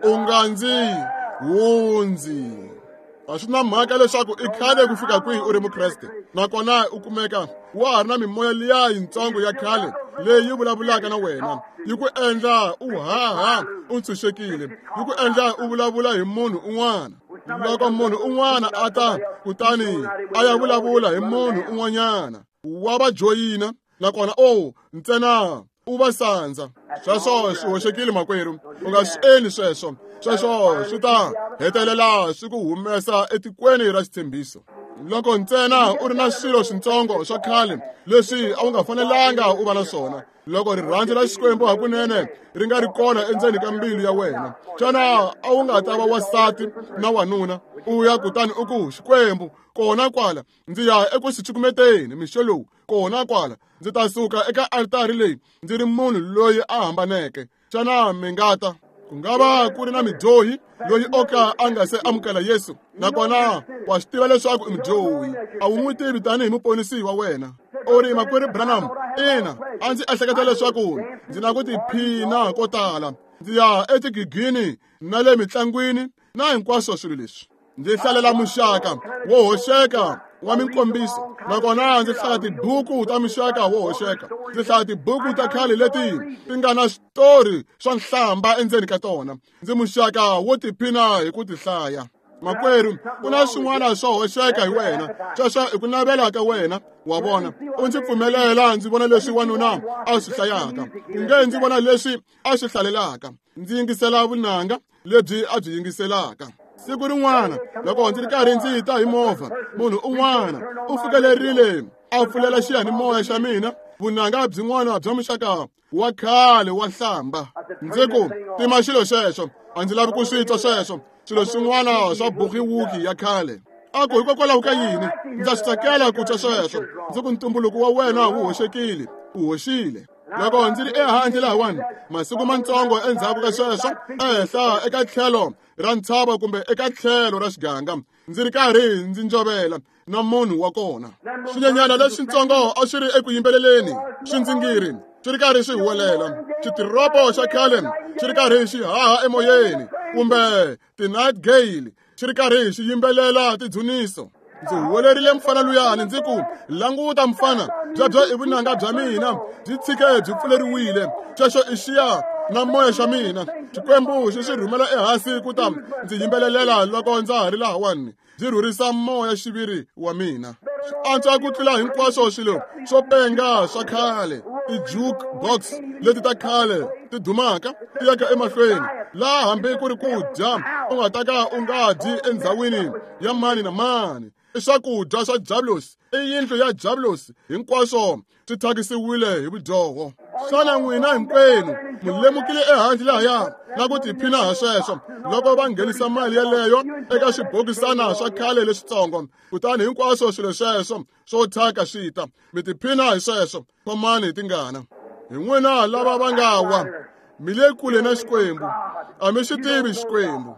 u nga ndzi hundzi. A swi na mhaka leswaku i khale ku fika kwihi u ri mukreste, nakona u kumeka wa ha ri na mimoya liya yintsongo ya khale leyi vulavulaka na wena, yi ku endla u haha u ntshunxekile, yi ku endla u vulavula hi munhu un'wana. Loko munhu un'wana a ta kutani a ya vulavula hi munhu un'wanyana, wa va joyina, nakona o ntsena u va sandza. Sweswo swi hoxekile, makwerhu. U nga swi endli sweswo. Sweswo swi ta hetelela swi ku humesa etikweni ra xitshembiso. Loko ntsena u ri na swilo swintsongo swa khale leswi a wu nga fanelanga u va na swona, loko rirhandzu ra Xikwembu hakunene ri nga ri kona endzeni ka mbilu ya wena, xana a wu nga ta va wansati na wanuna u ya kutani u ku, Xikwembu, kona kwala ndzi ya eku swi cukumeteni mixo lowu, kona kwala ndzi ta suka eka altari leyi ndzi ri munhu loyi a hambaneke. Xana mi nga ta? Ku nga va ku ri na midyohi loyi o ka a nga se amukela Yesu, nakona wa swi tiva leswaku i mudyohi, a wu n'wi tivi tanihi muponisi wa wena. U ri, makwerhu Branham, ina, a ndzi ehleketa leswaku ndzi na ku tiphina ko tala, ndzi ya etigigini na le mitlangwini na hinkwaswo swilo leswi. Ndzi hlalela muxaka wo hoxeka wa minkombiso, nakona ndzi hlaya tibuku ta muxaka wo hoxeka. Ndzi hlaya tibuku ta khale leti ti nga na switori swa nhlamba endzeni ka tona. Ndzi muxaka wo tiphina hi ku ti hlaya. Makwerhu, ku na swin'wana swo hoxeka hi wena. Sweswo i ku navela ka wena, wa vona. U ndzi pfumelela ndzi vona leswi wanuna a swi hlayaka, u nge ndzi vona leswi a swi hlalelaka. Ndzi yingisela vunanga lebyi a byi yingiselaka. Siku rin'wana loko ndzi ri karhi ndzi ta hi movha, munhu un'wana u fikelerile a pfulela xiyanimoya xa mina vunanga byin'wana bya muxaka wa khale wa nhlamba. Ndzi ku, tima xilo xexo, a ndzi lavi ku swi twa sweswo, swilo swin'wana swa bukiwuki ya khale. A ku, hikokwalaho ka yini? Ndza swi tsakela ku twa sweswo. Ndzi ku, ntumbuluko wa wena wu hoxekile, u hoxile. Loko ndzi ri ehandle lahawani masiku mantsongo endzhaku ka sweswo, ehenhla eka tlhelo ra ntshava kumbe eka tlhelo ra xiganga, ndzi ri karhi ndzi njovela na munhu wa kona. Swinyenyana leswintsongo a swi ri eku yimbeleleni, swindzingiri swi ri karhi swi huwelela, xitiropo xa khale xi ri karhi xi haha emoyeni, kumbe ti-night gale xi ri karhi xi yimbelela tidzuniso. Ndzi huwelerile mfana luyani ndzi ku, languta mfana, byebyo i vunanga bya mina, byi tshike byi pfuleriwile. Sweswo i xiya na moya xa mina. Xikwembu xi xi rhumela ehansi ku ta ndzi yimbelelela loko ndza ha ri lahawani, ndzi rhurisa moya xiviri wa mina. Swi antswa ku tlula hinkwaswo swilo swo penga swa khale, ti-juke box leti ta khale ti dumaka ti yaka emahlweni, laha hambi ku ri ku dya u nga ta ka u nga dyi endhawini ya mani na mani. I swakudya swa Diablos, i yindlu ya Diablos, hinkwaswo swi thyakisiwile hi vudyoho. Xana n'wina hinkwenu mi lemukile ehandle lahaya na ku tiphina ha sweswo loko va nghenisa mali yeleyo eka swibokisana swa khale leswitsongo, kutani hinkwaswo swilo sweswo swo thyaka swi ta, mi tiphina hi sweswo. Khomani hi tingana. Hi n'wina lava va nga wa, mi le kule na Xikwembu, a mi xi tivi Xikwembu.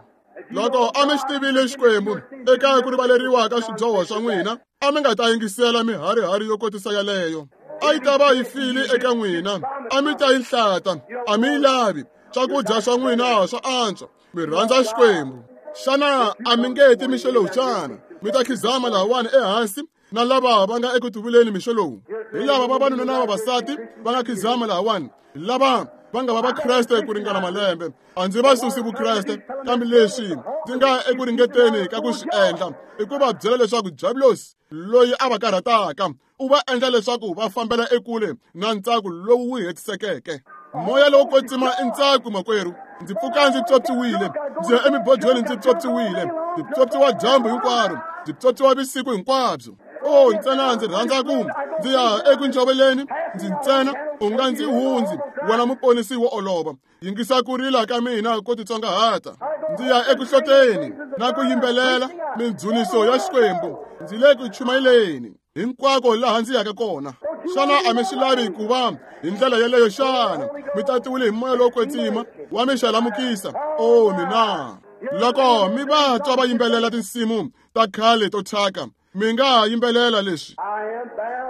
Loko a mi xi tivile Xikwembu eka ku rivaleriwa ka swidyoho swa n'wina, a mi nga ta yingisela miharihari yo kotisa yaleyo. A yi ta va yi file eka n'wina, a mi ta yi hlata, a mi yi lavi. Swakudya swa n'wina swa antswa, mi rhandza Xikwembu. Xana a mi nge ti mixo lowu xana? Mi ta khizama lahawani ehansi na lava va nga eku tivuleni mixo lowu. Hi lava vavanuna na vavasati va nga khizama lahawani, lava va nga va Vakreste ku ringana malembe. A ndzi va susi Vukreste, kambe leswi ndzi nga eku ringeteni ka ku swi endla i ku va byela leswaku Diablos loyi a va karhataka u va endla leswaku va fambela ekule na ntsako lowu wu hetisekeke. Moya lowo kwetsima i ntsako, makwerhu. Ndzi pfuka ndzi pyopyiwile, ndzi ya emibodweni ndzi pyopyiwile, ndzi pyopyiwa dyambu hinkwaro, ndzi pyopyiwa vusiku hinkwabyo. O ntsena ndzi rhandza ku ndzi ya eku ntshoveleni, ndzi ntsena u nga ndzi hundzi wena muponisi wo olova. Yingisa ku rila ka mina ko titsongahata. Ndzi ya eku hloteni na ku yimbelela mindzhuniso ya Xikwembu. Ndzi le ku chumayeleni hinkwako laha ndzi yaka kona. Xana a mi swi lavi ku va hi ndlela yeleyo xana? Mi tatiwile hi moya lowo kwetsima wa mi xalamukisa. O mina, loko mi va twa va yimbelela tinsimu ta khale to thyaka, mi nga yimbelela leswi: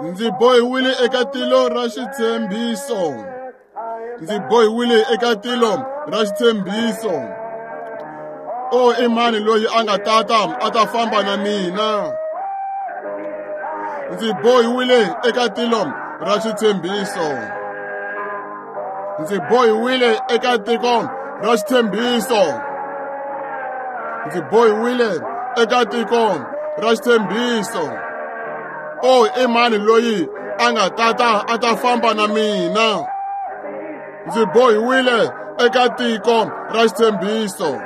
ndzi bohiwile eka tilo ra xitshembiso, ndzi bohiwile eka tilo ra xitshembiso. O i mani loyi a nga tata a ta famba na mina? Ndzi bohiwile eka tilo ra xitshembiso, ndzi bohiwile eka tiko ra xitshembiso, ndzi bohiwile eka tiko ra xitshembiso. O i mani loyi a nga tata a ta famba na mina? Ndzi bohiwile eka tiko ra xitshembiso.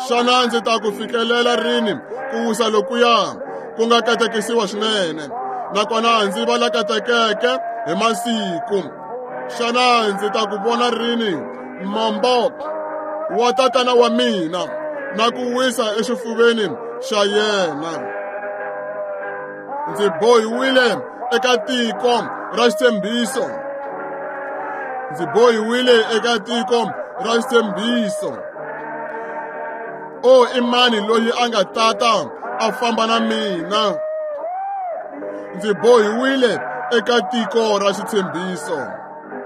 Xana ndzi ta ku fikelela rini ku wisa lokuya ku nga katekisiwa swinene, nakona ndzi va la katekeke hi masiku? Xana ndzi ta ku vona rini mombo wa tatana wa mina na ku wisa exifuveni xa yena? Ndzi bohiwile eka tiko ra xitshembiso, ndzi bohiwile eka tiko ra xitshembiso. O i mani loyi a nga tata a famba na mina? Ndzi bohiwile eka tiko ra xitshembiso.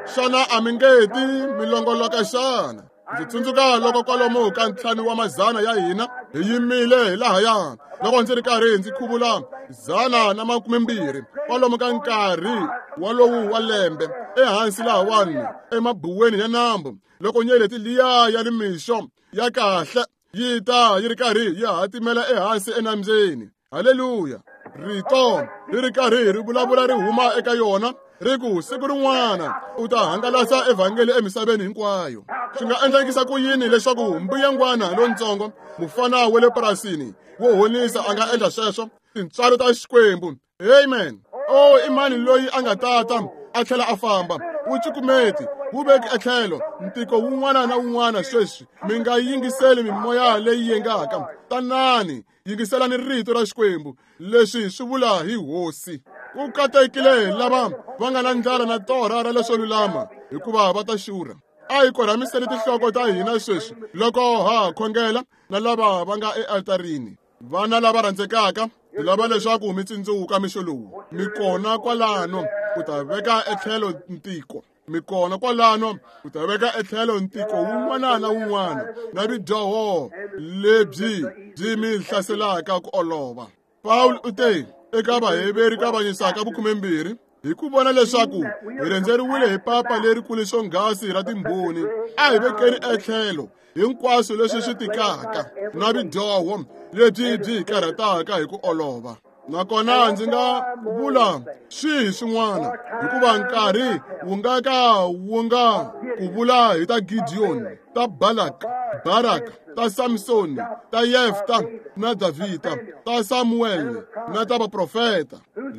Xana a mi nge ti mi longoloka xana? Ndzi tsundzuka loko kwalomu ka ntlhanu wa mazana ya hina hi yimile hi lahaya, loko ndzi ri karhi ndzi khuvula zana na makumembirhi kwalomu ka nkarhi walowu wa lembe ehansi lahawani emabuweni ya nambu, loko nyeleti liya ya nimixo ya kahle yi ta yi ri karhi yi hatimela ehansi enambyeni. Haleluya! Rito ri ri karhi ri vulavula ri huma eka yona ri ku siku rin'wana u ta hangalasa evhangeli emisaveni hinkwayo. Swi nga endlekisa ku yini leswaku mbuyangwana lontsongo mufana wa le purasini wo honisa a nga endla sweswo? Tintswalo ta Xikwembu. Amen. O i mani loyi a nga tata a tlhela a famba? Wu cukumeti, wu veki etlhelo ntiko wun'wana na wun'wana sweswi. Mi nga yingiseli mimoya leyi yengaka. Tanani, yingiselani rito ra Xikwembu. Leswi swi vula hi Hosi. Ku katekile lava va nga na ndlala na torha ra leswo lulama, hikuva va ta xurha. A hi korhamiseni tinhloko ta hina sweswi loko ha khongela na lava va nga ealtarini. Vana lava rhandzekaka, hi lava leswaku mi tsundzuka mixo lowu. Mi kona kwalano ku ta veka etlhelo ntiko. Mi kona kwalano ku ta veka etlhelo ntiko wun'wana na wun'wana na vudyoho lebyi byi mi hlaselaka ku olova. Paul u te eka Vaheveri ka vanyisaka vukhumembirhi Hi ku vona leswaku hi rhendzeriwile hi papa lerikulu swonghasi ra timbhoni, a hi vekeni etlhelo hinkwaswo leswi swi tikaka na vudyoho lebyi byi hi karhataka hi ku olova. Nakona ndzi nga vula swihi swin'wana, hikuva nkarhi wu nga ka wu nga ku vula hi ta Gideon, ta Balak, Barak, ta Samson, ta Yefta na Davhida, ta Samuel na ta vaprofeta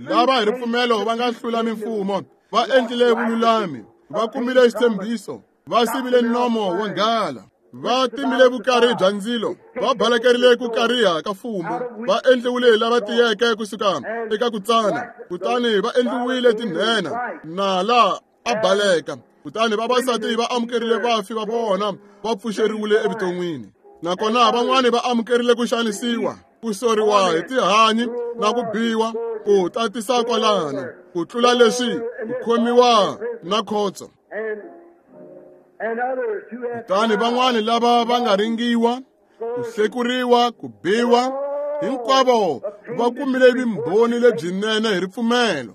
lava hi ripfumelo va nga hlula mimfumo, va endlile vululami, va kumile xitshembiso, va sivile nomo wa nghala, va timile vukarhi bya ndzilo, va balekerile ku kariha ka fumu, va endliwile lava tiyeke kusuka eka ku tsana, kutani va endliwile tinhenha, nala a baleka, kutani vavasati va amukerile vafi va vona, va pfuxeriwile evuton'wini. Nakona van'wani va amukerile ku xanisiwa, ku soriwa hi tihanyi na ku biwa, ku tatisa kwalano, ku tlula leswi, ku khomiwa na khotso. Kutani van'wani lava va nga ringiwa, ku hlekuriwa, ku biwa, hinkwavo va kumile vumbhoni lebyinene hi ripfumelo.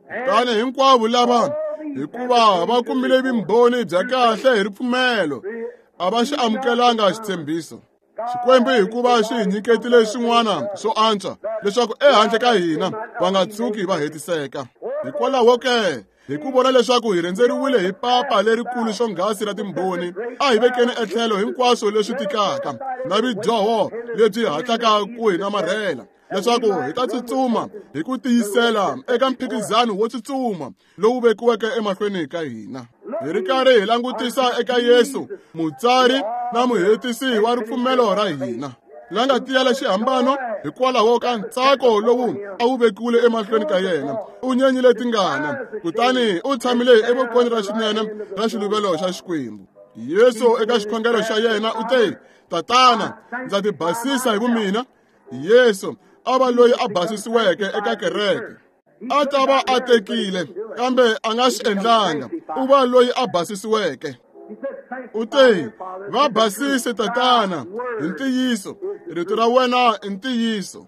Kutani hinkwavo lava, hikuva va kumile vumbhoni bya kahle hi ripfumelo, a va xi amukelanga xitshembiso. Xikwembu hikuva xi hi nyiketile swin'wana swo antswa, leswaku ehandle ka hina va nga tshuki va hetiseka. Hikwalaho ke, hi ku vona leswaku hi rhendzeriwile hi papa lerikulu swonghasi ra timbhoni, a hi vekeni etlhelo hinkwaswo leswi tikaka na vudyoho lebyi hatlaka ku hi namarhela, leswaku hi ta tsutsuma hi ku tiyisela eka mphikizano wo tsutsuma lowu vekiweke emahlweni ka hina. Hi ri karhi hi langutisa eka Yesu, mutsari na muhetisi wa ripfumelo ra hina, la nga tiyela xihambano hikwalaho ka ntsako lowu a wu vekiwile emahlweni ka yena. U nyenyile tingana, kutani u tshamile evokweni ra xinene ra xiluvelo xa Xikwembu. Yesu eka xikhongelo xa yena u te, Tatana, ndza ti basisa hi vumina. Yesu a va loyi a basisiweke eka kereke. A ta va a tekile, kambe a nga swi endlanga. U va loyi a basisiweke. U te, va basise Tatana hi ntiyiso, rito ra wena i ntiyiso.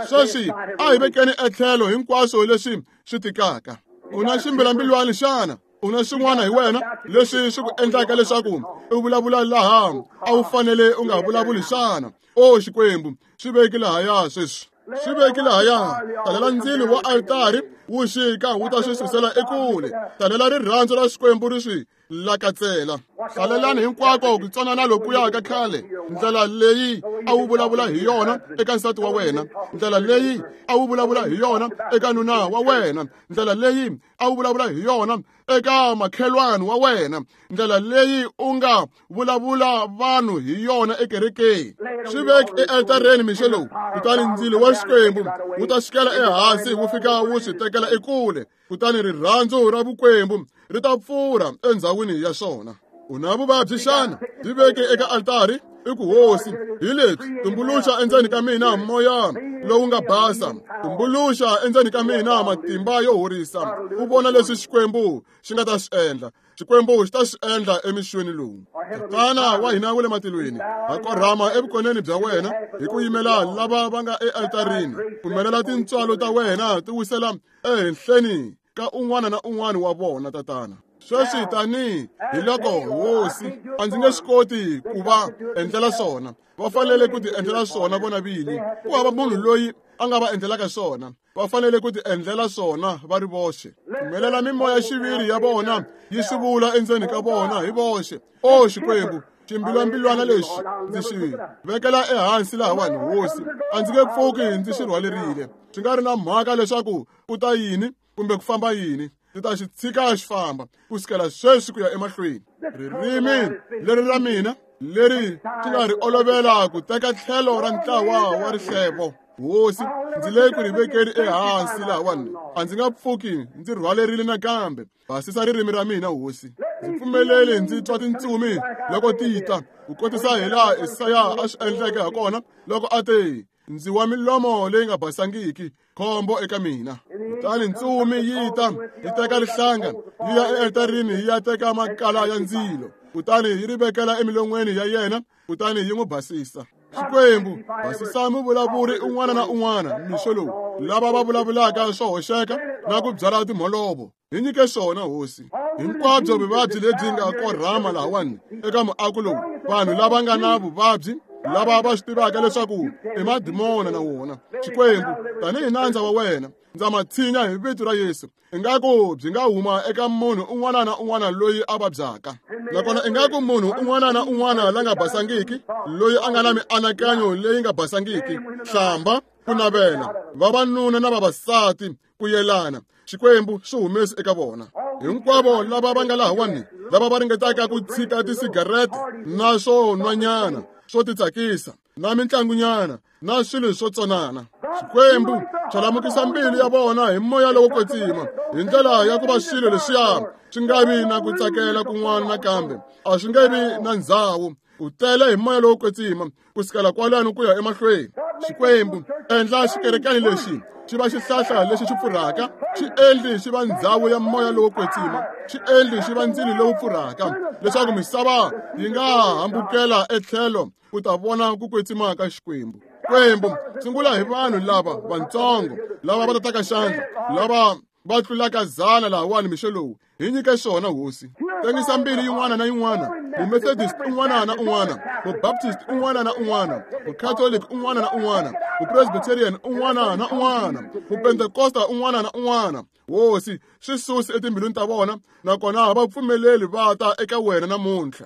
Sweswi a hi vekeni etlhelo hinkwaswo leswi swi tikaka. U na ximbilambilwani xana? U na swin'wana hi wena leswi swi ku endlaka leswaku u vulavula laha a wu fanele u nga vulavuli xana? O Xikwembu, swi veki lahaya sweswi, swi veki lahaya. Talela ndzilo wa altari wu xika wu ta swi susela ekule. Talela rirhandzu ra Xikwembu ri swi lakatsela. Hlalelani hinkwako ku tsonana lokuya ka khale, ndlela leyi a wu vulavula hi yona eka nsati wa wena, ndlela leyi a wu vulavula hi yona eka nuna wa wena, ndlela leyi a wu vulavula hi yona eka makhelwani wa wena, ndlela leyi u nga vulavula vanhu hi yona ekerekeni. Swi veki ealtareni mixo lowu, kutani ndzilo wa Xikwembu wu ta xikela ehansi wu fika wu swi tekela ekule, kutani rirhandzu ra vukwembu ri ta pfurha endzhawini ya swona. U na vuvabyi xana? Byi veke eka altari, i ku Hosi, hi lebyi tumbuluxa endzeni ka mina moya lowu nga basa, tumbuluxa endzeni ka mina matimba yo horisa. U vona leswi Xikwembu xi nga ta swi endla. Xikwembu xi ta swi endla emixweni lowu. Tatana wa hina wa le matilweni, ha korhama evukoneni bya wena hi ku yimela lava va nga ealtarini. Pfumelela tintswalo ta wena ti wisela ehenhleni ka un'wana na un'wana wa vona, Tatana. Sweswi tani hi loko Hosi, a ndzi nge swi koti ku va endlela swona, va fanele ku ti endlela swona vona vini. Ku hava munhu loyi a nga va endlelaka swona, va fanele ku ti endlela swona va ri voxe. Pfumelela mimoya xiviri ya vona yi swi vula endzeni ka vona hi voxe. O Xikwembu, ximbilwambilwana lexi ndzi xi vekela ehansi lahawani Hosi, a ndzi nge pfuki ndzi xi rhwalerile. Swi nga ri na mhaka leswaku ku ta yini kumbe ku famba yini, ndzi ta xi tshika xi famba kusukela sweswi ku ya emahlweni. Ririmi leri ra mina leri swi nga ri olovela ku teka tlhelo ra ntlawa wa rihlevo, Hosi, ndzi le ku ri vekeni ehansi lahawani, a ndzi nga pfuki ndzi rhwalerile nakambe. Basisa ririmi ra mina Hosi, ndzi pfumeleli ndzi twa tintsumi loko ti ta, ku kotisa hi laha Esaya a swi endleke hakona loko a te, ndzi wa milomo leyi nga basangiki, khombo eka mina. Kutani ntsumi yi ta yi teka rihlanga yi ya ealtarini yi ya teka makala ya ndzilo, kutani yi ri vekela emilon'weni ya yena, kutani yi n'wi basisa. Xikwembu, basisa muvulavuri un'wana na un'wana mixo lowu, lava va vulavulaka swo hoxeka na ku byala timholovo. Hi nyike swona, Hosi. Hinkwabyo vuvabyi lebyi nga korhama lahawani eka muako lowu, vanhu lava nga na vuvabyi lava va swi tivaka leswaku i madimona na wona. Xikwembu, tanihi nandza wa wena, ndza ma tshinya hi vito ra Yesu. Ingaku byi nga huma eka munhu un'wana na un'wana loyi a vabyaka, nakona ingaku munhu un'wana na un'wana la nga basangiki, loyi a nga na mianakanyo leyi nga basangiki, hlamba, ku navela, vavanuna na vavasati ku yelana, Xikwembu swi humesi eka vona. Hinkwavo lava va nga lahawani, lava va ringetaka ku tshika tisigarete na swo nwanyana swo titsakisa na mitlangunyana na swilo swo tsonana, Xikwembu xalamukisa mbilu ya vona hi moya lowo kwetsima, hi ndlela ya ku va swilo leswiya swi nga vi na ku tsakela kun'wana nakambe, a swi nge vi na ndzhawu. U tele hi moya lowo kwetsima ku sukela kwalano ku ya emahlweni. Xikwembu, endla xikerekani lexi xi va xihlahla lexi xi pfurhaka, xi endli xi va ndzhawu ya moya lowo kwetsima, xi endli xi va ndzilo lowu pfurhaka, leswaku misava yi nga hambukela etlhelo ku ta vona ku kwetsima ka Xikwembu. Xikwembu, sungula hi vanhu lava vantsongo lava va tataka xandla, lava va tlulaka zana lahawani mixo lowu. Hi nyike swona, Hosi. Tengisa mbilu yin'wana na yin'wana, mumethodist un'wana na un'wana, mubaptist un'wana na un'wana, mucatholic un'wana na un'wana, mupresbyterian un'wana na un'wana, mupentekosta un'wana na un'wana. Hosi, swi susi etimbilwini ta vona, nakona va pfumeleli va ta eka wena namuntlha.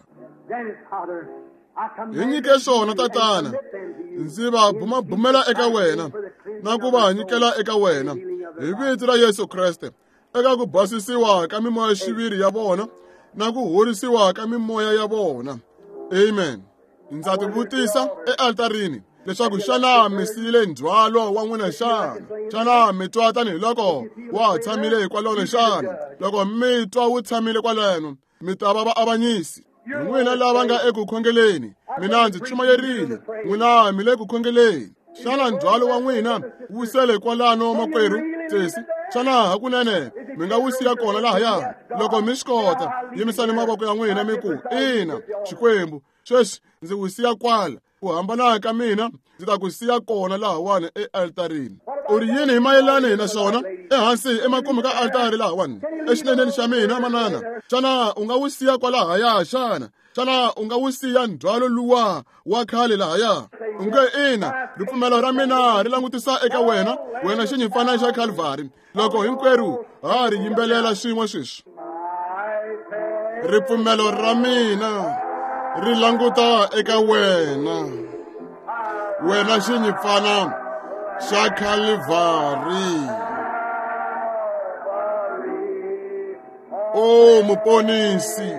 Hi nyike swona, Tatana. Ndzi va bumabumela eka wena na ku va nyikela eka wena hi vito ra Yesu Kreste, eka ku basisiwa ka mimoya xiviri ya vona na ku horisiwa ka mimoya ya vona. Amen. Ndza tivutisa ealtarini leswaku xana mi siyile ndzhwalo wa n'wina xana? Xana mi twa tanihiloko wa tshamile hikwalano xana? Loko mi twa wu tshamile kwaleno, mi ta va vaavanyisi. N'wina lava nga eku khongeleni, mina ndzi chumayerile, n'wina mi le ku khongeleni. Xana ndzhwalo wa n'wina wu sele kwalano, makwerhu sesi? Xana hakunene mi nga wu siya kona lahaya? Loko mi swi kota, yimisani mavoko ya n'wina mi ku, ina, Xikwembu, sweswi ndzi wu siya kwala. Ku hambana ka mina ndzi ta ku siya kona lahawani ealtarini. U ri yini hi mayelani na swona? Ehansi emakumu ka altari lahawani, exineneni xa mina, manana, xana u nga wu siya kwalahaya xana? Xana u nga wu siya ndzhwalo luwa wa khale lahaya? U nge ina, ripfumelo ra mina ri langutisa eka wena, wena xinyimpfana xa Calvary. Loko hinkwerhu ha ri yimbelela swin'we sweswi. Ripfumelo ra mina ri languta eka wena, wena xinyimpfana xa Calvary. O muponisi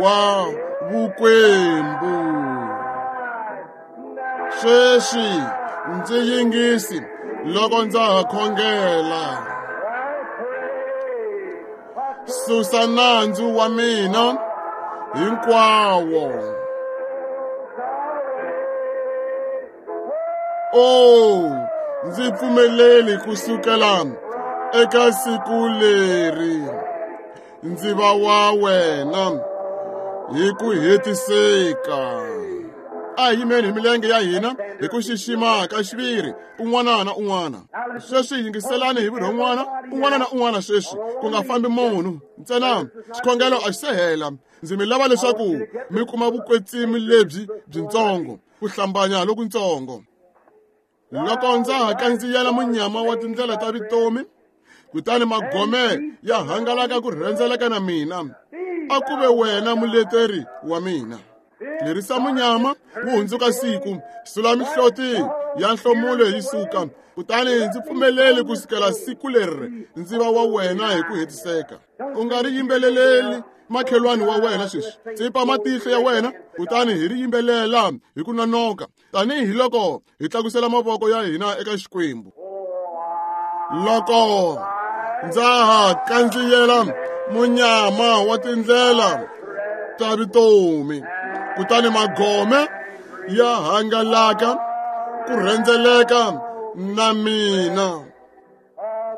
wa vukwembu, sweswi ndzi yingisi loko ndza ha khongela. Susa nandzu wa mina hinkwawo. O ndzi pfumeleli kusukela eka siku leri ndzi va wa wena hi ku hetiseka. A hi yimeni hi milenge ya hina hi ku xixima ka xiviri un'wana na un'wana. Sweswi yingiselani hi vurhon'wana un'wana na un'wana sweswi, ku nga fambi munhu ntsena. Xikhongelo a xi se hela. Ndzi mi lava leswaku mi kuma vukwetsimi lebyi byintsongo, ku hlambanya lokuntsongo. Loko ndza ha kandziyela munyama wa tindlela ta vutomi, kutani magome ya hangalaka ku rhendzeleka na mina, a ku ve wena muleteri wa mina. Lerisa munyama wu hundzuka siku, sula mihloti ya nhlomulo yi suka, kutani ndzi pfumeleli ku sukela siku leri ndzi va wa wena hi ku hetiseka. U nga ri yimbeleleli makhelwani wa wena sweswi. Tsipa matihlo ya wena, kutani hi ri yimbelela hi ku nonoka, tanihi loko hi tlakusela mavoko ya hina eka Xikwembu. Loko ndza ha kandziyela munyama wa tindlela ta vutomi, kutani magome ya hangalaka ku rhendzeleka na mina,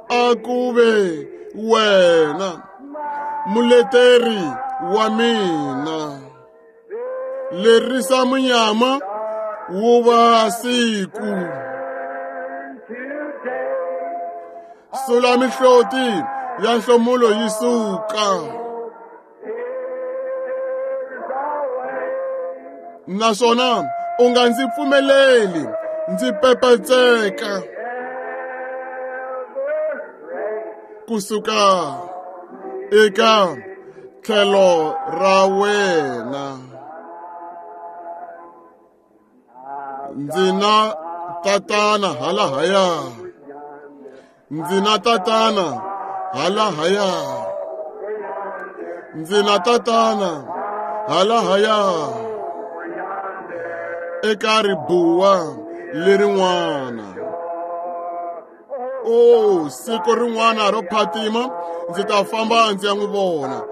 a ku ve wena muleteri wa mina. Lerisa munyama wu va siku. Sula mihloti ya nhlomulo yi suka. Naswona u nga ndzi pfumeleli ndzi pepetseka kusuka eka tlhelo ra wena. Ndzi na tatana halahaya, ndzi na tatana halahaya, ndzi na tatana halahaya eka ribuwa lerin'wana. O siku rin'wana ro phatima ndzi ta famba ndzi ya n'wi vona.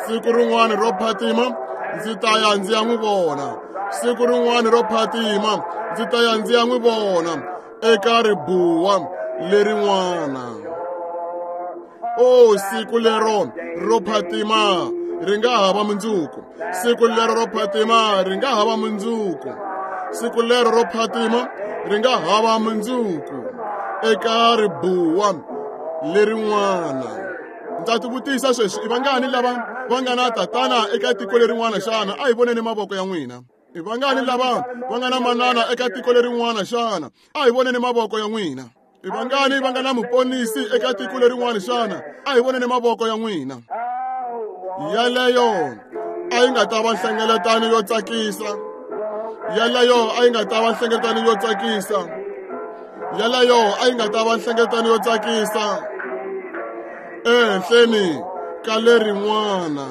Siku rin'wana ro phatima ndzi ta ya ndzi ya n'wi vona. Siku rin'wana ro phatima ndzi ta ya ndzi ya n'wi vona eka ribuwa lerin'wana. O siku lero ro phatima ri nga hava mundzuku. Siku lero ro phatima ri nga hava mundzuku. Siku lero ro phatima ri nga hava mundzuku eka ribuwa lerin'wana. Ndza tivutisa sweswi, i vangani lava va nga na tatana eka tiko lerin'wana xana? A hi voneni mavoko ya n'wina. I vangani lava va nga na manana eka tiko lerin'wana xana? A hi voneni mavoko ya n'wina. I vangani va nga na muponisi eka tiko lerin'wana xana? A hi voneni mavoko ya n'wina. Yaleyo a yi nga ta va nhlengeletano yo tsakisa. Yaleyo a yi nga ta va nhlengeletano yo tsakisa. Yaleyo a yi nga ta va nhlengeletano yo tsakisa ehenhleni ka lerin'wana.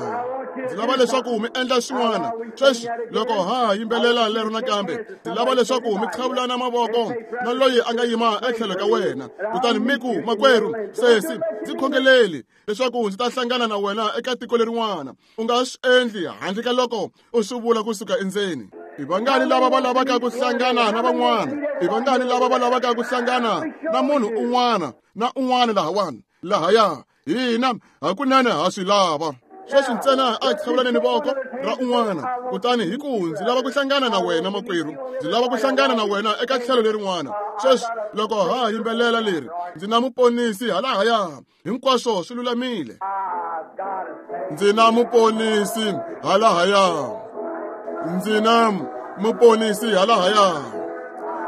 Ndzi lava leswaku mi endla swin'wana sweswi loko ha yimbelela lero nakambe. Ndzi lava leswaku mi qhavulana mavoko na loyi a nga yima etlhelo ka wena, kutani mi ku, makwerhu, sesi, ndzi khongeleli leswaku ndzi ta hlangana na wena eka tiko lerin'wana. U nga swi endli handle ka loko u swi vula kusuka endzeni. I vangani lava va lavaka ku hlangana na van'wana? I vangani lava va lavaka ku hlangana na munhu un'wana na un'wana lahawani lahaya? Hina hakunene ha swi lava. Sweswi ntsena a hi qhavulaneni voko ra un'wana, kutani hi ku, ndzi lava ku hlangana na wena makwerhu, ndzi lava ku hlangana na wena eka tlhelo lerin'wana. Sweswi loko ha yimbelela leri, ndzi na muponisi halahaya, hinkwaswo swi lulamile. Ndzi na muponisi halahaya, ndzi na muponisi halahaya,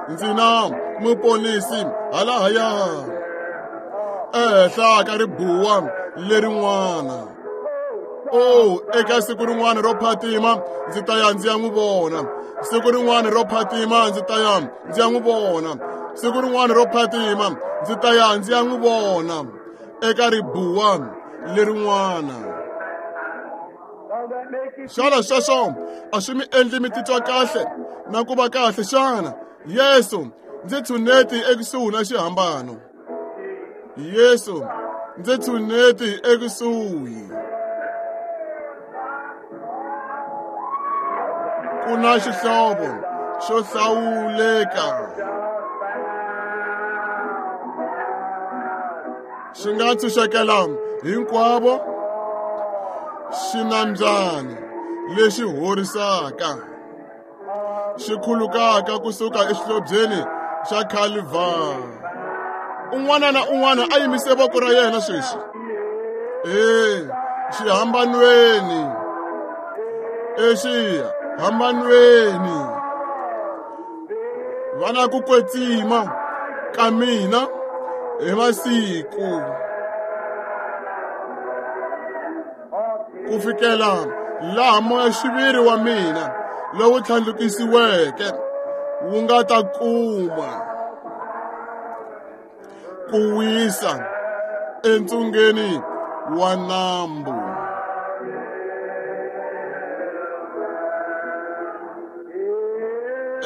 ndzi na muponisi halahaya ehenhla ka ribuwa lerin'wana. O eka siku rin'wana ro phatima ndzi ta ya ndzi ya n'wi vona. Siku rin'wana ro phatima ndzi ta ya ndzi ya n'wi vona. Siku rin'wana ro phatima ndzi ta ya ndzi ya n'wi vona eka ribuwa lerin'wana. Xana sweswo a swi mi endli mi titwa kahle na ku va kahle xana? Yesu, ndzi tshuneti ekusuhi na xihambano. Yesu, ndzi tshuneti ekusuhi. Ku na xihlovo xo hlawuleka xi nga ntshunxekela hinkwavo, xinambyana lexi horisaka xi khulukaka kusuka exihlobyeni xa Calvary. Un'wana na un'wana a yimise voko ra yena sweswi. E xihambanweni, exihambanweni, va na ku kwetsima ka mina hi masiku ku fikela laha moya-xiviri wa mina lowu tlhandlukisiweke wu nga ta kuma ku wisa entsungeni wa nambu.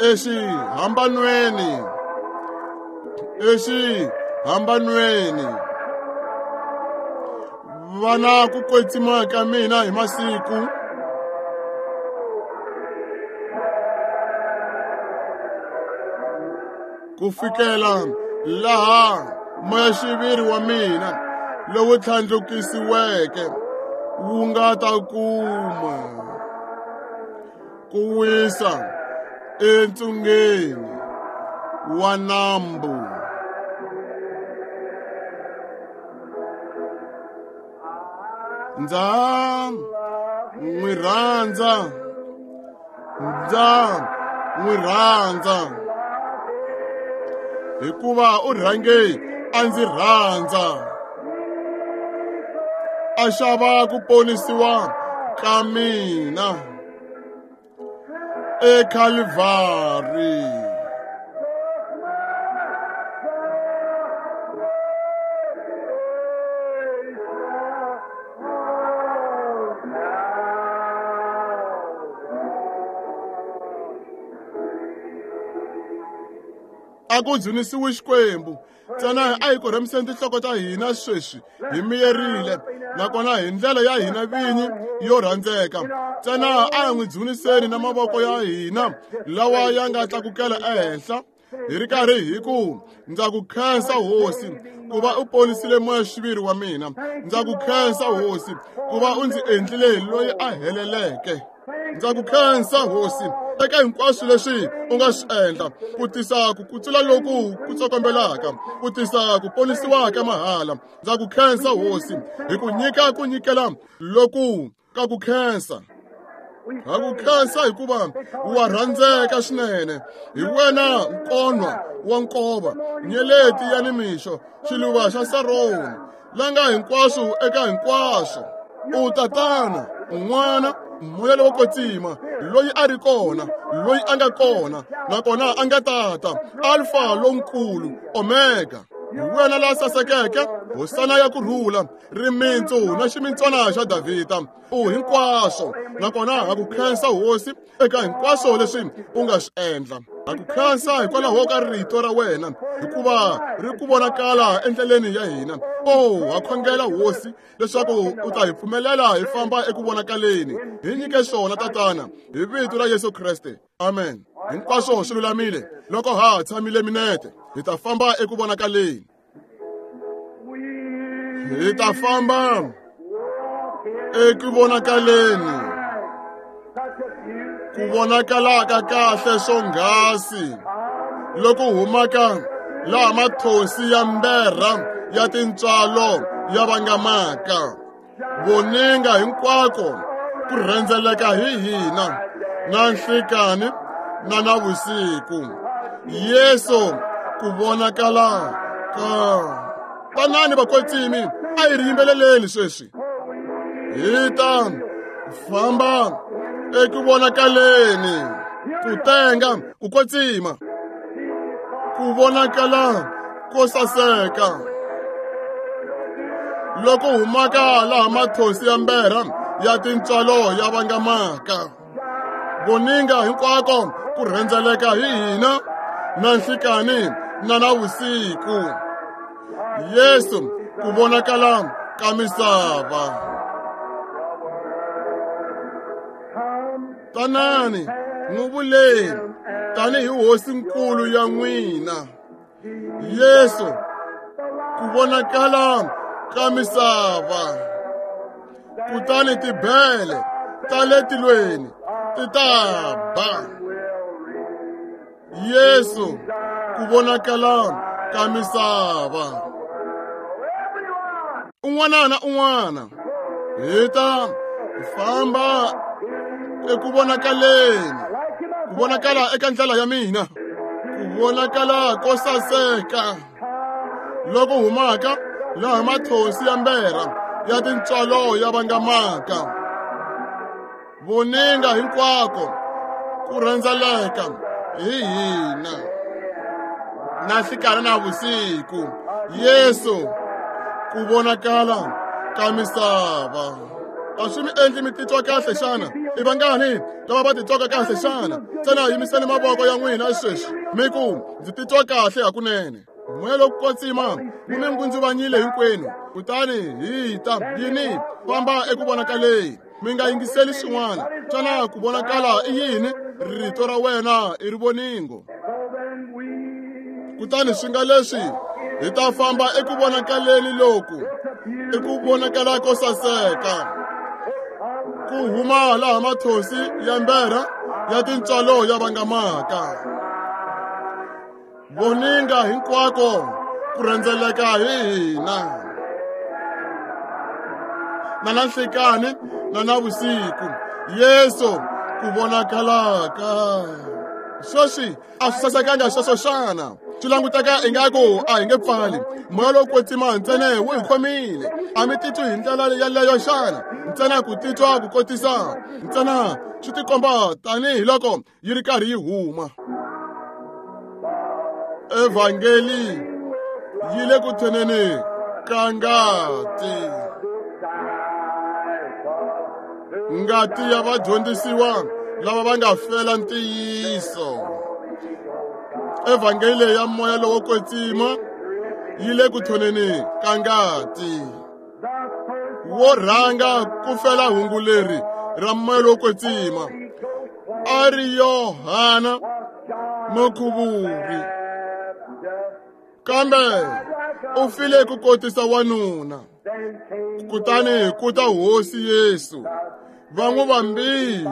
Exihambanweni, exihambanweni, va na ku kwetsima ka mina hi masiku ku fikela laha moya-xiviri wa mina lowu tlhandlukisiweke wu nga ta kuma ku wisa Entsungeni wa nambu. Ndza n'wi rhandza, ndza n'wi rhandza, hikuva u rhange a ndzi rhandza, a xava ku ponisiwa ka mina eKalvari. A ku dzunisiwe Xikwembu. Ntsena a hi korhemiseni tinhloko ta hina sweswi hi miyerile, nakona hi ndlela ya hina vinyi yo rhandzeka. Ntsena a hi n'wi dzuniseni na mavoko ya hina lawa ya nga tlakukela ehenhla, hi ri karhi hi ku, ndza ku khensa Hosi ku va u ponisile moya-xiviri wa mina. Ndza ku khensa Hosi ku va u ndzi endlile loyi a heleleke. Ndza ku khensa Hosi eka hinkwaswo leswi u nga swi endla ku tisa ku kutsula loku ku tsokombelaka, ku tisa ku ponisiwa ka mahala. Ndza ku khensa Hosi hi ku nyika ku nyikela loku ka ku khensa. Ha ku khensa hikuva wa rhandzeka swinene. Hi wena nkonwa wa nkova, nyeleti ya nimixo, xiluva xa Saroni, la nga hinkwaswo eka hinkwaswo. U Tatana, N'wana, Moya lowo Kwetsima, loyi a ri kona, loyi a nga kona, nakona a nga tata, Alfa lonkulu, Omega. Hi wena la sasekeke, hosana ya ku rhula, rimintsu na ximintswana xa Davhida. U hinkwaswo, nakona ha ku khensa Hosi eka hinkwaswo leswi u nga swi endla. Ha ku khensa hikwalaho ka rito ra wena, hikuva ri ku vonakala endleleni ya hina. O ha khongela Hosi leswaku u ta hi pfumelela hi famba eku vonakaleni. Hi nyike swona Tatana, hi vito ra Yesu Kreste. Amen. Hinkwaswo swi lulamile. Loko ha tshamile minete, hi ta famba eku vonakaleni. Hi ta famba eku vonakaleni. Ku vonakala ka kahle swonghasi loko humaka laha mathonsi ya mberha ya tintswalo ya vangamaka. Voninga hinkwako ku rhendzeleka hi hina na nhlikani na navusiku. Yesu ku vonakala ka. Tanani vakwetsimi, a hi ri yimbeleleni sweswi. Hi ta famba eku vonakaleni, ku tenga, ku kwetsima, ku vonakala ko saseka loko humaka laha mathonsi ya mberha ya tintswalo ya vangamaka. Voninga hinkwako ku rhendzeleka hi hina na nhlikani na navusiku. Yesu ku vonakala ka misava. Tanani n'wi vuleni tanihi Hosinkulu ya n'wina. Yesu ku vonakala ka misava. Kutani tibele ta le tilweni ti ta ba. Yesu ku vonakala ka misava. Un'wana na un'wana hi ta famba eku vonakaleni, ku vonakala eka ndlela ya mina, ku vonakala ko saseka loko humaka laha mathonsi ya mberha ya tintswalo ya vangamaka. Voninga hinkwako ku rhendzeleka hi hina na nhlikani na vusiku. Yesu ku vonakala ka misava. A swi mi endli mi titwa kahle xana? I vangani lava va titwaka kahle xana? Ntsena yimiseni mavoko ya n'wina sweswi mi ku, ndzi titwa kahle hakunene. Moya lowo Kwetsima wu mi ngundzuvanyile hinkwenu, kutani hi ta yini famba eku vonakaleni. Mi nga yingiseli swin'wana. Xana ku vonakala i yini? Rito ra wena i rivoningo. Kutani swi nga leswi hi ta famba eku vonakaleni loku, i ku vonakala ko saseka, ku huma laha mathonsi ya mberha ya tintswalo ya vangamaka. Voninga hinkwako ku rhendzeleka hi hina. Na na nhlikani na na vusiku, Yesu ku vonakalaka. Sweswi a swi sasekanga sweswo xana? Swi languteka ingaku a hi nge pfali. Moya lowo kwetsima ntsena wu hi khomile. A mi titwi hi ndlela yeleyo xana? Ntsena ku titwa ku kotisa ntsena swi tikomba tanihiloko yi ri karhi yi huma. Evhangeli yi le ku thoneni ka ngati. Ngati ya vadyondzisiwa lava va nga fela ntiyiso. Evhangeli ya moya lowo kwetsima yi le ku thoneni ka ngati. Wo rhanga ku fela hungu leri ra moya lowo kwetsima a ri Yohana Mukhuvuri, kambe u file ku kotisa wanuna. Kutani ku ta Hosi Yesu, va n'wi vambile.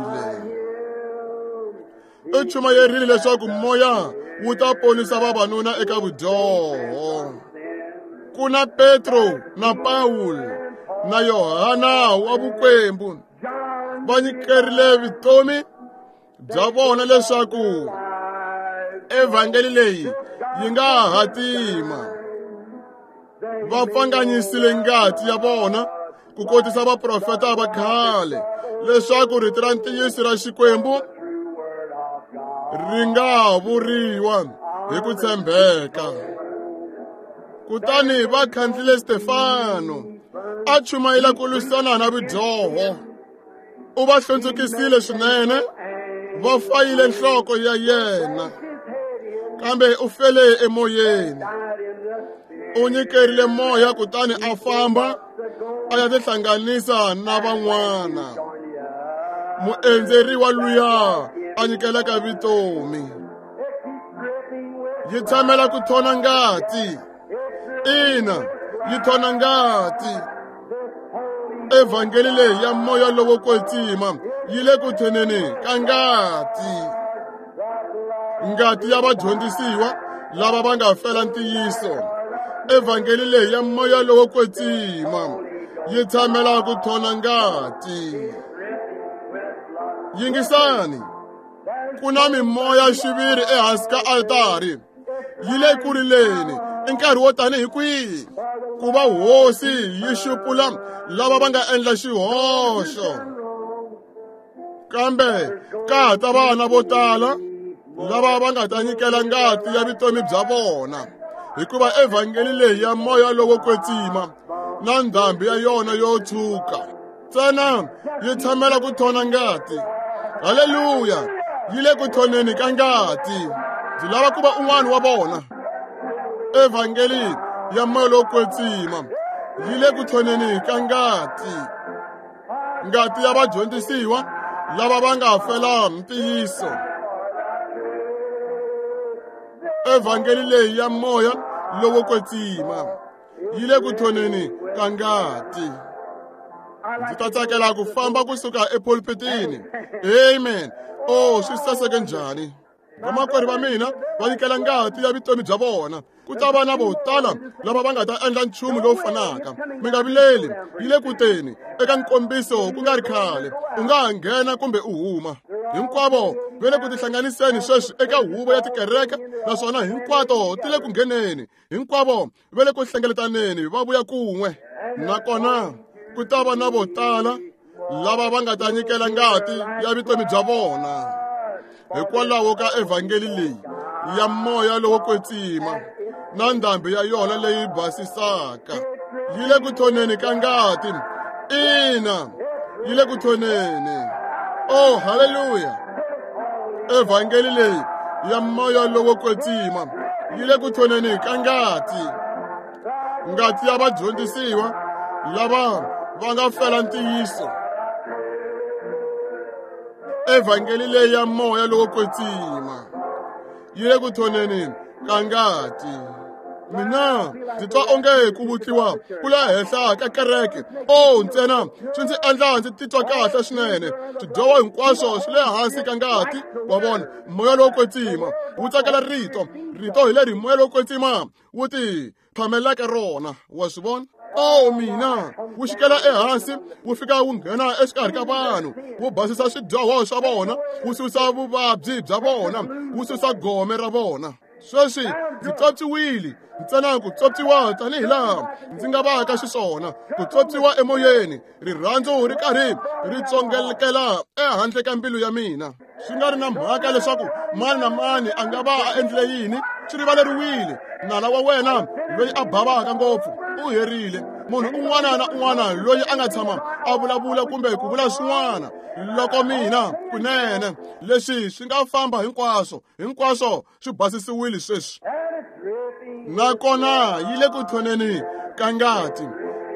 U chumayerile leswaku moya wu ta ponisa vavanuna eka vudyoho. Ku na Petro na Pawulo na Yohana wa vukwembu va nyikerile vutomi bya vona leswaku evhangeli leyi yi nga hatima. Va pfanganyisile ngati ya vona ku kotisa vaprofeta va khale leswaku rito ra ntiyiso ra Xikwembu ri nga vuriwa hi ku tshembeka. Kutani va khandlile Stefano a chumayela ku lwisana na vudyoho. U va hlundzukisile swinene, va fayile nhloko ya yena, kambe u fele emoyeni. U nyikerile moya kutani a famba a ya tihlanganisa na van'wana. Muendzeriwa luya a nyikelaka vutomi. Yi tshamela ku thona ngati. Ina, yi thona ngati. Evhangeli leyi ya moya lowo kwetsima yi le ku thoneni ka ngati. Ngati ya vadyondzisiwa lava va nga fela ntiyiso. Evhangeli leyi ya moya lowo kwetsima yi tshamela ku thona ngati. Yingisani, ku na mimoya xiviri ehansi ka altari. Yi le ku rileni i nkarhi wo tanihi kwihi ku va hosi yi xupula lava va nga endla xihoxo. Kambe ka ha ta vana vo tala lava va nga ta nyikela ngati ya vutomi bya vona, hikuva evhangeli leyi ya moya lowo kwetsima na ndhambi ya yona yo tshuka ntsena yi tshamela ku thona ngati. Haleluya, yi le ku thoneni ka ngati. Ndzi lava ku va un'wana wa vona. Evhangeli ya moya lowo kwetsima yi le ku thoneni ka ngati. Ngati ya vadyondzisiwa lava va nga fela ntiyiso. Evhangeli leyi ya moya lowo kwetsima yi le ku thoneni ka ngati. Ndzi ta tsakela ku famba kusuka epulpitini. Amen. Oh, swi saseke njhani. Vamakwerhu va mina va nyikela ngati ya vutomi bya vona. Ku ta va na vo tala lava va nga ta endla nchumu lowu fanaka. Mi nga vileli, yi le ku teni eka nkombiso ku nga ri khale. U nga ha nghena kumbe u huma. Hinkwavo va le ku tihlanganiseni sweswi eka huvo ya tikereke, naswona hinkwato ti le ku ngheneni. Hinkwavo va le ku hlengeletaneni va vuya kun'we. Nakona ku ta va na vo tala lava va nga ta nyikela ngati ya vutomi bya vona hikwalaho ka evhangeli leyi ya moya lowo kwetsima na ndhambi ya yona leyi basisaka. Yi le ku thoneni ka ngati. Ina, yi le ku thoneni. Oh, haleluya. Evhangeli leyi ya moya lowo kwetsima yi le ku thoneni ka ngati. Ngati ya vadyondzisiwa lava va nga fela ntiyiso. Evhangeli leyi ya moya lowo kwetsima yi le ku thoneni ka ngati. Mina ndzi twa onge ku vutliwa ku le henhla ka kereke. O ntsena swi ndzi endla ndzi titwa kahle swinene. Swidyoho hinkwaswo swi le hansi ka ngati. Wa vona, moya lowo kwetsima wu tsakela rito. Rito hi leri moya lowo kwetsima wu ti phamelaka rona. Wa swi vona? O mina, wu xikela ehansi, wu fika wu nghena exikarhi ka vanhu, wu basisa swidyoho swa vona, wu susa vuvabyi bya vona, wu susa gome ra vona. Sweswi ndzi tswotswiwile, ntsena ku tswotswiwa tanihi laha ndzi nga vaka xiswona, ku tswotswiwa emoyeni, rirhandzu ri karhi ri tsongelekela ehandle ka mbilu ya mina. Swi nga ri na mhaka leswaku mani na mani a nga va a endlile yini, swi rivaleriwile. Nala wa wena loyi a bavaka ngopfu u herile. Munhu un'wana na un'wana loyi a nga tshama a vulavula kumbe ku vula swin'wana, loko mina kunene leswi swi nga famba hinkwaswo, hinkwaswo swi basisiwile sweswi. Nakona yi le ku thoneni ka ngati.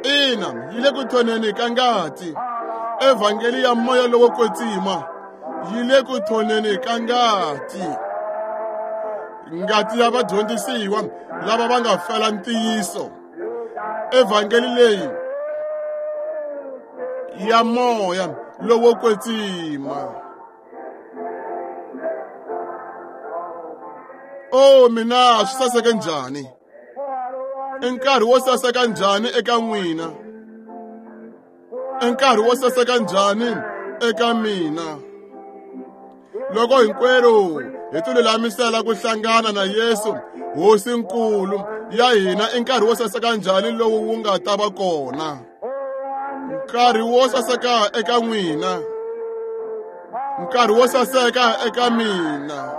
Ina, yi le ku thoneni ka ngati. Evhangeli ya moya lowo kwetsima yi le ku thoneni ka ngati. Ngati ya vadyondzisiwa lava va nga fela ntiyiso. Evhangeli leyi ya moya lowo kwetsima. O mina, swi saseke njhani? I nkarhi wo saseka njhani eka n'wina? I nkarhi wo saseka njhani eka mina? Loko hinkwerhu hi tilulamisela ku hlangana na Yesu Hosinkulu ya hina, i nkarhi wo saseka njhani lowu wu nga ta va kona? Nkarhi wo saseka eka n'wina, nkarhi wo saseka eka mina.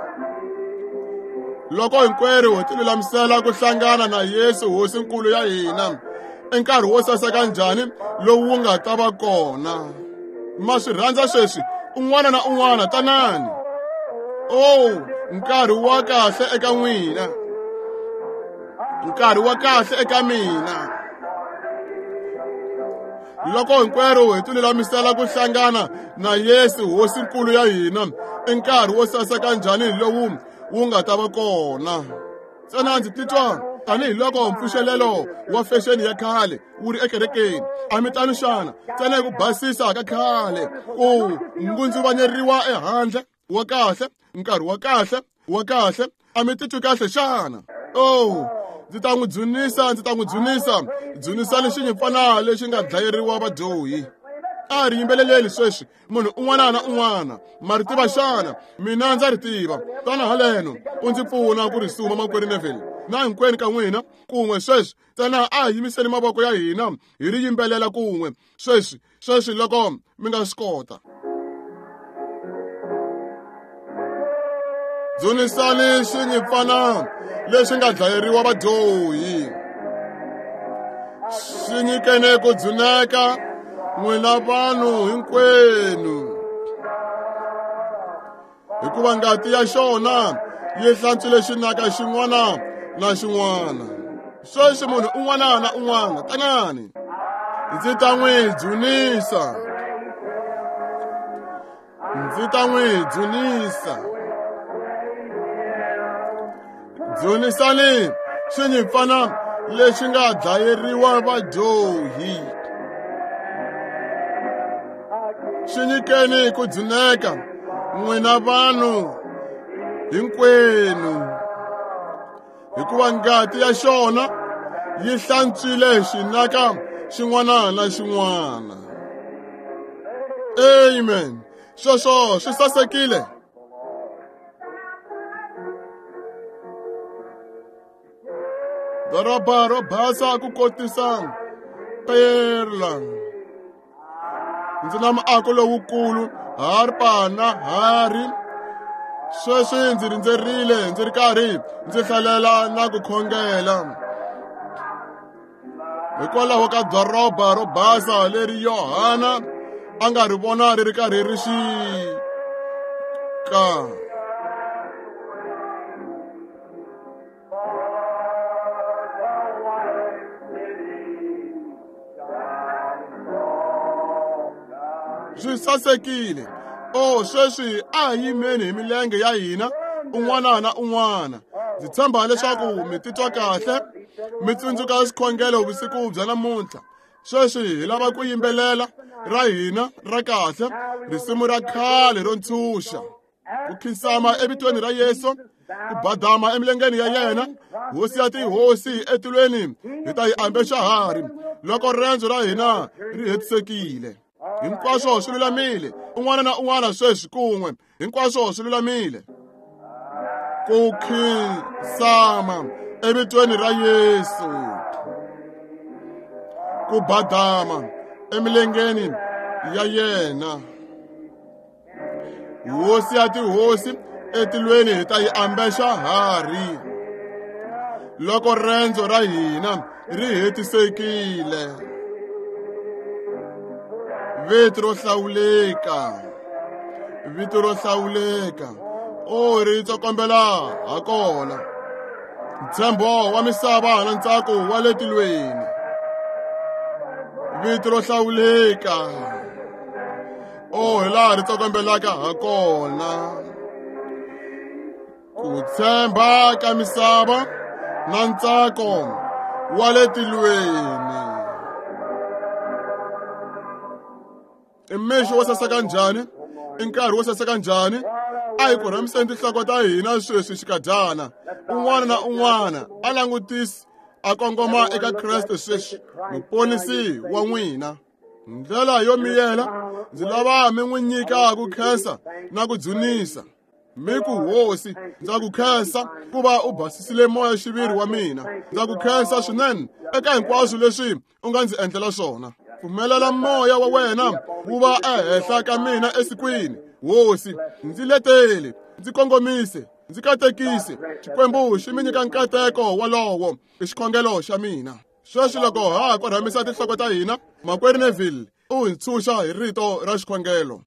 Loko hinkwerhu hi tilulamisela ku hlangana na Yesu Hosinkulu ya hina, i nkarhi wo saseka njhani lowu wu nga ta va kona? Ma swi rhandza sweswi? Un'wana na un'wana tanani. Oh, nkarhi wa kahle eka n'wina, nkarhi wa kahle eka mina. Loko hinkwerhu hi tilulamisela ku hlangana na Yesu Hosinkulu ya hina, i nkarhi wo saseka njhani lowu wu nga ta va kona? Ntsena ndzi titwa tanihiloko mpfuxelelo wa fexeni ya khale wu ri ekerekeni. A mi tano xana? Ntsena hi ku basisa ka khale, ku ngundzuvanyeriwa ehandle. Wa kahle, nkarhi wa kahle, wa kahle. A mi titwi kahle xana? Oh, ndzi ta n'wi dzunisa, ndzi ta n'wi dzunisa. Dzunisani xinyimpfana lexi nga dlayeriwa vadyohi. A ri yimbeleleli sweswi, munhu un'wana na un'wana. Ma ri tiva xana? Mina ndza ri tiva. Tana haleno u ndzi pfuna ku ri suma, makwerhu Neville. Na hinkwenu ka n'wina kun'we sweswi. Ntsena a hi yimiseni mavoko ya hina hi ri yimbelela kun'we sweswi, sweswi loko mi nga swi kota. Dzunisani xinyimpfana lexi nga dlayeriwa vadyohi. Xi nyikene ku dzuneka n'wina vanhu hinkwenu, hikuva ngati ya xona yi hlantswile xinaka xin'wana na xin'wana. Sweswi munhu un'wana na un'wana tanani, ndzi ta n'wi dzunisa, ndzi ta n'wi dzunisa. Dzunisani xinyimpfana lexi nga dlayeriwa vadyohi. Xi nyikeni ku dzuneka n'wina vanhu hinkwenu, hikuva ngati ya xona yi hlantswile xinaka xin'wana na xin'wana. Amen. Sweswo swi sasekile. Doroba ro basa ku kotisa perla. Ndzi na muako lowukulu, harpa na hari. Sweswi ndzi rindzerile, ndzi ri karhi ndzi hlalela na ku khongela hikwalaho ka doroba ro basa leri Yohana a nga ri vona ri ri karhi ri xika. Swi sasekile. O sweswi a hi yimeni hi milenge ya hina un'wana na un'wana. Ndzi tshemba leswaku mi titwa kahle. Mi tsundzuka xikhongelo vusiku bya namuntlha. Sweswi hi lava ku yimbelela ra hina ra kahle, risimu ra khale ro ntshunxa. Ku khinsama evitweni ra Yesu, ku badama emilengeni ya yena, hosi ya tihosi etilweni hi ta yi ambexa hari loko rendzo ra hina ri hetisekile. Hinkwaswo swi lulamile, un'wana na un'wana sweswi kun'we, hinkwaswo swi lulamile. Ku khinsama evitweni ra Yesu, ku badama emilengeni ya yena, hosi ya tihosi etilweni hi ta yi ambexa hari loko rendzo ra hina ri hetisekile. Vito ro hlawuleka, vito ro hlawuleka, o ri tsokombela ha kona, ntshembo wa misava na ntsako wa le tilweni. Vito ro hlawuleka, o hi laha ri tsokombelaka ha kona, ku tshemba ka misava na ntsako wa le tilweni. I mixo wo saseka njhani, i nkarhi wo saseka njhani. A hi korhamiseni tinhloko ta hina sweswi xikadyana, un'wana na un'wana a langutisi a kongoma eka Kreste sweswi, muponisi wa n'wina. Ndlela yo miyela, ndzi lava mi n'wi nyika ku khensa na ku dzunisa. Mi ku, Hosi, ndza ku khensa ku va u basisile moya xiviri wa mina. Ndza ku khensa swinene eka hinkwaswo leswi u nga ndzi endlela swona. Pfumelela moya wa wena wu va ehenhla ka mina esikwini. Hosi, ndzi letele, ndzi kongomise, ndzi katekise. Xikwembu xi mi nyika nkateko wolowo i xikhongelo xa mina. Sweswi loko ha ha korhamisa tinhloko ta hina, makwerhu Neville u hi ntshunxa hi rito ra xikhongelo.